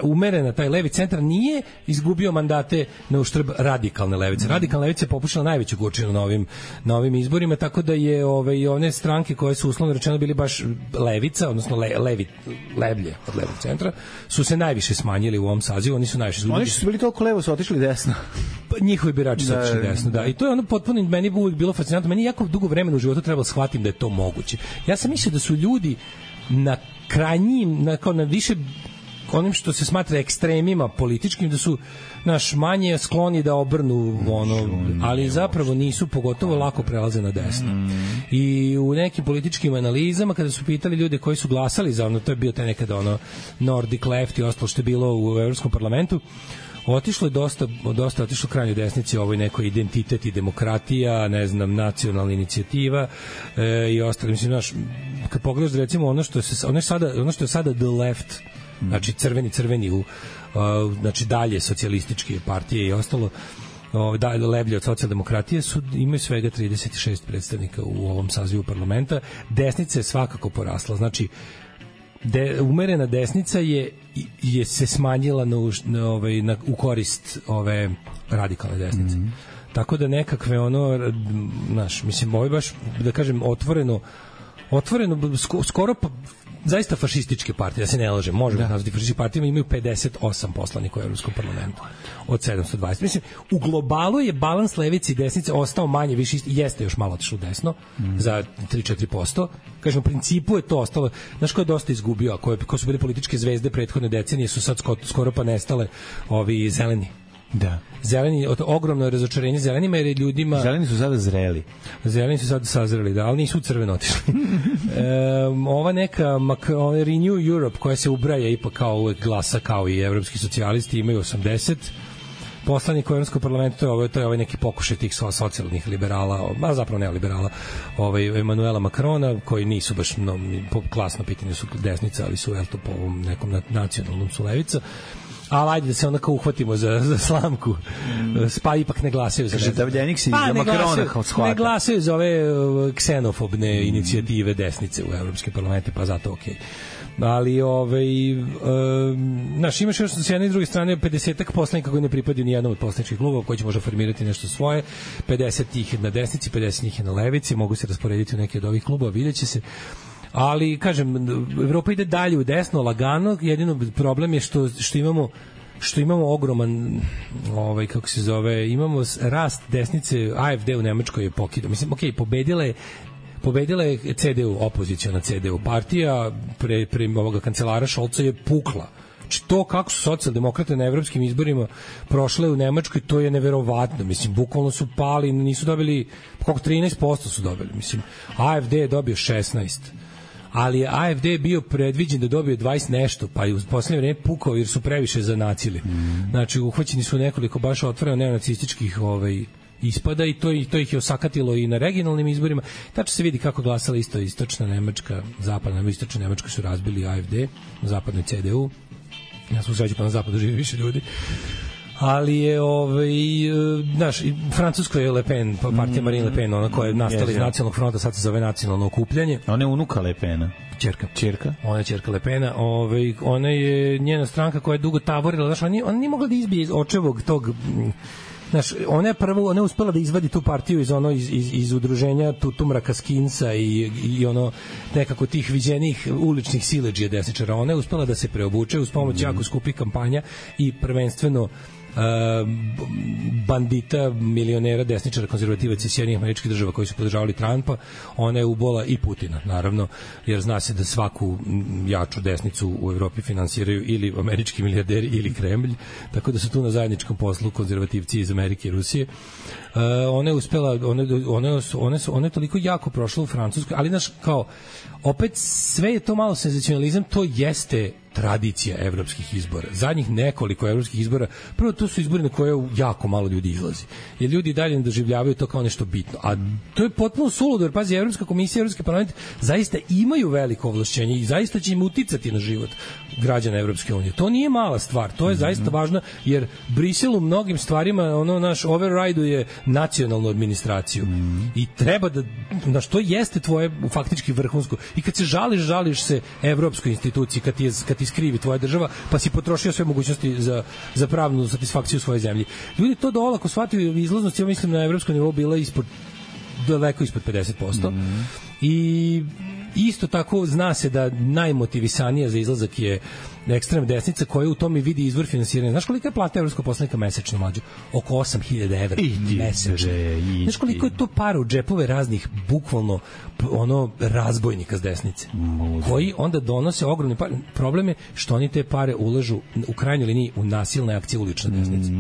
umerena, taj levi centar nije izgubio mandate na uštrb radikalne levice. Radikalna levica je popušila najveću gorčinu na ovim izborima, tako da je one stranke koje su uslovno rečeno bili baš levica, odnosno levlje od levog centra, su se najviše smanjili u ovom sazivu, oni su najviše izgubili. Oni su bili toliko levo, su otišli desno. Njihovi birači su otišli desno, da. I to je potpuno, meni je uvijek bilo fascinantno, meni jako dugo vremena u životu trebalo shvatim da je to moguće. Ja sam mislio da su ljudi na krajnjim, na više onim što se smatra ekstremima političkim, da su manje skloni da obrnu ali zapravo nisu, pogotovo lako prelaze na desno. I u nekim političkim analizama kada su pitali ljude koji su glasali za to je bio taj nekada Nordic left i ostalo što je bilo u Evropskom parlamentu, otišlo je dosta otišlo krajnjoj desnici, ovoj nekoj identitet i demokratija, ne znam, nacionalna inicijativa i ostalo. Mislim, kad pogledaš recimo ono što je sada the left, znači crveni znači dalje socijalističke partije i ostalo, levlje od socijaldemokratije imaju svega 36 predstavnika u ovom sazivu parlamenta. Desnica je svakako porasla, znači umerena desnica je se smanjila u korist ove radikalne desnice. Tako da nekakve mislim, ovo je baš, da kažem, otvoreno skoro zaista fašističke partije, da se ne lažem, možemo nazvati fašističke partije, imaju 58 poslanika u Evropskom parlamentu od 720. Mislim, u globalu je balans levice i desnice ostao manje, više jeste još malo otišlo desno, za 3-4%. Kažem, u principu je to ostalo. Znaš ko je dosta izgubio, a ko su bili političke zvezde prethodne decenije, su sad skoro pa nestale ovi zeleni. Da. Zeleni, ogromno je razočarenje zelenima, jer je ljudima... Zeleni su sada zreli. Zeleni su sada sazreli, da, ali nisu crveno otišli. Ova neka Renew Europe, koja se ubraja ipak kao uvek glasa, kao i evropski socijalisti, imaju 80 poslanika u Evropskom parlamentu, to je ovaj neki pokušaj tih socijalnih liberala, a zapravo neoliberala, Emanuela Macrona, koji nisu baš klasno pitanje, su desnica, ali su po ovom nekom nacionalnom su levica. Ali ajde da se onako uhvatimo za slamku, pa ipak ne glasaju za Davljenik se za Makrona shvata. Ne glasaju za ove ksenofobne inicijative desnice u Evropskim parlamentu, pa zato okej. ali naš imaš još s jedne i druge strane 50-ak poslanika koji ne pripadaju ni jednom od poslaničkih klubova, koji će možda formirati nešto svoje, 50 ih je na desnici, 50 ih je na levici, mogu se rasporediti u neke od ovih klubova, vidjet će se. Ali, kažem, Evropa ide dalje u desno, lagano, jedino problem je što imamo ogroman kako se zove, imamo rast desnice. AfD u Nemačkoj je pokidao. Mislim, pobedila je CDU, opoziciona CDU partija, pre ovoga kancelara Šolca je pukla. Znači, to kako su socijaldemokrate na evropskim izborima prošle u Nemačkoj, to je neverovatno. Mislim, bukvalno su pali, nisu dobili, koliko 13% su dobili. Mislim, AfD je dobio 16%. Ali je AfD bio predviđen da dobije 20 nešto, pa i u poslednje vreme pukao jer su previše zanacili. Znači, uhvaćeni su nekoliko baš otvoreno neonacističkih ispada i to ih je osakatilo i na regionalnim izborima. Tačno se vidi kako glasala istočna Nemačka, zapadna, istočna Nemačka su razbili AfD, na zapadnoj CDU. Ja sam u sreću pa na zapadu živi više ljudi. Ali je naš Francusko je Le Pen, partija Marine Le Pen, ona koja je nastala iz nacionalnog fronta, sad se zove nacionalno okupljanje. Ona je unuka Le Pena. Ćerka. Ona je ćerka Le Pena. Ona je njena stranka koja je dugo tavorila, znaš, ona nije mogla da izbije iz očevog tog. Znaš, ona je uspela da izvadi tu partiju iz udruženja Tumraka Skinsa i ono nekako tih viđenih uličnih siledžija desničara. Ona je uspela da se preobuče uz pomoć jako skupih kampanja i prvenstveno bandita, milionera, desničara, konzervativaca iz Sjedinjenih Američkih Država koji su podržavali Trumpa. Ona je ubola i Putina, naravno, jer zna se da svaku jaču desnicu u Evropi finansiraju ili američki milijarderi ili Kremlj, tako da su tu na zajedničkom poslu konzervativci iz Amerike i Rusije. Ona je uspela, ona je toliko jako prošla u Francuskoj, ali znaš, kao, opet sve je to malo senzacionalizam, to jeste tradicija evropskih izbora. Zadnjih nekoliko evropskih izbora, prvo to su izbori na koje jako malo ljudi izlazi. Jer ljudi dalje ne doživljavaju to kao nešto bitno. A to je potpuno suludo, jer pazi, Evropska komisija, Evropski parlament zaista imaju veliko ovlašćenje i zaista će im uticati na život građana Evropske unije. To nije mala stvar, to je zaista važno, jer Brisel u mnogim stvarima naš override-uje nacionalnu administraciju. I treba da, znaš, to jeste tvoje faktički vrhunsko. I kad se žališ se evropskoj instituciji, kad ti skrivi tvoja država, pa si potrošio sve mogućnosti za pravnu satisfakciju svoje zemlje. Ljudi to olako shvataju, izlaznost, ja mislim, na evropskom nivou bila daleko ispod 50%. I isto tako zna se da najmotivisanija za izlazak je ekstremna desnica koja u tome vidi izvor finansiranja. Znaš kolika je plata evropskog poslanika mesečno, mlađo? Oko 8.000 evra mesečno. Znaš koliko je to para u džepove raznih, bukvalno, razbojnika s desnice, koji onda donose ogromne pare. Problem je što oni te pare ulažu u krajnjoj liniji u nasilne akcije ulične desnice.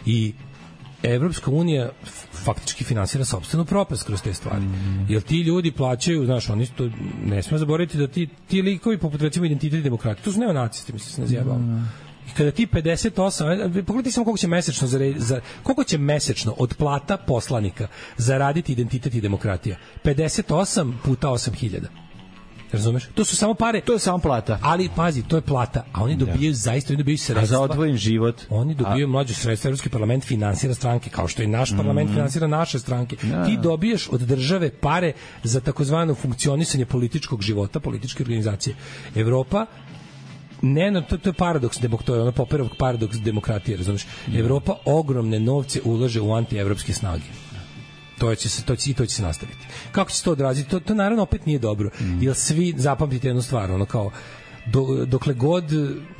I Evropska unija faktički finansira sopstvenu propast kroz te stvari. Jer ti ljudi plaćaju, znaš, oni to ne smemo zaboraviti da ti likovi poput recimo Identitet i demokratije, to su neonacisti, mislim se ne zjebamo. I kada ti 58, pogledaj samo koliko će mesečno od plata poslanika zaraditi Identitet i demokratija. 58 puta 8.000. Razumeš? To su samo pare. To je samo plata. Ali pazi, to je plata, a oni dobijaju zaista, oni dobijaju sredstva. A za odvojen život. Oni dobijaju mlađe sredstva, Evropski parlament finansira stranke, kao što i naš parlament finansira naše stranke. Ti dobiješ od države pare za takozvano funkcionisanje političkog života, političke organizacije. Evropa to je paradoks, to je Popperov paradoks demokratije, razumeš? Evropa ogromne novce ulaže u antievropske snage. To će se nastaviti. Kako će se to odraziti? To naravno opet nije dobro. Jer svi zapamtite jednu stvar, kao dokle god,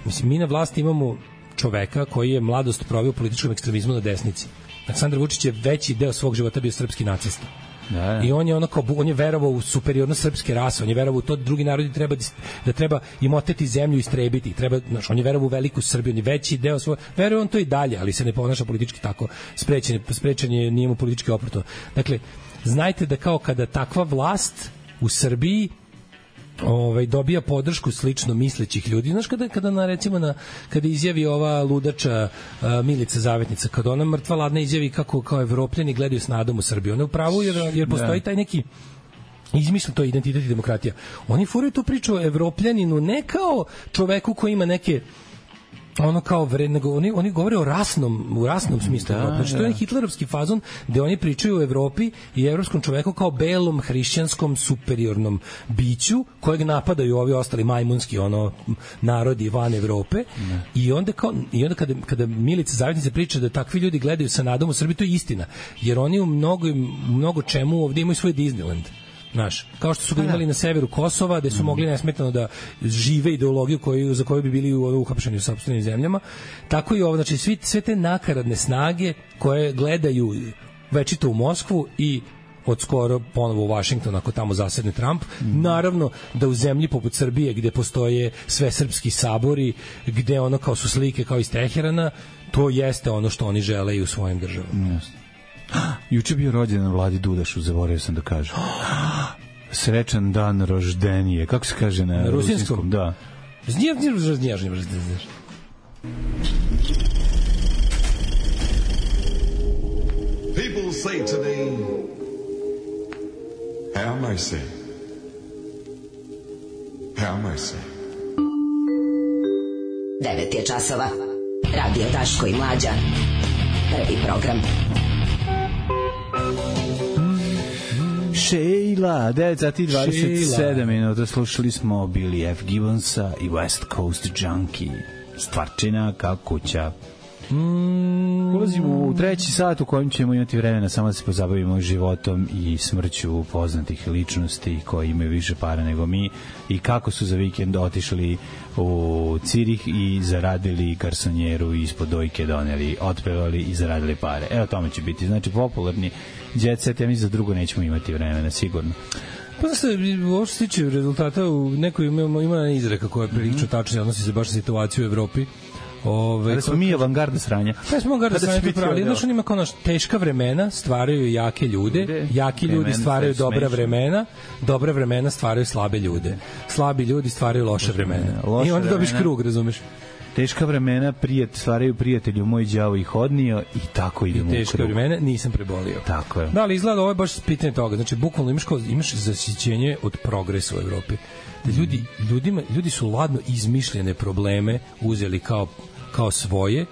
mislim, mi na vlasti imamo čoveka koji je mladost proveo u političkom ekstremizmu na desnici. Aleksandar Vučić je veći deo svog života bio srpski nacista. I on je on je verovao u superiornost srpske rase, on je verovao u to da drugi narodi treba im oteti zemlju i istrebiti, on je verovao u veliku Srbiju, on je veći deo svoj, veruje on to i dalje, ali se ne ponaša politički tako, sprečen je, nije mu politički oportuno. Dakle, znajte da kao kada takva vlast u Srbiji dobija podršku slično mislećih ljudi. Znaš, kada izjavi ova ludača Milica Zavetnica, kada ona mrtva ladna izjavi kako kao Evropljani gledaju s nadom u Srbiju. Ona je u pravu jer postoji taj neki izmišljen, to je Identitet i demokratija. Oni furaju tu priču o Evropljaninu ne kao čoveku koji ima neke ono kao nego oni govore u rasnom smislu. Znači to je hitlerovski fazon gde oni pričaju o Evropi i evropskom čoveku kao belom hrišćanskom superiornom biću kojeg napadaju ovi ostali majmunski narodi van Evrope. I onda kada Milica Zavetnica priča da takvi ljudi gledaju sa nadom u Srbiji, to je istina. Jer oni u mnogo čemu ovdje imaju svoj Disneyland. Znaš, kao što su ga imali na severu Kosova, gde su mogli nesmetano da žive ideologiju za koju bi bili uhapšeni u sopstvenim zemljama, tako i ovo, znači sve te nakaradne snage koje gledaju večito u Moskvu i od skoro ponovo u Washington ako tamo zasedne Trump, naravno da u zemlji poput Srbije gde postoje sve srpski sabori, gde ono kao su slike kao iz Teherana, to jeste ono što oni žele i u svojim državama. Juče bio rođendan Vladi Dudašu, zaboravio sam da kažem. Srećan dan roždenije. Kako se kaže na rusinskom? Da. People say today, have mercy. Have mercy. 9 je časova. Radio Daško i Mlađa. Prvi program. Sheila, 9:27 minuta, slušali smo Billy F. Gibbonsa i West Coast Junkie. Stvarčina kao kuća. Ulazimo u treći sat u kojem ćemo imati vremena samo da se pozabavimo životom i smrću poznatih ličnosti koji imaju više para nego mi i kako su za vikend otišli u Cirih i zaradili garsonjeru i ispod dojke doneli, otpevali i zaradili pare. Evo tome će biti. Znači popularni jet set, ja mislim za drugo nećemo imati vremena, sigurno. Pa znaš, ovo što se tiče rezultata, u nekoj ima izreka koja je prilično tačna, odnosi se baš na situaciju u Evropi. Ali smo mi avangarda sranja. Pa smo avangarda sranja, ali znaš, on ima kao teška vremena stvaraju jake ljude, jaki ljudi stvaraju dobra vremena stvaraju slabe ljude, slabi ljudi stvaraju loše vremena. I onda dobiš krug, razumeš? Teška vremena stvaraju prijatelju moj đavo ih odnio i tako idemo u krug. Teška vremena nisam prebolio. Tako je. Da, ali izgleda ovo je baš pitanje toga. Znači, bukvalno imaš zasićenje od progresa u Evropi. Ljudi su ladno izmišljene probleme uzeli kao svoje,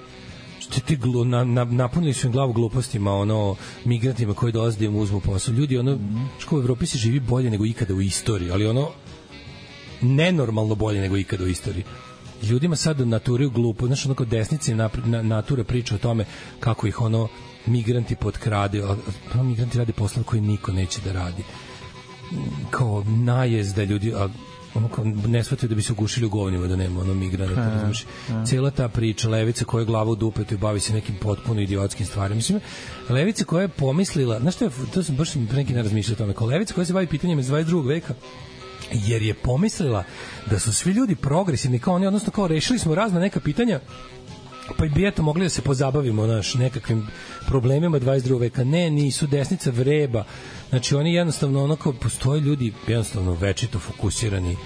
napunili su im glavu glupostima, migrantima koji dolaze da im uzmu posao. Ljudi, u Evropi se živi bolje nego ikada u istoriji, ali nenormalno bolje nego ikada u istoriji. Ljudima sad naturaju glupo, znaš, kao desnici natura priča o tome kako ih migranti potkrade, a migranti rade posla koji niko neće da radi. Kao najezda ljudi, ne shvataju da bi se ugušili u govnima da nema migranata, razumiješ. Cijela ta priča, levica koja je glava u dupetu i bavi se nekim potpuno idiotskim stvarima. Mislim, levica koja je pomislila, znaš što je, to sam baš neki ne razmišljao o tome, kao levica koja se bavi pitanjima iz 22. veka, jer je pomislila da su svi ljudi progresivni kao oni, odnosno kao rešili smo razna neka pitanja, pa bi eto mogli da se pozabavimo nekakvim problemima 22. veka. Ne, nisu, desnica vreba. Znači oni jednostavno postoje ljudi jednostavno večito fokusirani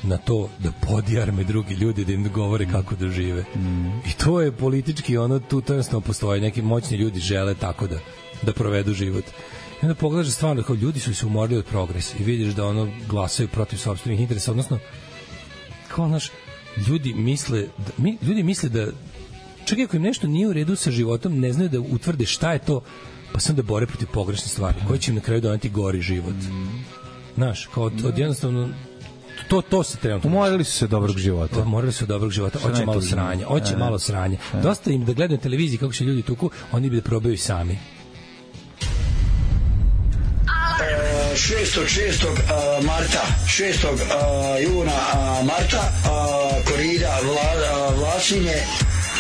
na to da podjarme drugi ljudi, da im govore kako da žive. I to je politički tu jednostavno postoji. Neki moćni ljudi žele tako da provedu život. I onda pogledaš stvarno kao ljudi su se umorili od progresa i vidiš da glasaju protiv sopstvenih interesa, odnosno kao ljudi misle da čak i ako im nešto nije u redu sa životom, ne znaju da utvrde šta je to, pa sam da bore protiv pogrešne stvari koje će im na kraju doneti gori život. Znaš, kao od jednostavno to se trenutno. Umorili su se dobrog života. Hoće malo sranja. Dosta im da gledaju na televiziji kako se ljudi tuku, oni bi da probaju sami. 6. marta, 6. juna Marta, korida Vlasinje,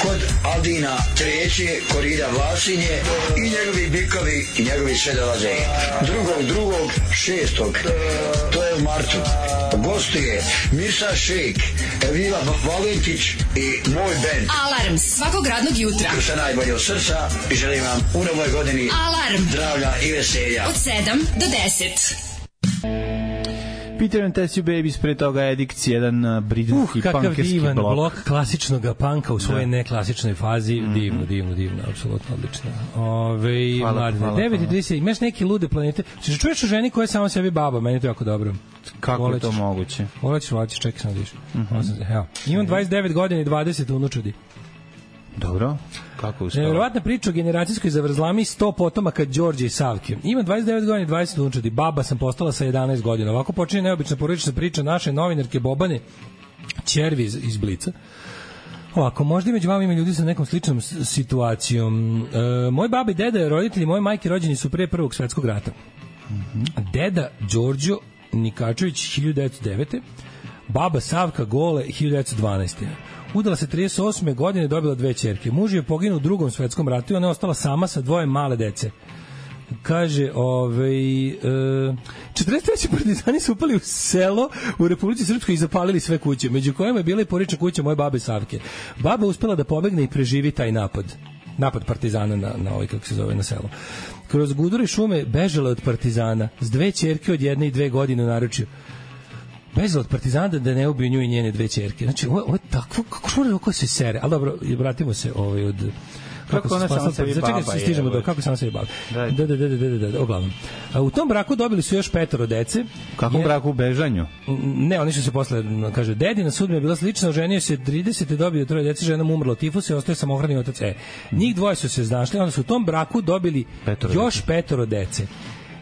kod Aldina treće, korida Vlasinje i njegovi bikovi i njegovi sve dolaze. 2.6. to je u martu. Gostuje Mirsa Šejk, Evila Valentić i moj band. Alarm svakog radnog jutra. Sa najbolje od srca i želim vam u novoj godini Alarm zdravlja i veselja. Od 7 do 10. Peter and Tessie Babies, pre toga Addicts, jedan britanski punkerski blok. Kakav divan blok klasičnog panka u svojoj neklasičnoj fazi. Divno, apsolutno odlično. Mladine, 9.30, imaš neke lude planete. Čuješ o ženi koja je samo sebi baba, meni to jako dobro. Kako je to moguće? Volećeš, čekaj sam da diš. Imam 29 godina i 20 unučadi. Dobro. Kako uspela? Nevjerovatna priča o generacijskoj zavrzlami 100 potomaka Đorđe i Savke. Ima 29 godina i 20 unčadi. Baba sam postala sa 11 godina. Ovako počinje neobična porodična priča naše novinarke Bobane ćervi iz Blica. Ovako, možda i među vama ima ljudi sa nekom sličnom situacijom. Moj baba i deda, roditelji moje majke rođeni su pre Prvog svetskog rata. Deda Đorđo Nikačević 1909. Baba Savka Gole 1912. Udala se 38. godine, dobila 2 ćerke. Muž je poginuo u Drugom svetskom ratu i ona je ostala sama sa 2 male dece. Kaže, 43. partizani su upali u selo u Republici Srpskoj i zapalili sve kuće, među kojima je bila i porodična kuća moje babe Savke. Baba uspela da pobegne i preživi taj napad partizana na ovaj, kako se zove, na selo. Kroz gudure šume bežala od partizana s 2 ćerke od 1 i 2 godine u naručju. Bežala od partizana da ne ubiju nju i njene 2 ćerke. Znači, ovo je takvo, kako se sere. Ali dobro, vratimo se od... Kako ona sama sebi baba je. Kako sama sebi baba. Da, uglavnom. U tom braku dobili su još 5 dece. U kakvom braku u bežanju? Ne, oni su se posle, kaže, dedina sudbina je bila slična, oženio se 30. dobio 3 dece, žena mu umrla od tifusa i ostaje samohrani otac. Njih 2 su se znašli, onda su u tom braku dobili još 5 dece.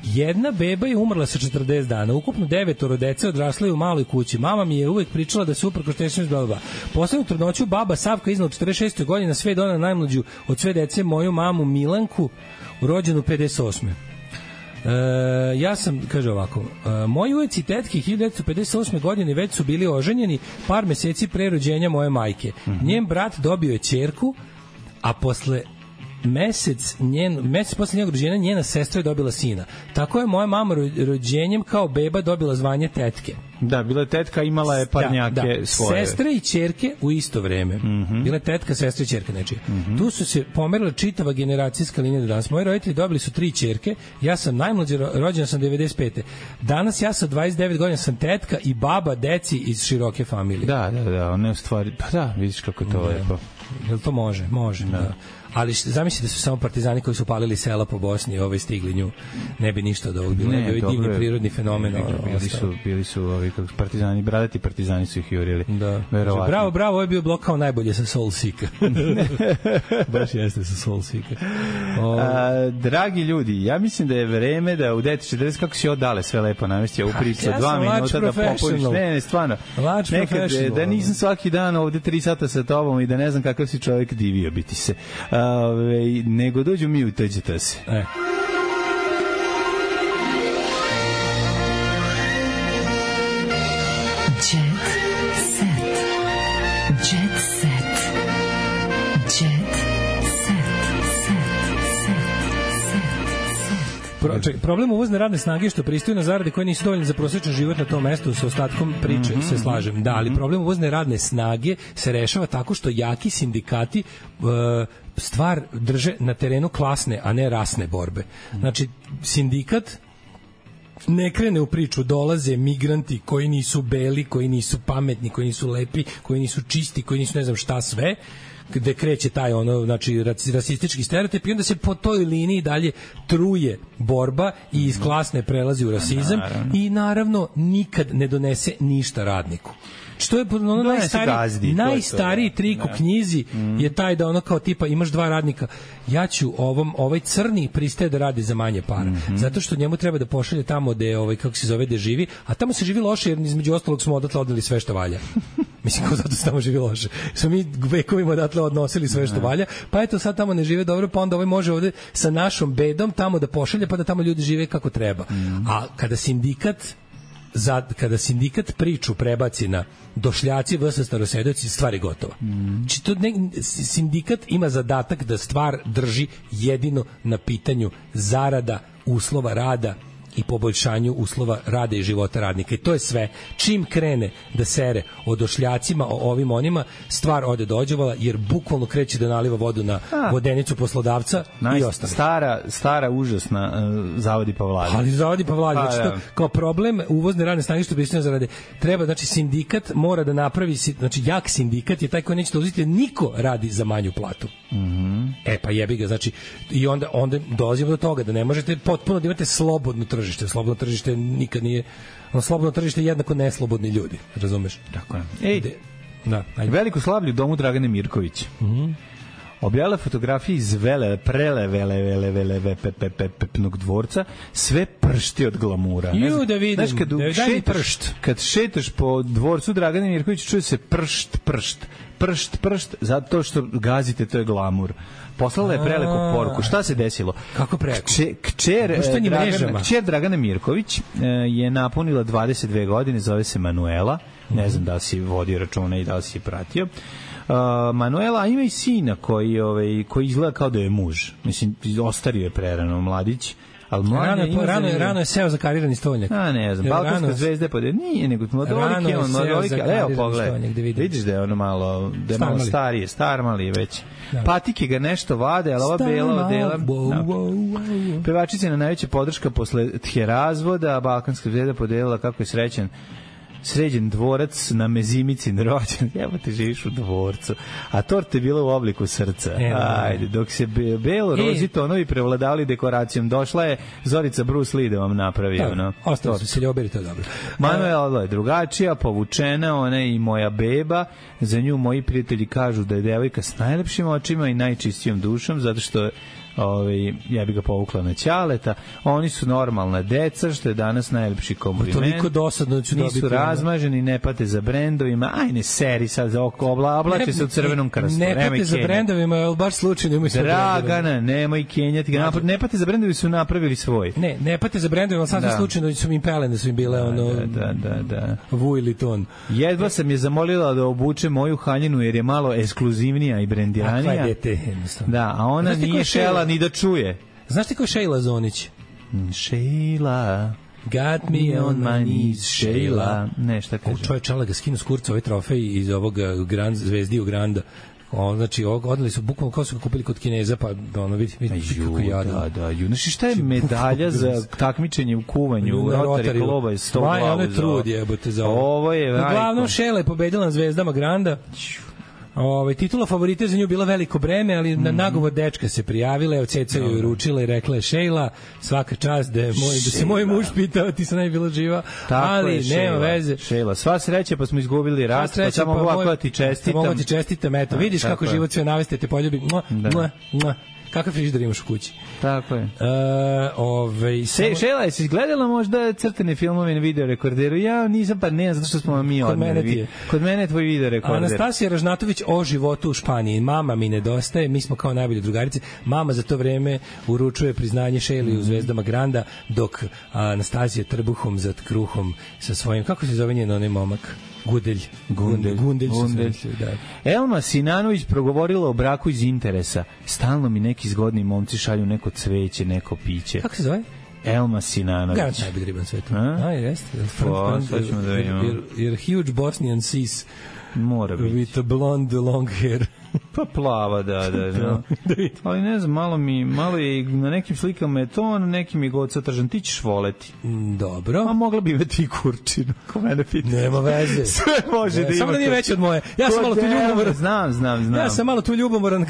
Jedna beba je umrla sa 40 dana. Ukupno 9 dece odraslo je u maloj kući. Mama mi je uvek pričala da se uprkos teškom izbavila. Poslednju trudnoću baba Savka iznala 46. godina, sve donela najmlađu od sve dece, moju mamu Milanku, rođenu 58. Ja sam, kaže ovako, moji ujeci i tetke 1958. godine već su bili oženjeni par meseci pre rođenja moje majke. Njen brat dobio je ćerku, a posle mesec posle njenog rođenja njena sestra je dobila sina. Tako je moja mama rođenjem kao beba dobila zvanje tetke. Da, bila je tetka, imala je parnjake svoje. Sestre i ćerke u isto vreme. Bila je tetka, sestra i ćerka nečija. Tu su se pomerila čitava generacijska linija do danas. Moji roditelji dobili su 3 ćerke, ja sam najmlađa, rođena sam 95. Danas ja sa 29 godina sam tetka i baba deci iz široke familije. Da, one u stvari, pa da, vidiš kako je to lepo. Jel to može? Može, da. Ali zamislite da su samo partizani koji su palili sela po Bosni stigli nju, ne bi ništa od ovog bilo, ne bi divni prirodni fenomen. Bili su ovi partizani, bradati partizani su ih jurili. Da. Bravo, ovo je bio blok kao najbolje sa Soul Seeka. Baš jeste sa Soul Seeka. Dragi ljudi, ja mislim da je vreme da u 9:40, kako si odale sve lepo namestio u priču, 2 minuta da popuniš. Ne, stvarno. Nekad, da nisam svaki dan ovde 3 sata sa tobom i da ne znam kakav si čovjek, divio biti se. Nego dođu mi, uteđete se. Problem uvozne radne snage je što pristaju na zarade koje nisu dovoljne za prosječan život na tom mestu, sa ostatkom priče se slažem. Da, ali problem uvozne radne snage se rešava tako što jaki sindikati stvar drže na terenu klasne, a ne rasne borbe. Znači, sindikat ne krene u priču, dolaze migranti koji nisu beli, koji nisu pametni, koji nisu lepi, koji nisu čisti, koji nisu ne znam šta sve, gde kreće taj znači rasistički stereotip i onda se po toj liniji dalje truje borba i iz klasne prelazi u rasizam i naravno nikad ne donese ništa radniku. Što je najstariji trik u knjizi je taj da ono kao tipa imaš 2 radnika, ja ću ovaj crni pristaje da radi za manje para, zato što njemu treba da pošalje tamo gde kako se zove, gde živi, a tamo se živi loše jer između ostalog smo odatle odneli sve što valja. Mislim, kao zato se tamo živi loše. Smo mi vekovima odatle odnosili sve što valja, pa eto sad tamo ne žive dobro, pa onda ovaj može ovde sa našom bedom tamo da pošalje, pa da tamo ljudi žive kako treba. A kada sindikat priču prebaci na došljaci vs. starosedoci, stvar je gotova. Sindikat ima zadatak da stvar drži jedino na pitanju zarada, uslova rada i poboljšanju uslova rada i života radnika. I to je sve. Čim krene da sere o došljacima, o ovim onima, stvar ode do ođevala, jer bukvalno kreće da naliva vodu na vodenicu poslodavca i ostane. Stara užasna zavodi pa vlada. Ali zavodi pa vlada. Znači, kao problem uvozne radne snage što bi zarade. Treba, znači, sindikat mora da napravi, znači, jak sindikat je taj koji neće da uzeti, niko radi za manju platu. Pa jebi ga, znači, i onda dolazimo do toga da ne možete potpuno da imate slobodno tržište. Slobodno tržište nikad nije, slobodno tržište je jednako neslobodni ljudi, razumeš? Tako je. Veliko slavlje u domu Dragane Mirković. objavila fotografije iz prelevepnog dvorca, sve pršti od glamura. Ju, da vidim, znaš, kad šetaš po dvorcu Dragana Mirkovića, čuje se pršt, zato što gazite, to je glamur. Poslala je prelepu poruku. Šta se desilo? Kako preko? Kćer Dragana Mirković je napunila 22 godine, zove se Manuela. Ne znam da li si vodio računa i da li si je pratio. Manuela ima i sina koji izgleda kao da je muž. Mislim, ostario je prerano mladić. Rano je seo za karirani stolnjak. Ne znam, Balkanska zvezda nije, nego mladolik je on, evo pogledaj, vidiš da je ono malo, da je malo starije, star mali je već. Patike ga nešto vade, ali ova bela odela. Pevačica je na najveća podrška posle razvoda, Balkanska zvezda podelila kako je sređen dvorac na Mezimicin rođen. Evo te živiš u dvorcu. A torta je bila u obliku srca. Ajde, dok se belo-rozi tonovi prevladavali dekoracijom, došla je Zorica Bruce Lee da vam napravi. Ostalo su se ljubili, to je dobro. Manuela je drugačija, povučena, ona je i moja beba. Za nju moji prijatelji kažu da je devojka s najlepšim očima i najčistijom dušom, zato što ja bi ga povukla na ćaleta. Oni su normalna deca, što je danas najlepši kompliment. Toliko dosadno ću dobiti. Nisu razmaženi, ne pate za brendovima. Aj, ne seri sad za oko, oblače se u crvenom krstu. Ne pate za brendovima, ali baš slučajno imaju svoj brendovima. Dragana, nemoj kenjati ga. Ne pate za brendovi, su napravili svoj. Ne pate za brendovima, ali sad slučajno su im pelene, da su im bile Vuili ton. Jedva sam je zamolila da obuče moju haljinu, jer je malo ekskluzivnija i brendiranija. Kakva je dete, jednostavno. Da, a ona nije šela ni da čuje. Znaš ti ko je Šejla Zonić? Šejla got me on my knees, Šejla. Ne, šta kaže? Čovjek čala ga skinu s kurca ovaj trofej iz ovog Zvezdi u Granda. Znači, odali su bukvalno kao su ga kupili kod Kineza, pa ono, vidi kako jadan. Da. Znači, šta je medalja za takmičenje u kuvanju u Rotary kluba iz 100 glavu? Ono je trud, jebote, za ovo. Uglavnom, Šejla je pobedila na Zvezdama Granda. Titula favorita za nju bila veliko breme, ali na nagovor dečka se prijavila, Ceca joj ručila i rekla je: Šejla, svaka čast da se moj muž pitao, ti sam najbila živa, ali nema veze. Šejla, sva sreća, pa smo izgubili rat, pa samo ovako ti čestitam. Mogu ti čestitam, eto, vidiš kako život sve naveste, te poljubi. Kakav frižider imaš u kući? Tako je. Šejla, jesi gledala možda crtene filmove na videorekorderu? Ja nisam, pa ne, zato što smo mi odmeri. Kod mene je tvoj videorekorder. Anastasija Ražnatović o životu u Španiji. Mama mi nedostaje, mi smo kao najbolje drugarice. Mama za to vreme uručuje priznanje Šejli u Zvezdama Granda, dok Anastasija trbuhom za kruhom sa svojim, kako se zove njen onaj momak? Gundelj. Elma Sinanović progovorila o braku iz interesa. Stalno mi neki zgodni momci šalju neko cveće, neko piće. Kako se zove? Elma Sinanović. Garant najbolji riban svetu. Jeste. Sad ćemo da vidimo. You're huge Bosnian sis. Mora biti. With a blonde long hair. Pa plava, da. Ali ne znam, malo je na nekim slikama je to, na nekim je god satržan. Ti ćeš voleti. Dobro. A mogla bi imati i kurčinu, ko mene pita. Nema veze. Sve može da ima. Samo da nije veće od moje. Ja sam malo tu ljubomoran. Znam. Ja sam malo tu ljubomoran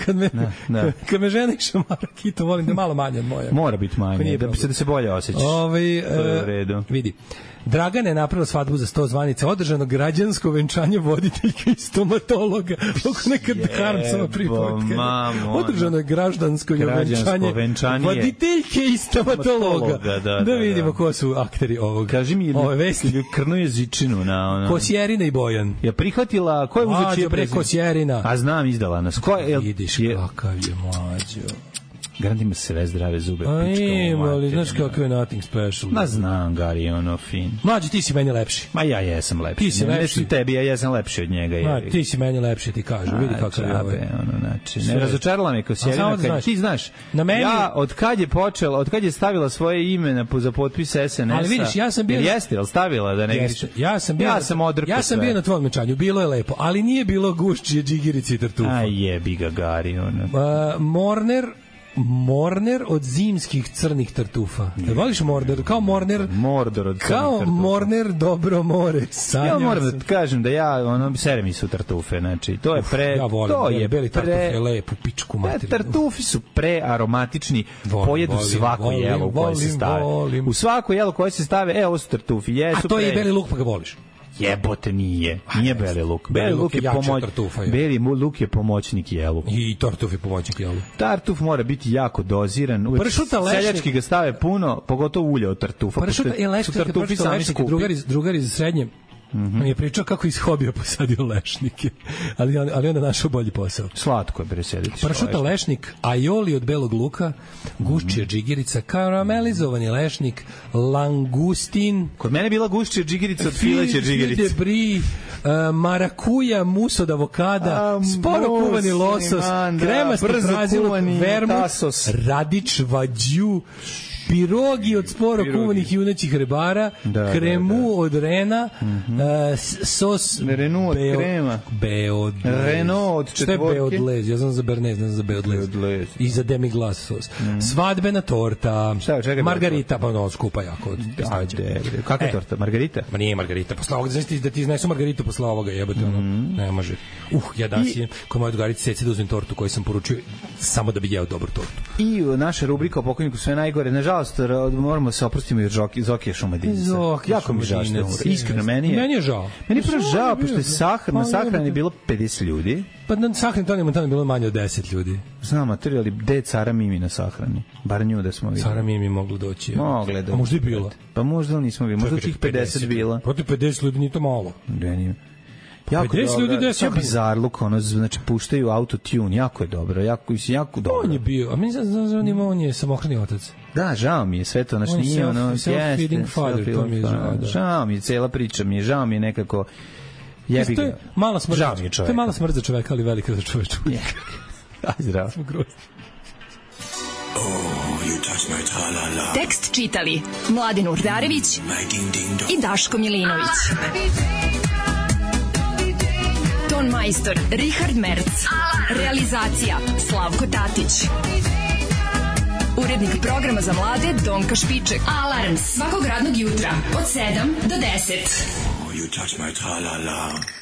kad me žena i šamara kitu, volim da malo manje od moje. Mora biti manje, da se bolje osjećaš. To je u redu. Vidi. Dragana je napravila svadbu za 100 zvanica, održano građansko venčanje voditeljka i stomatologa. Oko nekad harmsova pripovetka. Održano je građansko venčanje voditeljke i stomatologa. Da vidimo ko su akteri ovog. Kaži mi, Krno jezičinu na ono. Kosjerina i Bojan. Je prihvatila, ko je uzeo čije prezime? Kosjerina. A znam, izdala nas. Vidiš kakav je mlađo. Garant ima sve zdrave zube. Ali znaš kako je nothing special. Ma znam, Gari, ono fin. Mlađi, ti si meni lepši. Ma ja jesam lepši. Ti si lepši. Tebi, ja jesam lepši od njega. Ti si meni lepši, ti kažu. Vidi kako je ovo. Ne razočarala me Kosjerina. Ti znaš, ja od kad je stavila svoje ime za potpis SNS-a. Ali vidiš, ja sam bio... Jeste, ali stavila da ne griš? Ja sam bio na tvojom venčanju. Bilo je lepo, ali nije bilo gušćije, džigirice i tartufa. Aj jebi ga, Gari. Morner od zimskih crnih tartufa. Voliš Morner? Kao Morner od crnih tartufa. Kao Morner dobro more. Ja moram da kažem da sere mi su tartufe. Znači, to je ja volim, beli tartuf je lep u pičku materinu. Tartufi su prearomatični, pojedu svako jelo koje se stave. U svako jelo koje se stave, ovo su tartufi. A to je beli luk, pa ga voliš. Jebote, nije beli luk. Beli luk je jači od tartufa. Beli luk je pomoćnik jelu. I tartuf je pomoćnik jelu. Tartuf mora biti jako doziran. Seljački ga stave puno, pogotovo ulje od tartufa. Pršuta je lešnik, tartufi sami skupi. Drugar iz srednje mi je pričao kako iz hobija posadio lešnike, ali onda našao bolji posao. Slatko je presediti. Pršuta lešnik, aioli od belog luka, guščija džigirica, karamelizovani lešnik, langustin. Kod mene je bila guščija džigirica od fileće džigirice. Debri, marakuja, mus od avokada, sporo kuvani losos, kremasti prazilog, vermut, radič, vađu, pirogi od sporo kuvanih junećih rebara, kremu od rena, sos Renault od krema, Renault od četvorke. Šta je beodlez? Ja znam za bernez, ne znam za beodlez. I za demi-glace sos. Svadbena torta, margarita, pa ono, skupa jako. Kakva je torta? Margarita? Ma nije margarita. Posle ovoga, znači da ti iznesu margaritu posle ovoga, jebate, ono, ne može. Ja danas idem kod moje drugarice Ceci da uzmem tortu koju sam poručio samo da bi jeo dobru tortu. I naša rubrika o pokojniku sve najgore, nažalost, moramo se oprostiti od Zokija Šumadinca. Jako mi žao što je umro. Iskreno, meni je žao. Meni je prvo žao, pošto je na sahrani bilo 50 ljudi. Pa na sahrani tamo je bilo manje od 10 ljudi. Znam, ali gde je Cara Mimi na sahrani? Bar nju da smo videli. Cara Mimi moglo doći. Mogle da. A možda i bilo. Pa možda nismo videli. Možda tih 50 bila. Protiv 50 ljudi nije to malo. Da nije. Jako dobro, sve bizarluk, ono, znači, puštaju autotune, jako je dobro, jako dobro. On je bio, a meni on je samohrani otac. Da, žao mi je sve to, znači, nije ono, self-feeding father, to mi je žao, da. Žao mi je, cela priča mi je, žao mi je nekako, jebi ga. To je mala smrt, to je mala smrt za čoveka, ali velika za čovečnika. Aj, zdravo. Tekst čitali Mladin Urdarević i Daško Milinović. Ton majstor Richard Merc. Realizacija Slavko Tatić. Urednik programa za mlade Donka Špiček. Alarms svakog radnog jutra od 7 do 10. You touch my tra-la-la.